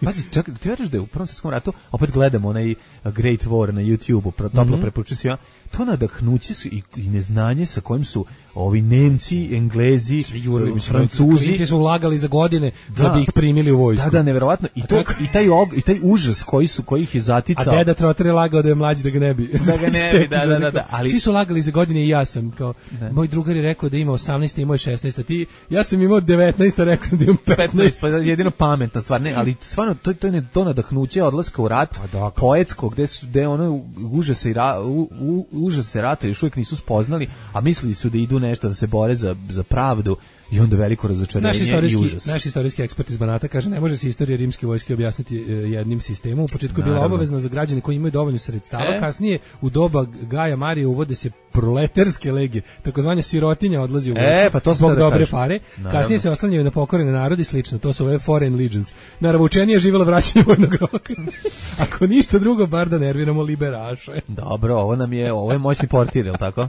Pazi, čekaj, ti veriš da je u Prvom svetskom ratu, opet gledamo onaj Great War na YouTube-u, toplo mm-hmm. preporučujem svima, to nadahnuće su i, i neznanje sa kojim su ovi Nemci, Englezi, svi jurili, mislim, Francuzi. Klinci su ulagali za godine da, da bi ih primili u vojsku. Da, da, neverovatno. I, to, i, taj, og, i taj užas koji su, koji ih je zaticao. A deda Trotter je lagao da je mlađi da ga ne bi. Da ga ne bi, da, da, da, da. Ali... Svi su lagali za godine i ja sam. Kao, moj drugar je rekao da ima osamnaest, imao je šesnaest, a ti, ja sam imao devetnaest, a rekao sam da imam petnaest. Pa jedino pametna stvar. Ne, ali stvarno, to, to je to nadahnuće odlaska u rat, pa poetsko, gde su, gde ono užase, ra, u, u, užase rata još uvijek nisu spoznali, a mislili su da idu nešto da se bore za, za pravdu i onda veliko razočarenje i užas. Naš istorijski ekspert iz Banata kaže, ne može se istorija rimske vojske objasniti jednim sistemom. U početku je bila obavezna za građane koji imaju dovoljno sredstava, e? kasnije u doba Gaja Marije uvode se proletarske legije, takozvana sirotinja odlazi u vojsku e, pa to zbog da dobre kažem. pare. Naravno. Kasnije se oslanjaju na pokorene narodi, slično, to su ove foreign legions. Naravno, učenije je živjelo vraćanje vojnog roka. Ako ništa drugo, bar da nerviramo liberaše. Dobro, ovo nam je, ovo je moćni portir, je li tako?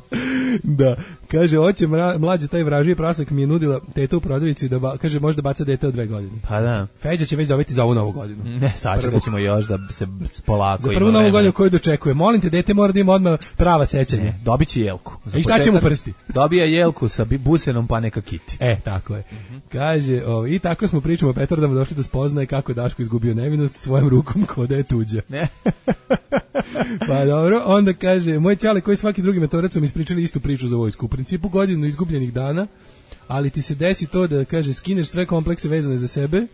Da, kaže, hoće mlađe taj vražiji prasak mi je nudila teta u prodavnici da ba, kaže može da baca dete od dve godine. Pa da. Feđa će već dobiti za ovu novu godinu. Ne, sad ćemo još da se polako. Za prvu novu godinu koju dočekuje. Molim te, dete mora da ima odmah prava sećanja. Ne, dobiće jelku. I šta će mu prsti? Dobija jelku sa busenom pa neka kiti. E, tako je. Mm-hmm. Kaže, o, i tako smo pričamo o petardama došli da spoznaje kako Daško izgubio nevinost svojom rukom kao da je tuđa. Ne. Pa dobro, onda kaže, moj ćale koji svaki drugi metorac su mi ispričali istu priču za vojsku. U principu godinu izgubljenih dana, ali ti se desi to da, kaže, skineš sve komplekse vezane za sebe,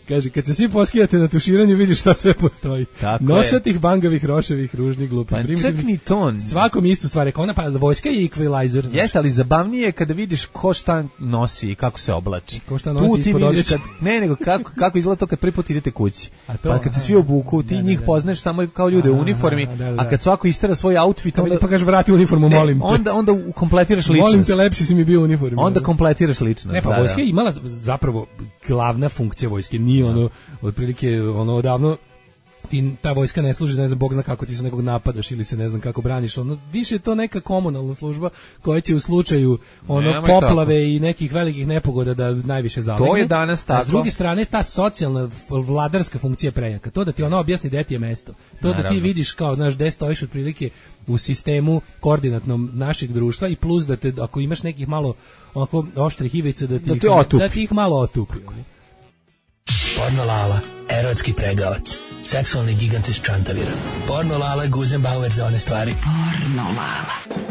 kaže, kad se svi poskijate na tuširanju, vidiš šta sve postoji. Nosatih, bangavih, roševih, ružnih, glupih, pa, primitivnih. Čak ni ton. Svakom istu stvar. Rekao, ona pa vojska je equalizer. Jeste, ali zabavnije je kada vidiš ko šta nosi i kako se oblači. Ko šta nosi ispod odjeća. Ne, nego kako, kako izgleda to kad prvi put idete kući. A to, pa kad se svi obuku, ti da, njih da, poznaš samo kao ljude u uniformi, a, da, da. a kad svako istera svoj outfit, onda... Pa kažeš, vrati uniformu, ne, molim te. Onda, onda kompletiraš ličnost. Molim te, lepši si mi bio u uniformi. Onda kompletiraš ličnost. Ne, pa vojska je imala zapravo glavna funkcija vojske, nije ono, otprilike, ono, odavno ti ta vojska ne služi, ne znam, Bog zna kako ti se nekog napadaš ili se ne znam kako braniš, ono, više je to neka komunalna služba koja će u slučaju, ono, Nemoj poplave kako. i nekih velikih nepogoda da najviše zalegne. To je danas tako. A s druge strane, ta socijalna, vladarska funkcija prejaka, to da ti ono objasni gde ti je mesto, to Naravno. da ti vidiš kao, znaš, gde stojiš otprilike u sistemu koordinatnom našeg društva i plus da te, ako imaš nekih malo onako oštrih ivica, da ti, da, ih, da ti ih malo otupi. Porno Lala, erotski pregavac, seksualni gigant iz Čantavira. Porno Lala, Guzenbauer za one stvari. Porno Lala.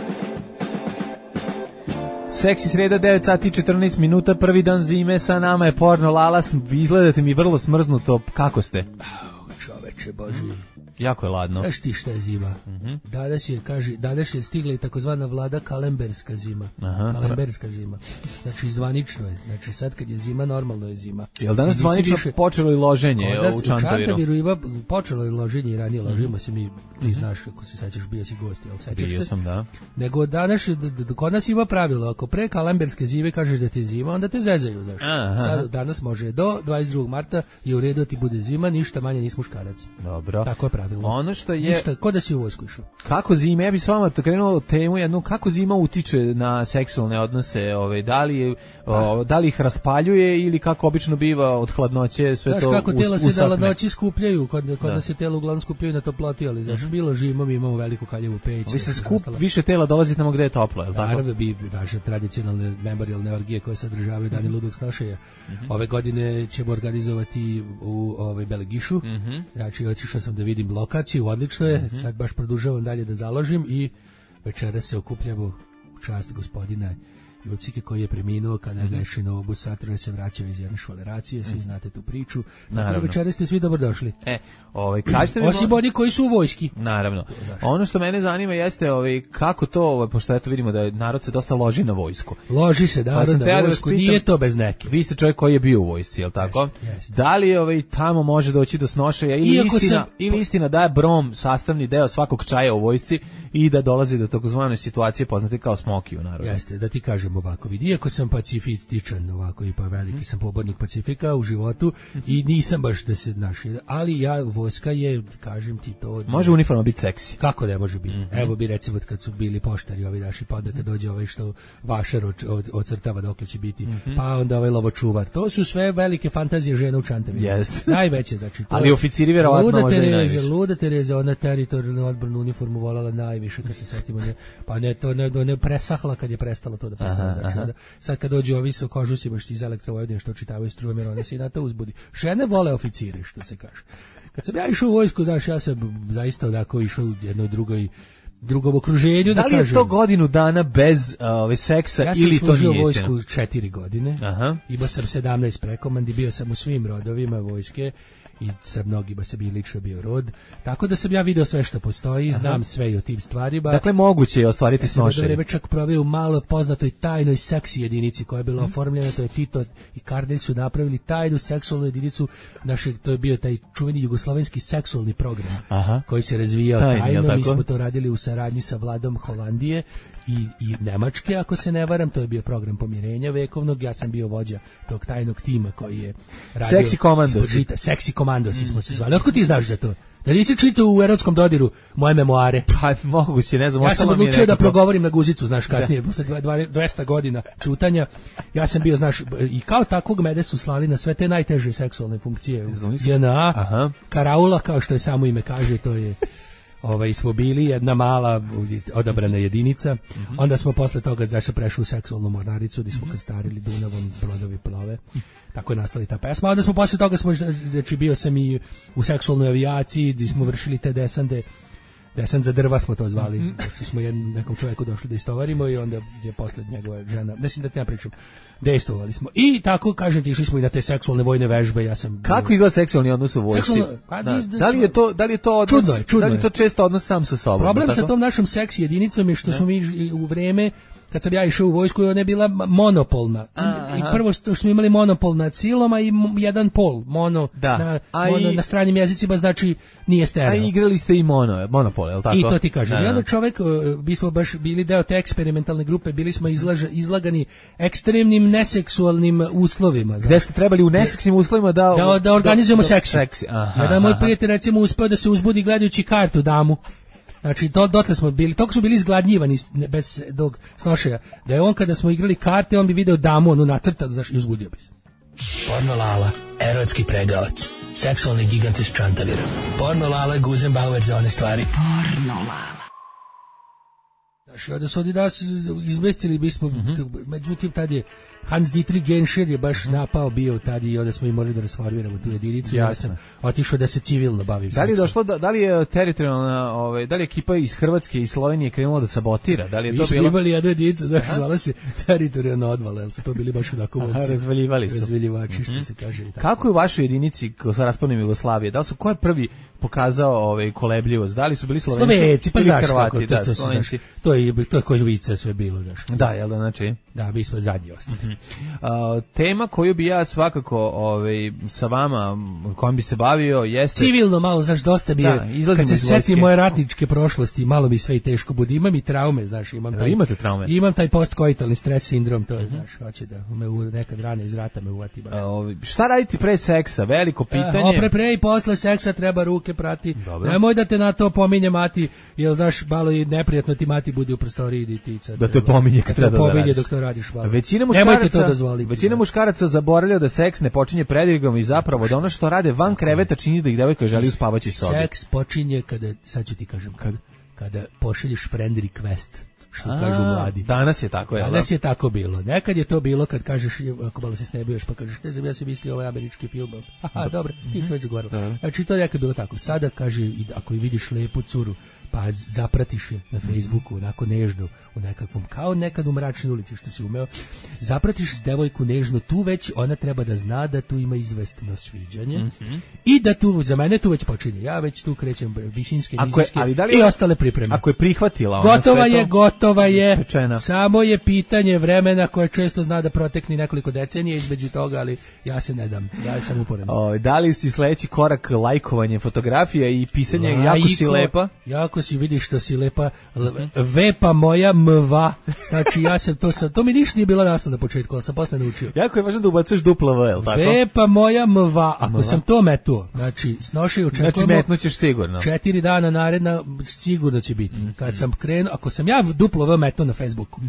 Seksi sreda, devet sati i četrnaest minuta, prvi dan zime, sa nama je Porno Lala, izgledate mi vrlo smrznuto, kako ste? Oh, čoveč. čoveče, boži. Jako je ladno. Znaš ti šta je zima? Mm-hmm. Danas je, kaže, danas je stigla i takozvana vlada kalemberska zima. Aha. Kalemberska zima. Znači, zvanično je. Znači, sad kad je zima, normalno je zima. Jel danas zvanično više... počelo i loženje Kodas, u Čantaviru? U Čantaviru ima, počelo je loženje i ranije ložimo mm-hmm. se mi, ti znaš, ako se sećaš, bio si gost, jel sećaš bio se? sam, da. Nego danas, kod nas ima pravilo, ako pre kalemberske zime kažeš da ti je zima, onda te zezaju, znaš. Sad, danas može do dvadeset drugog marta je u redu da ti bude zima, ništa manje nis muškarac. Dobro. Tako je pravilo. Ono što je... Ništa, ko da si u vojsku išao. Kako zima, ja bih s vama krenuo temu jednu, kako zima utiče na seksualne odnose, ove, da li, o, da li ih raspaljuje ili kako obično biva od hladnoće, sve znaš, to kako us, tela se usapne. da hladnoći skupljaju, kod, kod nas se tela uglavnom skupljaju na toploti, ali znaš, mm-hmm. bilo žimo, mi imamo veliku kaljevu peć. Vi se skup, više tela dolazi tamo gde je toplo, je li tako? Naravno, bi naše tradicionalne memorialne orgije koje sadržavaju Dani ludog snošaja. Mm-hmm. Ove godine ćemo organizovati u ovaj Belegišu. Mm-hmm. Znači, otišao sam da vidim lokaciju, odlično je. Mm-hmm. Sad baš produžavam dalje da založim i večeras se okupljamo u čast gospodina Jucike koji je preminuo kada mm-hmm. ga je Šinobus Saturn se vraćao iz jedne švaleracije, svi mm-hmm. znate tu priču. Naravno. Večeras ste svi dobrodošli. E, ovaj kažete mi osim oni koji su u vojski. Naravno. Ono što mene zanima jeste ovaj kako to, ovaj pošto eto vidimo da narod se dosta loži na vojsku. Loži se da pa na vojsku, pitam, nije to bez neke. Vi ste čovjek koji je bio u vojsci, je l' tako? Jest, jest. Da li ovaj tamo može doći do snošaja ili Iako istina sam... ili istina da je brom sastavni deo svakog čaja u vojsci i da dolazi do takozvane situacije poznate kao smoki u narodu. Jeste, da ti kažem ovako, vidi, iako sam pacifističan, ovako i pa veliki mm. sam pobornik pacifika u životu i nisam baš da se naši, ali ja vojska je, kažem ti to. Može uniforma biti seksi. Kako ne može biti? Mm-hmm. Evo bi recimo kad su bili poštari ovi naši, pa onda kad dođe ovaj što vašar ocrtava dokle će biti, mm-hmm. pa onda ovaj lovočuvar. To su sve velike fantazije žena u Čantaviru. Yes. Najveće, znači. To ali oficiri verovatno može i najviše. Luda Tereza, ona teritorijalnu odbranu uniformu volala najviše kad se setimo nje. Pa ne to ne, ne presahla kad je prestalo to da postoji. Znači, onda, sad kad dođe ovi sa kožusima što iz Elektrovojvodine što čitavaju strumer, one se i na to uzbudi. Žene vole oficire, što se kaže. Kad sam ja išao u vojsku, znaš, ja sam zaista onako išao u jednoj drugoj drugom okruženju, da, da kažem. Da li je to godinu dana bez ove uh, seksa ja ili to nije istina? Ja sam služio vojsku četiri godine, aha. Imao sam sedamnaest prekomandi, bio sam u svim rodovima vojske i sa mnogima se bi lično bio rod, tako da sam ja video sve što postoji, aha. Znam sve i o tim stvarima. Dakle, moguće je ostvariti ja snošenje. Ja sam vreme čak proveo u malo poznatoj tajnoj seksi jedinici koja je bila hmm. oformljena, to je Tito i Kardelj su napravili tajnu seksualnu jedinicu našeg, to je bio taj čuveni jugoslovenski seksualni program, aha. Koji se razvijao tajno, tajno. Mi smo to radili u saradnji sa vladom Holandije i, i Nemačke, ako se ne varam, to je bio program pomirenja vekovnog, ja sam bio vođa tog tajnog tima koji je radio... Seksi komandosi. Seksi komandosi mm. smo se zvali. Otko ti znaš za to? Da nisi čitao u erotskom dodiru moje memoare? Pa moguće, ne znam. Ja sam odlučio da progovorim na guzicu, znaš, kasnije, posle dvesta godina čutanja. Ja sam bio, znaš, i kao takvog mede su slali na sve te najteže seksualne funkcije. J N A, karaula, kao što je samo ime kaže, to je... Ovaj, smo bili jedna mala odabrana jedinica, mm-hmm. Onda smo posle toga znači, prešli u seksualnu mornaricu gdje smo mm-hmm. kastarili Dunavom, brodovi plove, tako je nastala ta pesma. Onda smo posle toga, smo, znači bio sam i u seksualnoj avijaciji gdje smo vršili te desande, desant za drva smo to zvali, mm-hmm. Znači smo jednom nekom čovjeku došli da istovarimo i onda je posle njegova žena, mislim da ti ja pričam, dejstvovali smo. I tako, kažem ti, išli smo i na te seksualne vojne vežbe, ja sam... Kako izgleda seksualni odnos u vojsci? Seksualno, pa, da. Da, da li je to, da li je to odnos, čudno je, čudno da li je to često odnos sam sa sobom? Problem sa tom našom seks jedinicom je što ne? Smo mi u vreme kad sam ja išao u vojsku, ona je bila monopolna. Aha. I prvo što smo imali monopol nad silom, a i jedan pol, mono, da. Na, mono i, na stranim jezicima, znači nije stereo. A igrali ste i mono, monopol, je li tako? I to ti kažem. Da, I onda čovek, mi smo baš bili deo te eksperimentalne grupe, bili smo izlaž, izlagani ekstremnim neseksualnim uslovima. Gde ste trebali u neseksnim uslovima da... Da, da organizujemo do, seksi. seksi. Aha, jedan moj prijatelj, recimo, uspeo da se uzbudi gledajući kartu damu. Znači, do, dotle smo bili, toliko smo bili izgladnjivani bez dog snošaja, da je on kada smo igrali karte, on bi video damu, onu nacrtanu, znaš, i uzbudio bi se. Porno Lala, erotski pregavac, seksualni gigant iz Čantavira. Porno Lala, Guzenbauer za one stvari. Porno Lala. Znaš, onda su oni nas izmestili, bismo, mm-hmm. međutim, tad je Hans Dietrich Genscher je baš napao bio tad i onda smo i morali da rasformiramo tu jedinicu. Ja sam otišao da se civilno bavim. Da li je došlo, da, da li je teritorijalna, ovaj, da li je ekipa iz Hrvatske i Slovenije krenula da sabotira? Da li je Mi to smo bilo? imali jednu jedinicu, znači zvala se teritorijalna odvala, jer su to bili baš onako momci. Razvaljivali su. Razvaljivači, što mm-hmm. se kaže. I tako. Kako je u vašoj jedinici sa raspadom Jugoslavije? Da li su, ko je prvi pokazao ovaj kolebljivost? Da li su bili Slovenci? Slovenci, pa znaš Hrvati, kako, to, da, to, Slovenci. to je to je koji vica sve bilo, znaš. Da, jel da, znači? Da, mi smo zadnji ostali. Mm-hmm. Uh, tema koju bi ja svakako ovaj, sa vama, kojom bi se bavio, jeste... Civilno malo, znaš, dosta bi je, da, kad se seti moje ratničke prošlosti, malo mi sve i teško bude. Imam i traume, znaš, imam taj... Imate traume? Imam taj postkoitalni stres sindrom, to je, mm-hmm. znaš, hoće da me u, nekad rane iz rata me uvati baš. Uh, šta raditi pre seksa? Veliko pitanje. Uh, pre, pre i posle seksa treba ruke prati. Dobro. Nemoj da te na to pominje mati, jer znaš, malo i neprijatno ti mati bude u prostoriji i tica. Da te pominje kad treba da radiš. Pominje dok to radiš, malo. Većina muškaraca, većina muškaraca zaboravlja da seks ne počinje predirgom i zapravo da ono što rade van kreveta čini da ih devojka želi u spavaćoj sobi. Seks počinje kada, sad ću ti kažem, kada, kada pošalješ friend request, što A, kažu mladi. Danas je tako, je. Danas je tako bilo. Nekad je to bilo kad kažeš, ako malo se snebuješ, pa kažeš, ne znam, ja sam mislio ovaj američki film. Aha, dobro, ti si već govorila. Znači, to je nekad bilo tako. Sada, kaže, ako i vidiš lepu curu, pa zapratiš je na Facebooku, onako nežno, u nekakvom, kao nekad u mračnoj ulici, što si umeo, zapratiš devojku nežno, tu već ona treba da zna da tu ima izvestno sviđanje mm-hmm. i da tu, za mene tu već počinje, ja već tu krećem visinske, nizinske i ostale pripreme. Ako je prihvatila ona gotova je, to, gotova je, pečena. Samo je pitanje vremena koje često zna da protekne nekoliko decenija između toga, ali ja se ne dam, ja sam uporan. O, da li si sledeći korak lajkovanje fotografija i pisanje Lajko, jako si lepa? Jako si, vidiš što si lepa, vepa moja mva, znači ja sam to sam, to mi ništa nije bilo jasno na početku, ali sam posle naučio. Jako je važno da ubacuješ duplo V, jel tako? Vepa moja mva, ako mva. Sam to metuo, znači snoši očekujemo. Znači metnućeš sigurno. Četiri dana naredna sigurno će biti. Mm-hmm. Kad sam krenuo, ako sam ja duplo V metuo na Facebooku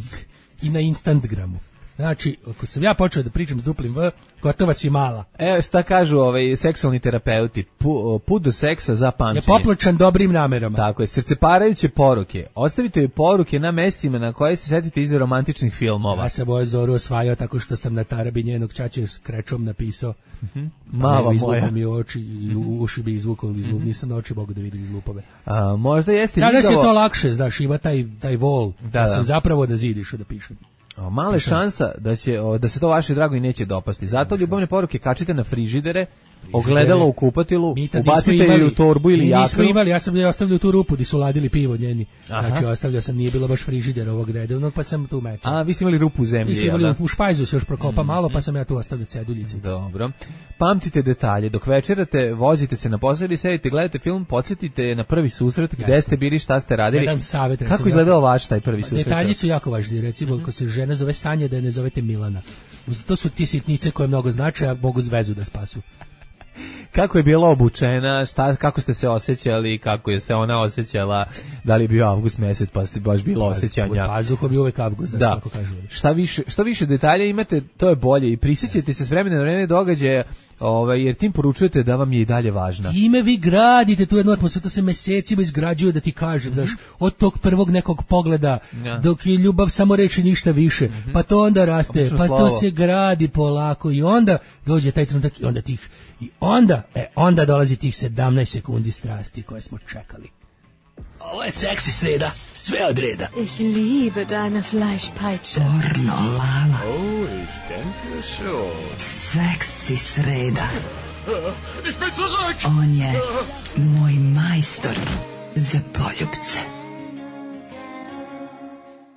i na Instagramu, znači, ako sam ja počeo da pričam s duplim V, gotova si mala. E, šta kažu ovaj seksualni terapeuti? Pu, put do seksa za pamćenje. Je popločan dobrim namerama. Tako je, srceparajuće poruke. Ostavite joj poruke na mestima na koje se setite iz romantičnih filmova. Ja sam moju Zoru osvajao tako što sam na tarabi njenog ćaće s krečom napisao. Mm-hmm. Mala moja. Mi oči i u uši bi izvukao iz lup. Nisam na oči mogu da vidim iz lupove. A, možda jeste Danas vidjelo... je to lakše, znaš, ima taj, taj vol. Da, da sam da. zapravo da zidiš da pišem. O, mala je šansa da će o, da se to vaše drago i neće dopasti. Zato ljubavne poruke kačite na frižidere, ogledalo u kupatilu, ubacite je u torbu ili jaknu. Mi nismo imali, ja sam je ostavljao tu rupu gdje su ladili pivo njeni. Aha. Znači ostavljao sam, nije bilo baš frižider ovog redovnog, pa sam tu mečao. A, vi ste imali rupu u zemlji, mi smo imali u špajzu se još prokopa mm-hmm. malo, pa sam ja tu ostavljao ceduljice. Dobro. Pamtite detalje. Dok večerate, vozite se na posao ili sedite, gledate film, podsjetite na prvi susret, gde Jasne. Ste bili, šta ste radili. Jedan savjet, recimo, kako izgledao vaš taj prvi susret? Detalji su jako važni, recimo, mm-hmm. ako se žena zove Sanja, da je ne zovete Milana. To su ti sitnice koje mnogo znače, a mogu vezu da spasu. Kako je bila obučena, šta, kako ste se osjećali, kako je se ona osjećala, da li je bio avgust mesec pa se baš bilo osjećanja. Pazuho bi uvek avgust, da, kako kažu. Šta više, što više detalja imate, to je bolje i prisjećajte se s vremena na vreme događaja, ovaj, jer tim poručujete da vam je i dalje važna. Time vi gradite tu jednu atmosferu, to se mesecima izgrađuje, da ti kažem, mm-hmm. daš, od tog prvog nekog pogleda, ja. Dok je ljubav samo reči ništa više, mm-hmm. pa to onda raste, Obično pa slovo. To se gradi polako i onda dođe taj trenutak i onda tih I onda, e, onda dolazi tih sedamnaest sekundi strasti koje smo čekali. Ovo je seksi sreda, sve od reda. Ich liebe deine Fleischpeitsche. Pornolala. Oh, ich denke schon. Seksi sreda. Ich bin zurück. On je moj majstor za poljubce.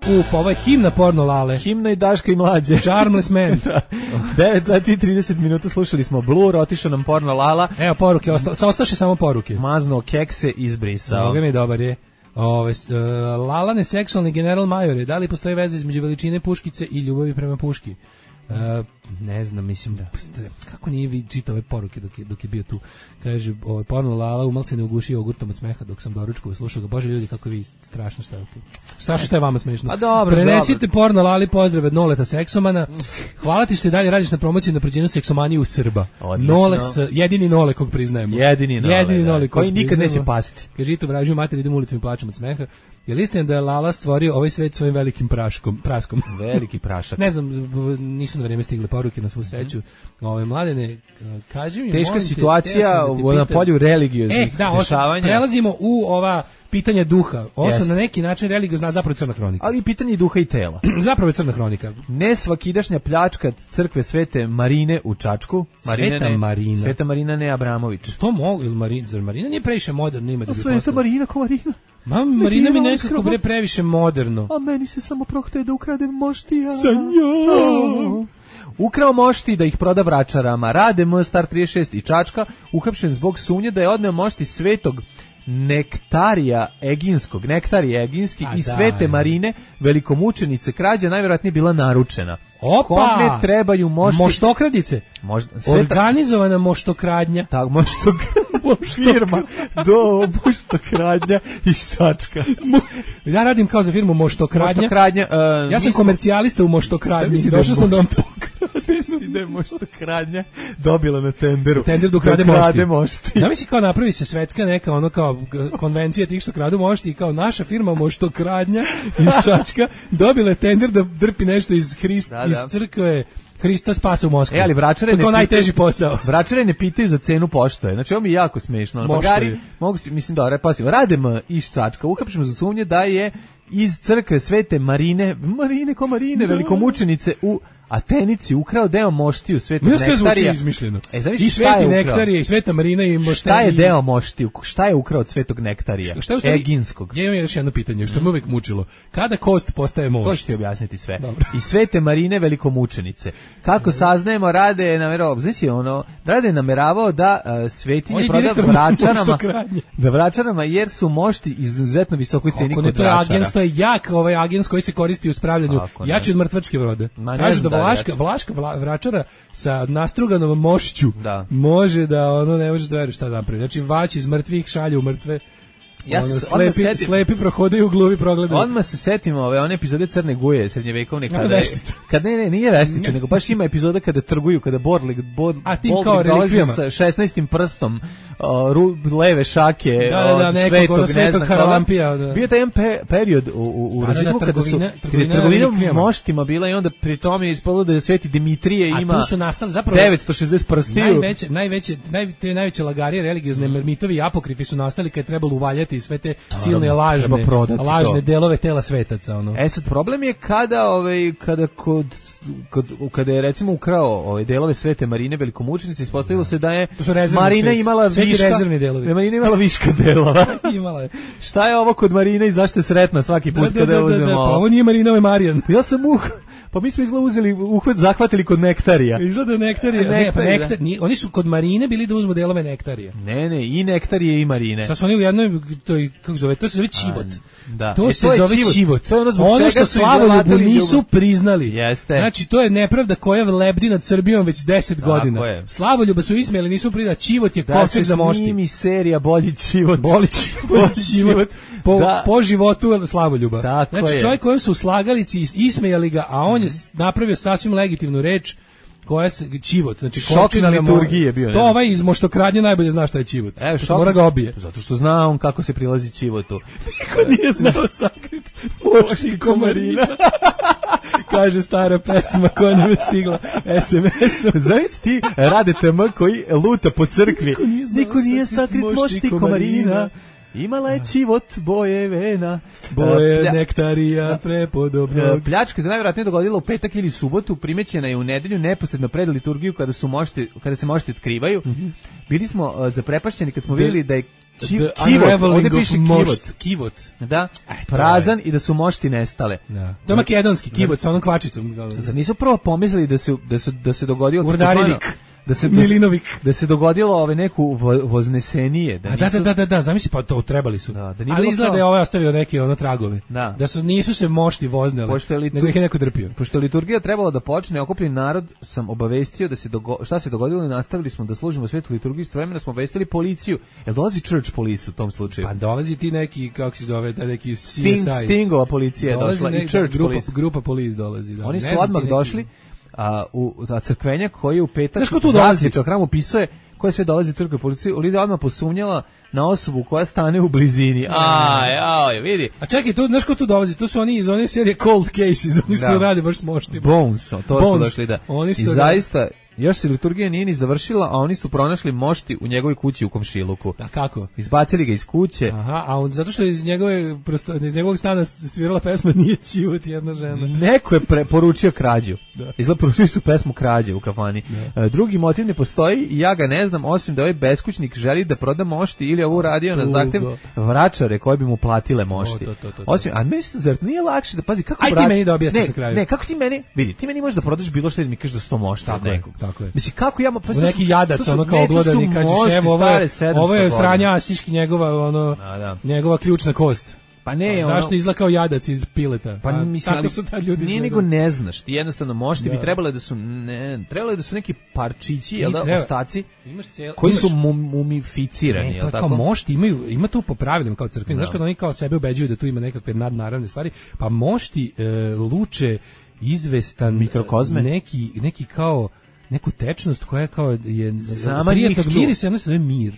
U, pa ovo je himna Pornolale. Himna i Daška i mlađe. Charmless Man. devet sati i trideset minuta slušali smo Blur, otišao nam Pornolala. Evo poruke, osta, sa ostaše samo poruke. Mazno kekse, izbrisao. Boga mi dobar je. Ove, uh, Lalane seksualni general majore, da li postoji veza između veličine puškice i ljubavi prema puški? Uh, ne znam, mislim da kako nije vi čitao ove poruke dok je, dok je bio tu. Kaže, ovaj porno Lala umal se ne ugušio jogurtom od smeha dok sam doručkao i slušao ga. Bože ljudi, kako vi strašno šta je. Strašno šta je vama smešno. Pa dobro, prenesite dobro. Porno Lali pozdrav od Noleta seksomana. Hvala ti što i dalje radiš na promociji na napređenju seksomanije u Srba. Odlično. Nole, jedini Nole kog priznajemo. Jedini Nole, jedini Nole koji nikad neće pasti. Kaže, to vražio mater, idem ulicom i plačem od smeha. Je li istina da je Lala stvorio ovaj svet svojim velikim praškom, praskom? Veliki prašak. Ne znam, nisu na vreme stigle poruke na svu sreću. Ove mladene, kaži mi, teška molim te, situacija te na polju religioznih e, da, dešavanja. Prelazimo u ova pitanja duha. Ovo su na neki način religiozna, zapravo crna hronika. Ali pitanje duha i tela. Zapravo je crna hronika. Nesvakidašnja pljačka crkve Svete Marine u Čačku. Marine Sveta ne, Marina. Sveta Marina ne Abramović. To mogu, ili Marina, zar Marina nije previše moderno ime da bi Sveta postala? Marina ko Marina? Ma, Marina mi nekako bre previše moderno. A meni se samo prohte da ukradem moštija. Sa njom. Ukrao mošti da ih proda Vračarama. Rade M Star trideset šest i Čačka uhapšen zbog sumnje da je odneo mošti Svetog Nektarija Eginskog, Nektarije Eginski i Svete Marine, velikomučenice. Krađa najvjerojatnije bila naručena. Opa! Kome trebaju mošti? Moštokradice. Možda, sveta... Organizovana moštokradnja. Tak, moštok... firma do moštokradnja iz Čačka. Ja radim kao za firmu Moštokradnja. Moštokradnja uh, ja sam komercijalista u Moštokradnji. Došao sam da vam Zamisli da je Moštokradnja dobila na tenderu. Tender da ukrade mošti. mošti. Zamisli kao napravi se svetska neka ono kao konvencija tih što kradu mošti i kao naša firma Moštokradnja iz Čačka dobila je tender da drpi nešto iz Hrista, da, da. iz crkve Hrista spasa u Moskvi. E, ali Vračare ne najteži posao. Vračare ne pitaju za cenu poštoje. Znači, ovo mi je jako smešno. Bagari, mogu si, mislim, dobro, pasim, radimo iz Čačka, uhapšimo za sumnje da je iz crkve Svete Marine, Marine ko Marine, velikomučenice u Atenici ukrao deo moštiju Svetog Nektarija. Nektarija. Sve zvuči izmišljeno. E, zamisli I Sveti Nektarija i Sveta Marina i moštiju. Šta je deo moštiju? Šta je ukrao od Svetog Nektarija? Šta je Eginskog. Ja imam još jedno pitanje, što me uvek mučilo. Kada kost postaje mošt? To ću ti objasniti sve. Dobro. I Svete Marine velikomučenice. Kako saznajemo, rade nameravao, znači ono, rade nameravao da uh, svetinje proda Vračarama, da Vračarama jer su mošti izuzetno visokoj ceni kod Vračara. To je agens, to je jak ovaj agens koji se koristi u spravljanju. Jači od mrtvačke vrode. Kažu da Vlaška, Vlaška Vračara sa nastruganom mošću da. može da ono ne može da veruje šta napravi. Znači vaći iz mrtvih šalje u mrtve. Ja ono, slepi, setim, slepi prohodaju u gluvi progledaju. Odmah se setimo ove one epizode Crne Guje srednjevekovne kada je, kad ne ne nije veštica nego baš ima epizoda kada trguju kada Borlik bod dolazi sa šesnaestim prstom o, ru, leve šake da, da, da, od nekog, svetog, ono, svetog Haralampija da. Bio taj jedan pe, period u, u, u razvitu da, kada su trgovina moštima bila i onda pri tome je ispalo da je Sveti Dimitrije ima a tu su nastali zapravo devetsto šezdeset prstiju. Najveće najveće naj, te najveće lagarije religiozne mm. mitovi i apokrifi su nastali kad je trebalo uvaljati i sve te silne lažne lažne delove tela svetaca ono. E sad problem je kada ovaj kada kod kod kada je recimo ukrao ove delove Svete Marine velikomučenice, ispostavilo se da je Marina imala viška rezervni delovi. Marina imala viška delova. Imala je. Šta je ovo kod Marine i zašto je sretna svaki put da, kada da, uzmemo? Da, da, pa ovo nije Marina, ovo je Marijan. Ja sam uh Pa mi smo izgleda uzeli, uhvat, zahvatili kod Nektarija. Izgleda Nektarija. Nektarija. Ne, pa nektar, nije, oni su kod Marine bili da uzmu delove Nektarija. Ne, ne, i Nektarije i Marine. Šta su oni u jednoj, to je, kako zove, to se zove čivot. Da. To e, se to zove čivot. čivot. To je ono, ono što Slavoljubu nisu ljubav. priznali. Jeste. Znači, to je nepravda koja lebdi nad Srbijom već deset godina. Je. Slavoljuba su ismijali, nisu priznali. Čivot je da kovčeg za mošti. Da se snimi serija Bolji život. Bolji život. život. Po, da. po životu Slavoljuba. Tako znači, je. čovjek kojem su slagalici ismejali ga, a on je napravio sasvim legitimnu reč koja se čivot, znači šok na liturgiji je bio. To ovaj iz Moštokradnje najbolje zna šta je čivot. E, šok, mora ga obije. Zato što zna on kako se prilazi čivotu. Niko nije znao sakrit mošti komarina. Kaže stara pesma koja nam je stigla es em esom. Znaš ti Rade T M koji luta po crkvi. Niko nije, Niko nije sakrit mošti komarina. Imala je čivot boje vena. Boje Plja... nektarija prepodobnog. Pljačka se najvjerojatnije dogodila u petak ili subotu, primećena je u nedelju neposredno pred liturgiju kada su mošti, kada se mošti otkrivaju. Mm-hmm. Bili smo uh, zaprepašćeni kad smo the, vidjeli da je či, kivot, ovdje piše kivot. Kivot. Da, Aj, prazan je. I da su mošti nestale. Da. To je makedonski kivot sa onom kvačicom. Zar nisu prvo pomislili da se, da se, da se dogodio Urdarinik. Da se Milinovik da se dogodilo ove neku voznesenije da nisu... da da da da zamisli pa to trebali su da, da ali izgleda je ovaj ostavio neke ono tragove da, da su nisu se mošti vozneli litur... nego ih je neko drpio pošto je liturgija trebala da počne okupljeni narod sam obavestio da se dogo... šta se dogodilo i nastavili smo da služimo svetu liturgiju istovremeno smo obavestili policiju jel dolazi church police u tom slučaju pa dolazi ti neki kako se zove taj neki C S I Sting, Stingova policija je došla i church grupa, police grupa police dolazi da. Oni su ne odmah neki... došli a u ta crkvenja koji je u petak zasječao hram upisuje koja sve dolazi turkoj policiji, Olivia odmah posumnjala na osobu koja stane u blizini. Aj, aj, vidi. A čekaj, tu, znaš ko tu dolazi? Tu su oni iz one serije Cold Cases, oni što rade baš s moštima. Bones, to Bones. Su došli, da. Oni I zaista, još se liturgija nije ni završila, a oni su pronašli mošti u njegovoj kući u komšiluku. A kako? Izbacili ga iz kuće. Aha, a on, zato što iz njegove prosto, iz njegovog stana svirala pesma Nije čivot jedna žena. Neko je pre, poručio krađu. Da. Izgleda poručili su pesmu krađe u kafani. Da. Drugi motiv ne postoji i ja ga ne znam, osim da ovaj beskućnik želi da proda mošti ili ovo uradio na zahtev vračare koje bi mu platile mošti. O, to, to, to, to. Osim, a mislim, zar nije lakše da, pazi, kako Aj vrati... ti meni da objasniš na kraju. Ne, kako ti meni, vidi, ti meni možeš da prodaš bilo što da mi kažeš da sto mošta od nekog. Tako je. Mislim, kako ja... Pa, neki jadac, ono kao oglodani, kažeš, evo, ovo je, ovo je Franja Asiški, njegova, ono, da, da. njegova ključna kost. Pa ne, a zašto ono, izgleda kao jadac iz pileta? Pa a, mislim, ali su ta ljudi nije nego ne znaš, ti jednostavno mošti da. bi trebale da su ne, trebale da su neki parčići, jel da, treba, ostaci cijel, koji imaš, su mumificirani, jel tako? Kao mošti imaju, ima tu po pravilima kao crkveni, znaš kad oni kao sebe ubeđuju da tu ima nekakve nadnaravne stvari, pa mošti e, luče izvestan mikrokozme, neki neki kao neku tečnost koja je kao je prijatnog mirisa, ona se zove mir.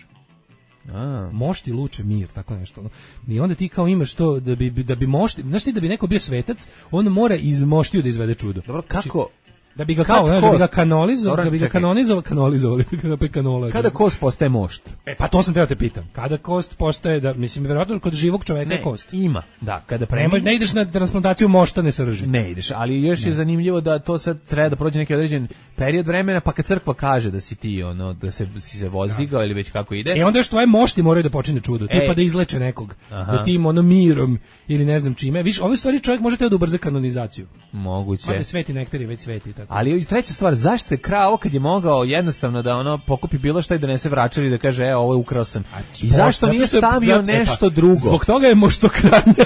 A. Mošti luče mir, tako nešto. I onda ti kao imaš to da bi da bi mošti, znaš ti da bi neko bio svetac, on mora iz moštiju da izvede čudo. Dobro, kako da bi ga kao, znaš, da bi ga kanalizovali, da bi ga kanonizovali, kanalizovali, da bi kanola. Kada kost postaje mošt? E pa to sam teo te pitam. Kada kost postaje da mislim verovatno kod živog čoveka ne, je kost. Ima, da, kada premine. Ne, ne ideš na transplantaciju moštane srži. Ne ideš, ali još ne. je zanimljivo da to sad treba da prođe neki određen period vremena, pa kad crkva kaže da si ti ono da se si se vozdigao da. ili već kako ide. E onda još tvoje mošti moraju da počne čudo, e. tipa da izleče nekog. Aha. Da tim ono mirom ili ne znam čime. Viš, ove stvari čovjek može da ubrza kanonizaciju. Moguće. Ma da sveti nektari već sveti tako. Ali treća stvar, zašto je krao kad je mogao jednostavno da ono pokupi bilo šta i donese vračari da kaže e ovo je ukrao sam. I zašto nije stavio nešto drugo? Zbog toga je moštokradnja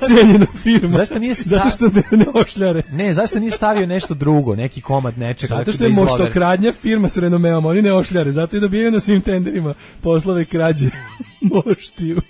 cenjena firma. Zašto nije stavio... Zato što ne ošljare. Ne, zašto nije stavio nešto drugo, neki komad nečega? Zato što je moštokradnja firma s renomeom, oni ne ošljare, zato i dobijaju na svim tenderima poslove krađe moštiju.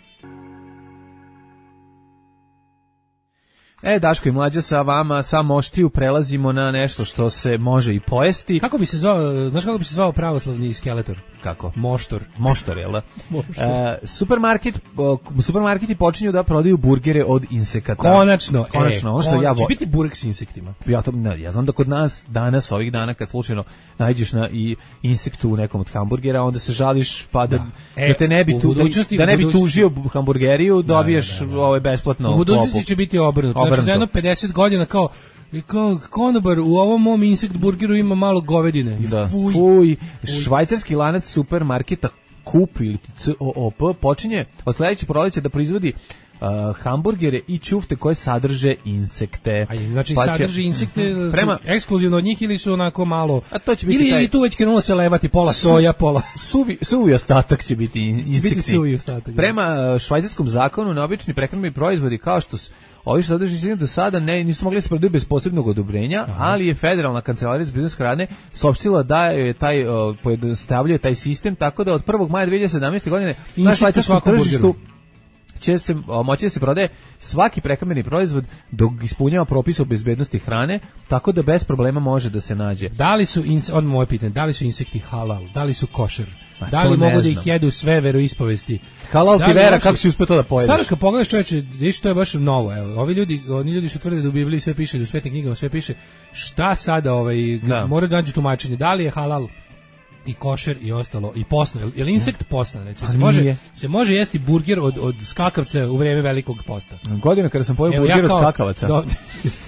E, Daško i Mlađa sa vama, sa moštiju prelazimo na nešto što se može i pojesti. Kako bi se zvao, znaš kako bi se zvao pravoslavni skeletor? Kako? Moštor. Moštor, jel da? Moštor. E, supermarket, o, supermarketi počinju da prodaju burgere od insekata. Konačno. Konačno, e, ono što ja će biti burek s insektima. Ja, to, ne, ja znam da kod nas danas, ovih dana, kad slučajno nađeš na i insektu u nekom od hamburgera, onda se žališ pa da, da. E, da te ne bi, tu, da ne bi tužio hamburgeriju, dobiješ da, da, da, da. Ovaj besplatno. U budućnosti će biti obrnuto. Znači, za jedno pedeset godina kao I kao konobar, u ovom mom insekt burgeru ima malo govedine. Da. Fuj. Fuj. Švajcarski lanac supermarketa Coop ili C O O P počinje od sledećeg proleća da proizvodi uh, hamburgere i ćufte koje sadrže insekte. A znači pa će, sadrži insekte uh-huh. prema ekskluzivno od njih ili su onako malo. A to će biti ili, taj, ili tu već krenulo se levati pola soja, pola suvi suvi ostatak će biti insekti. Će biti suvi ostatak. Prema švajcarskom zakonu na obični prehrambeni proizvodi kao što su ovi što sadrži do sada ne, nisu mogli se prodati bez posebnog odobrenja, aha, ali je Federalna kancelarija za bezbednost hrane saopštila da je taj uh, pojednostavljuje taj sistem, tako da od prvog maja dve hiljade sedamnaeste. godine na švajcarskom tržištu će se moći da se prodaje svaki prehrambeni proizvod dok ispunjava propise o bezbednosti hrane, tako da bez problema može da se nađe. Da li su od moje pitanje, da li su insekti halal, da li su košer? Ma, da li mogu da ih jedu sve veroispovesti? Halal ti vera, kako si uspeo to da pojedeš? Stvarno, kad pogledaš čoveče, vidiš, to je baš novo. Evo, ovi ljudi, oni ljudi što tvrde da u Bibliji sve piše, da u svetim knjigama sve piše, šta sada ovaj, da. moraju da nađu tumačenje? Da li je halal i košer i ostalo, i posno? Je li insekt posna? Recimo, se, može, se može jesti burger od, od skakavca u vreme velikog posta? Godina kada sam pojeo burger ja kao, od skakavaca. Do,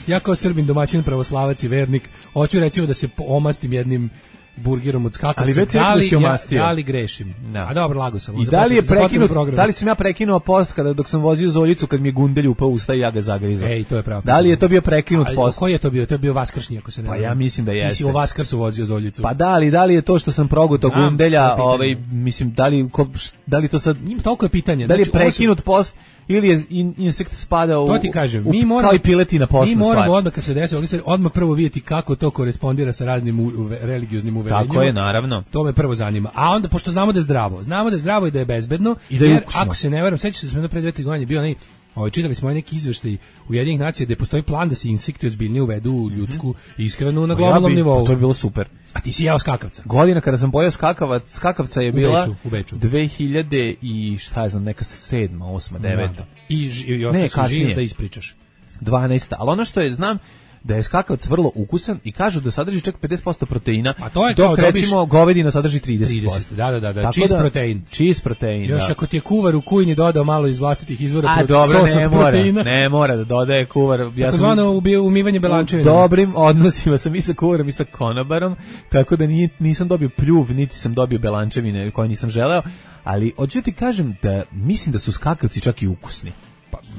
ja kao Srbin, domaćin, pravoslavac i vernik, hoću recimo da se omastim jednim burgerom od skakavca. Ali već da li, si omastio. Ja, da li grešim? Da. A dobro, lago sam. I da li je prekinut, da li sam ja prekinuo post kada dok sam vozio Zoljicu kad mi je gundelj upao u usta i ja ga zagrizao? Ej, to je pravo. Da li je to bio prekinut ali, post? Koji je to bio? To je bio vaskršnji, ako se ne. Pa ja mislim da jeste. Ti si u Vaskrsu vozio Zoljicu. Pa da li, da li je to što sam progutao gundelja, ovaj mislim da li ko, da li to sad njim toliko je pitanje. Da li je prekinut post ili je in, insekt spada u, to ti kažem, u, mi moramo, kao i piletina posna. Mi moramo stvar. Odmah kad se desi, odmah prvo vidjeti kako to korespondira sa raznim u, u, religioznim uverenjima. Tako je, naravno. To me prvo zanima. A onda, pošto znamo da je zdravo, znamo da je zdravo i da je bezbedno, I da je jer ukusno. Ako se ne varam, sećaš se da smo pre dve tri godine bio onaj Ovaj čitali smo neki izveštaj Ujedinjenih nacija da postoji plan da se insekti ozbiljnije uvedu u ljudsku ishranu na globalnom ja bi, nivou. To je bilo super. A ti si jeo skakavca? Godina kada sam pojeo skakavac, skakavca je u bila Beču, u Beču. dve hiljade i šta ja znam, neka sedma, osma, deveta. I, i ostao si živ da ispričaš. dvanaesta. Ali ono što je, znam, da je skakavac vrlo ukusan i kažu da sadrži čak pedeset posto proteina, a to je dok kao recimo dobiš... govedina sadrži trideset posto. trideset, da, da, da, da. Tako čist da, protein. Čist protein, Još da. ako ti je kuvar u kujni dodao malo iz vlastitih izvora a, dobro, sos ne od mora, proteina. ne mora da dodaje kuvar. Ja tako sam zvano umivanje belančevina. U dobrim odnosima sam i sa kuvarom i sa konobarom, tako da nije, nisam dobio pljuv, niti sam dobio belančevine koje nisam želeo, ali hoću ti kažem da mislim da su skakavci čak i ukusni.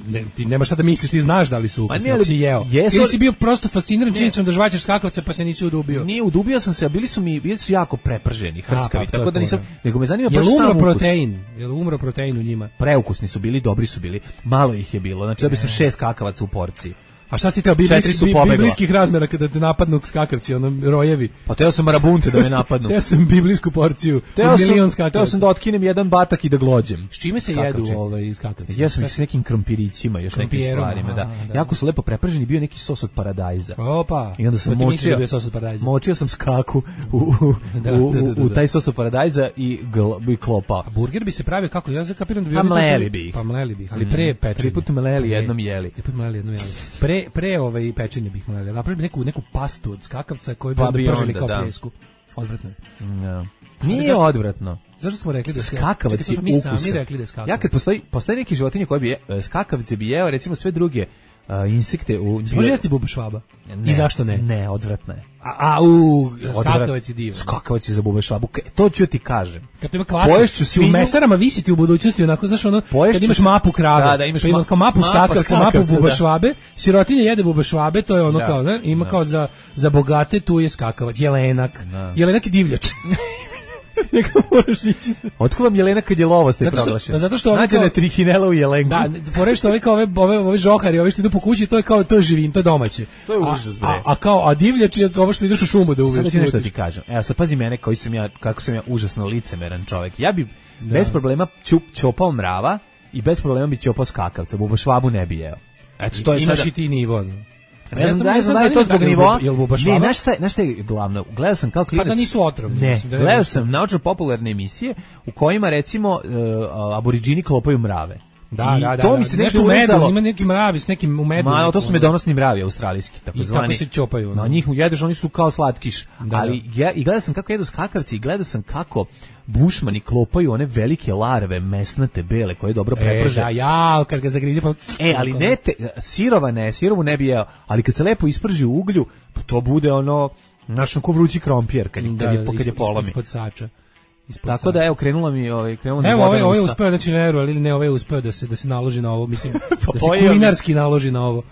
Ne, ti nemaš šta da misliš, ti znaš da li su ukusni, ako si jeo. Jesu, ili si bio prosto fasciniran činjenicom da žvaćeš skakavce pa se nisi udubio? Nije, udubio sam se, a bili su mi bili su jako preprženi, hrskavi, a, pa, tako da nisam, nego me zanima baš sam ukus. Jel umro protein? Jel umro protein u njima? Preukusni su bili, dobri su bili, malo ih je bilo, znači da bi sam šest skakavaca u porciji. A šta ti teo biblijski, biblijskih razmera kada te napadnu skakavci, ono rojevi? Pa teo sam marabunte da me napadnu. Teo sam biblijsku porciju, teo milion sam, skakavaca. Teo sam da otkinem jedan batak i da glođem. S čime se skakavci jedu ovaj skakavci? Ja sam ih s nekim krompirićima, još nekim stvarima, da. da. Jako su lepo preprženi, bio neki sos od paradajza. Opa. I onda sam močio, da sos od paradajza. Močio sam skaku u, u, da, u, da, da, da. u taj sos od paradajza i, gl, i klopao. A burger bi se pravio kako? Ja kapiram da bi pa mleli bi ih. Pa mleli bi ih, ali pre pečenja. Tri puta mleli, jednom jeli. Tri puta mleli, jednom jeli. Pre, pre ovaj pečenje bih mleli. Napravili neku, neku pastu od skakavca koju bi pa onda pržili kao da. pljesku. Odvratno je. Ja. Nije zašto, odvratno. Zašto smo rekli da skakavac je mi sami rekli da skakavac. Ja kad postoji, postoji neki životinje koje bi je, skakavce bi jeo, recimo sve druge uh, insekte u... Može jesti buba švaba? I zašto ne? Ne, odvratno je. A, a u, skakavac je divan. Skakavac je za bube švabu. To ću ti kažem. Kad ima klasa, ti u mesarama visiti u budućnosti, onako, znaš, ono, kad imaš mapu krave, da, da, imaš pa ima kao mapu skakavca, mapu buba švabe, sirotinja jede buba švabe, to je ono da. kao, ne, ima da. Kao za, za bogate, tu je skakavac, jelenak, da. Jelenak je divljač. Neka moraš ići. Otko vam jelena kad je lovost je proglašena? Zato što ove nađene trihinela u jelenku. Da, fore što ove kao ove ove ove žohari, ove što idu po kući, to je kao to je živin, to je domaće. To je užas bre. A, a kao a divljač je ovo što ideš u šumu da uviš. Sad ću nešto ti kažem. Evo sad pazi mene koji sam ja, kako sam ja užasno licemeran čovjek. Ja bi da. bez problema ćup čopao mrava i bez problema bi čopao skakavca, buba švabu ne bi jeo. Eto to je imaš sada... i ti nivo. Ne znam da je da je to zbog nivoa. Ne, znaš šta, znaš šta je glavno? Gledao sam kao klinac. Pa da nisu otrovni. Ne, gledao sam naučno-popularne emisije u kojima recimo uh, aboridžini klopaju mrave. Da, I da, da. To mi se da, nešto umezalo. Ima neki mravi s nekim u medu. Ma, to su medonosni mravi australijski, tako zvani. I tako se čopaju. Na njih jedeš, oni su kao slatkiš. Da, ali ja, i gledao sam kako jedu skakavci i gledao sam kako bušmani klopaju one velike larve, mesnate, bele, koje dobro preprže. E, da, ja, kad ga zagrize pa... E, ali ne, te, sirova ne, sirovu ne bi jeo, ali kad se lepo isprži u uglju, pa to bude ono, znaš, ko vrući krompir, kad, kad, da, je, da, kad je polomi. Ispod sača. Tako sača. Da, evo, krenula mi, ovaj, krenula mi evo, ovaj, ovaj usta. uspeo, znači, ne, ali ne, ovaj uspeo da se, da se naloži na ovo, mislim, pa da se kulinarski naloži na ovo.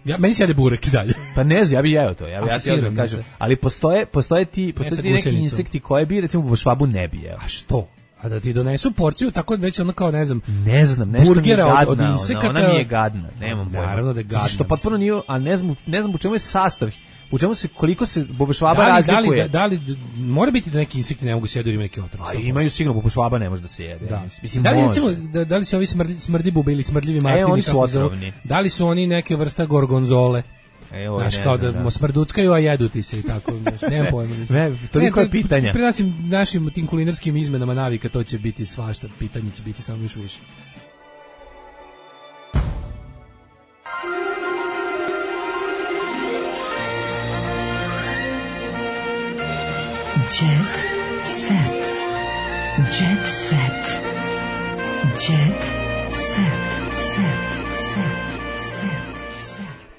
Ja, meni se jede burek i dalje. Pa ne znam, ja bih jeo to, ja bih ja ti odmah kažem. Ali postoje, postoje ti, postoje ti neki insekti koje bi, recimo, u švabu ne bi jeo. A što? A da ti donesu porciju tako već ono kao ne znam. Ne znam, nešto burgera mi je gadna, od, od insekata. Ona, ona mi je gadna, nemam pojma. Naravno da je gadna. Što potpuno nije, a ne znam, ne znam u čemu je sastav. U čemu se, koliko se bubašvaba da li, razlikuje? Da li, da, da li, mora biti da neki insekti ne mogu se jedu ili neki otrov? A imaju sigurno, bubašvaba ne može da se jede. Da. Mislim, da li, može. recimo, da, da li se ovi smrdi, smrdi bube ili smrdljivi martini? E, oni su otrovni. Da li su oni neke vrsta gorgonzole? Evo, znaš, kao da, da smrduckaju, a jedu ti se i tako. Nemam pojma. Ne, toliko je pitanja. Pri našim, našim tim kulinarskim izmenama navika to će biti svašta. Pitanje će biti samo još više. Jet set. Jet set. Jet set.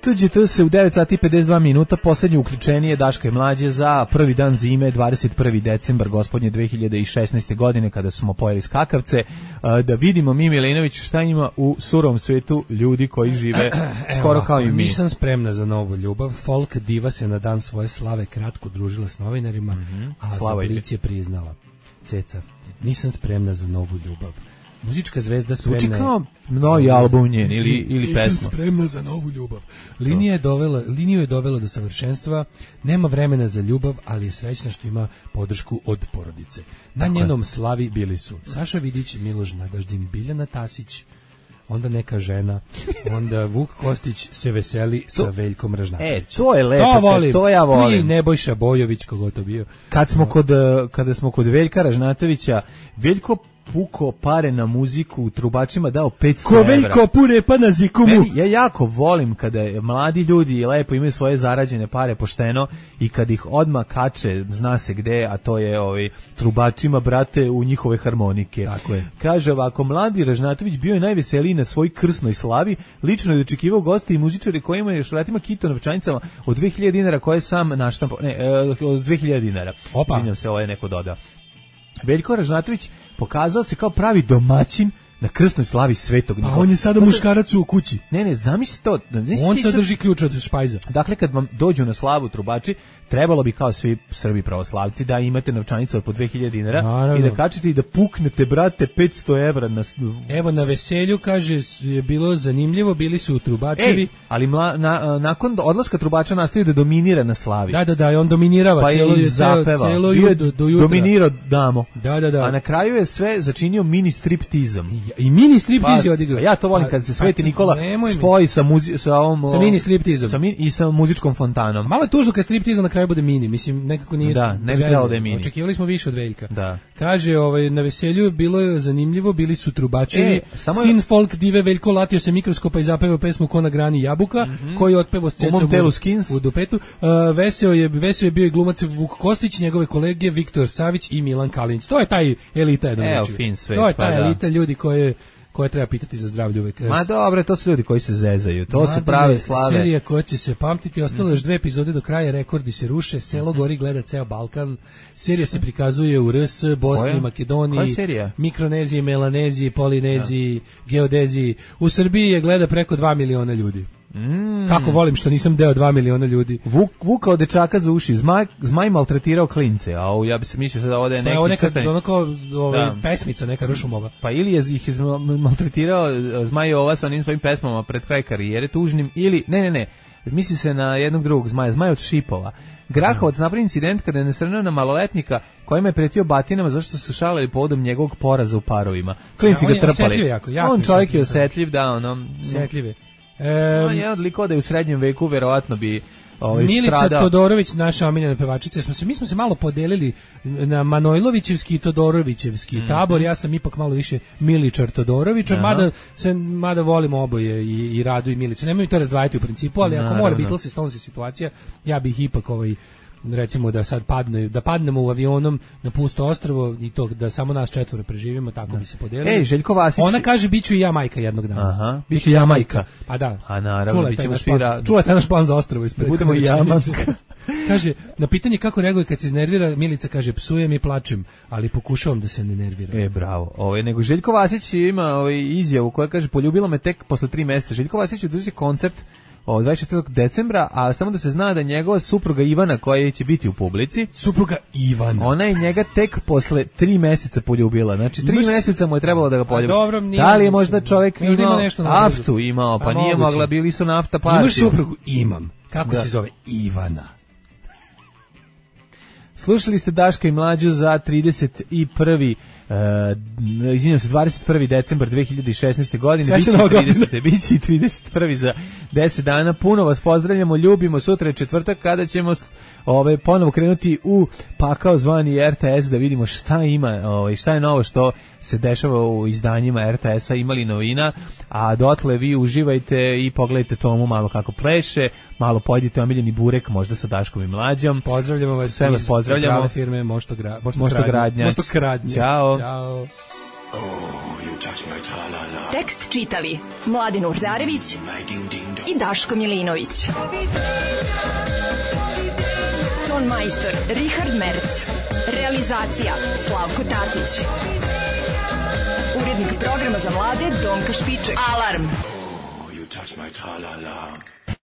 T G T se u devet sati i pedeset dva minuta, poslednje uključenje Daška i Mlađe za prvi dan zime, dvadeset prvi decembar gospodnje dve hiljade šesnaeste. godine kada smo pojeli skakavce, da vidimo mi Milinović šta ima u surovom svetu ljudi koji žive skoro kao i mi. Nisam spremna za novu ljubav, folk diva se na dan svoje slave kratko družila s novinarima, mm-hmm. a Slava za Blic je priznala. Ceca, nisam spremna za novu ljubav. Muzička zvezda spremna je... Uči kao novi album njen ili, ili pesma. Nisam spremna za novu ljubav. Linija je dovela, liniju je dovela do savršenstva, nema vremena za ljubav, ali je srećna što ima podršku od porodice. Na Tako njenom je. slavi bili su Saša Vidić, Miloš Nadaždin, Biljana Tasić, onda neka žena, onda Vuk Kostić se veseli to, sa Veljkom Ražnatovićem. E, to je lepo, to, volim. to ja volim. I Nebojša Bojović, kogo to bio. Kad smo kod, kada smo kod Veljka Ražnatovića, Veljko puko pare na muziku, trubačima dao petsto evra. Ko Veljko pure pa na zikumu. Meni, ja jako volim kada mladi ljudi lepo imaju svoje zarađene pare pošteno i kad ih odmah kače, zna se gde, a to je ovaj, trubačima, brate, u njihove harmonike. Tako je. Kaže ovako, mladi Ražnatović bio je najveseliji na svoj krsnoj slavi, lično je dočekivao goste i muzičare kojima je šletima kito novčanicama od dve hiljade dinara koje sam naštampao, ne, od dve hiljade dinara. Opa. Izvinjam se, ovo je neko dodao. Veljko Ražnatović pokazao se kao pravi domaćin na krsnoj slavi Svetog Nikole. A on je sada muškarac u kući. Ne, ne, zamisli to. On sad drži ključ od špajza. Dakle, kad vam dođu na slavu trubači, trebalo bi kao svi Srbi pravoslavci da imate novčanicu od po dve hiljade dinara. Naravno. I da kačete i da puknete, brate, petsto evra. Na... Evo, na veselju, kaže, je bilo zanimljivo, bili su trubačevi. Ej, ali mla, na, nakon odlaska trubača nastavio da dominira na slavi. Da, da, da, i on dominirava pa celo, je zapeva. celo ju, do, do jutra. Dominirao damo. Da, da, da. A na kraju je sve začinio mini striptizom. I, i mini striptiz pa, je odigrao. Ja to volim kad se Sveti Nikola spoji sa, muzi, sa, ovom, sa mini striptizom. Sa, i sa muzičkom fontanom. Malo je tužno kad striptizom na kraju bude mini, mislim, nekako nije. Da, ne bi trebalo da je mini. Očekivali smo više od Veljka. Da. Kaže, ovaj, na veselju bilo je zanimljivo, bili su trubačevi. E, samo sin folk dive Veljko latio se mikroskopa i zapevao pesmu Ko na grani jabuka, mm-hmm. koji je otpevao s cecom u, u dupetu. Uh, veseo, je, veseo je bio i glumac Vuk Kostić, njegove kolege Viktor Savić i Milan Kalinić. To je taj elita jedan. Evo, fin svet. To je taj pa, elita ljudi koje koje treba pitati za zdravlje uvek. Ma dobro, to su ljudi koji se zezaju, to Ma su prave slave. Serija koja će se pamtiti, ostalo još dve epizode do kraja, rekordi se ruše, selo gori, gleda ceo Balkan, serija se prikazuje u R S, Bosni, Koja? Makedoniji, Mikroneziji, Melaneziji, Polineziji, ja. Geodeziji. U Srbiji je gleda preko dva miliona ljudi. Mm. Kako volim što nisam deo dva miliona ljudi. Vuk, vukao dečaka za uši, zmaj, zmaj maltretirao klince, a ovo, ja bi se mislio da ovde je neki neka, crtani. Ono kao ovaj, pesmica, neka Rušumova. Pa ili je ih maltretirao Zmaj Ova sa onim svojim pesmama pred kraj karijere tužnim, ili, ne, ne, ne, misli se na jednog drugog Zmaja, Zmaj od Šipova. Grahovac napravi incident kada je nasrnuo na maloletnika kojima je pretio batinama zašto su šalili povodom njegovog poraza u parovima. Klinci ja, ga trpali. Jako, jako on čovjek je osetljiv, da, ono... Osetljiv je. Um, on je od likova da je u srednjem veku verovatno bi ovaj, Milica stradao. Todorović, naša omiljena pevačica, smo se, mi smo se malo podelili na Manojlovićevski i Todorovićevski mm. tabor, ja sam ipak malo više Miličar Todorovićar, mada, se, mada volimo oboje i, i Radu i Milicu, nemoj to razdvajati u principu, ali ako mora Beatles i Stones situacija, ja bih ipak ovaj recimo da sad padne, da padnemo u avionom na pusto ostrvo i to da samo nas četvoro preživimo, tako da bi se podelili. Ej, Željko Vasić. Ona kaže biću i ja majka jednog dana. Aha, biću ja majka. Pa da. A naravno, bićemo svi ra... Čula je naš plan za ostrvo ispred. Budemo i ja majka. Kaže, na pitanje kako reaguje kad se iznervira, Milica kaže, psujem i plačem, ali pokušavam da se ne nerviram. E, bravo. Ovaj, nego Željko Vasić ima ovaj, izjavu koja kaže, poljubila me tek posle tri meseca. Željko Vasić održi koncert od dvadeset četvrtog decembra, a samo da se zna da njegova supruga Ivana, koja će biti u publici, supruga Ivana, ona je njega tek posle tri meseca poljubila. Znači, tri Mrs... meseca mu je trebalo da ga poljubi. Dobro, da li je možda čovjek imao ima nešto naftu imao, pa, pa nije moguće. Mogla, bili su nafta partija. Imaš suprugu? Imam. Kako da. Se zove? Ivana. Slušali ste Daška i Mlađu za trideset prvi Uh, izvinjam se, dvadeset prvi decembar dve hiljade šesnaeste godine, biće i trideset biće i trideset prvi za deset dana. Puno vas pozdravljamo, ljubimo. Sutra je četvrtak kada ćemo ove, ponovo krenuti u pakao zvani R T S da vidimo šta ima, ove, šta je novo što se dešava u izdanjima R T S-a, imali novina, a dotle vi uživajte i pogledajte Tomu malo kako pleše, malo pojedite omiljeni burek, možda sa Daškom i Mlađom. Pozdravljamo vas, sve vas pozdravljamo. Firme Mošto, gra, Mošto, Mošto Gradnja. Mošto Gradnja. Ćao. Ćao. Oh, you touch my tra-la-la. Tekst čitali Mladin Urdarević i Daško Milinović. Ton majstor Richard Merc. Realizacija Slavko Tatić. Urednik programa za mlade Donka Špiček. Alarm! Oh, you touch my tra-la-la.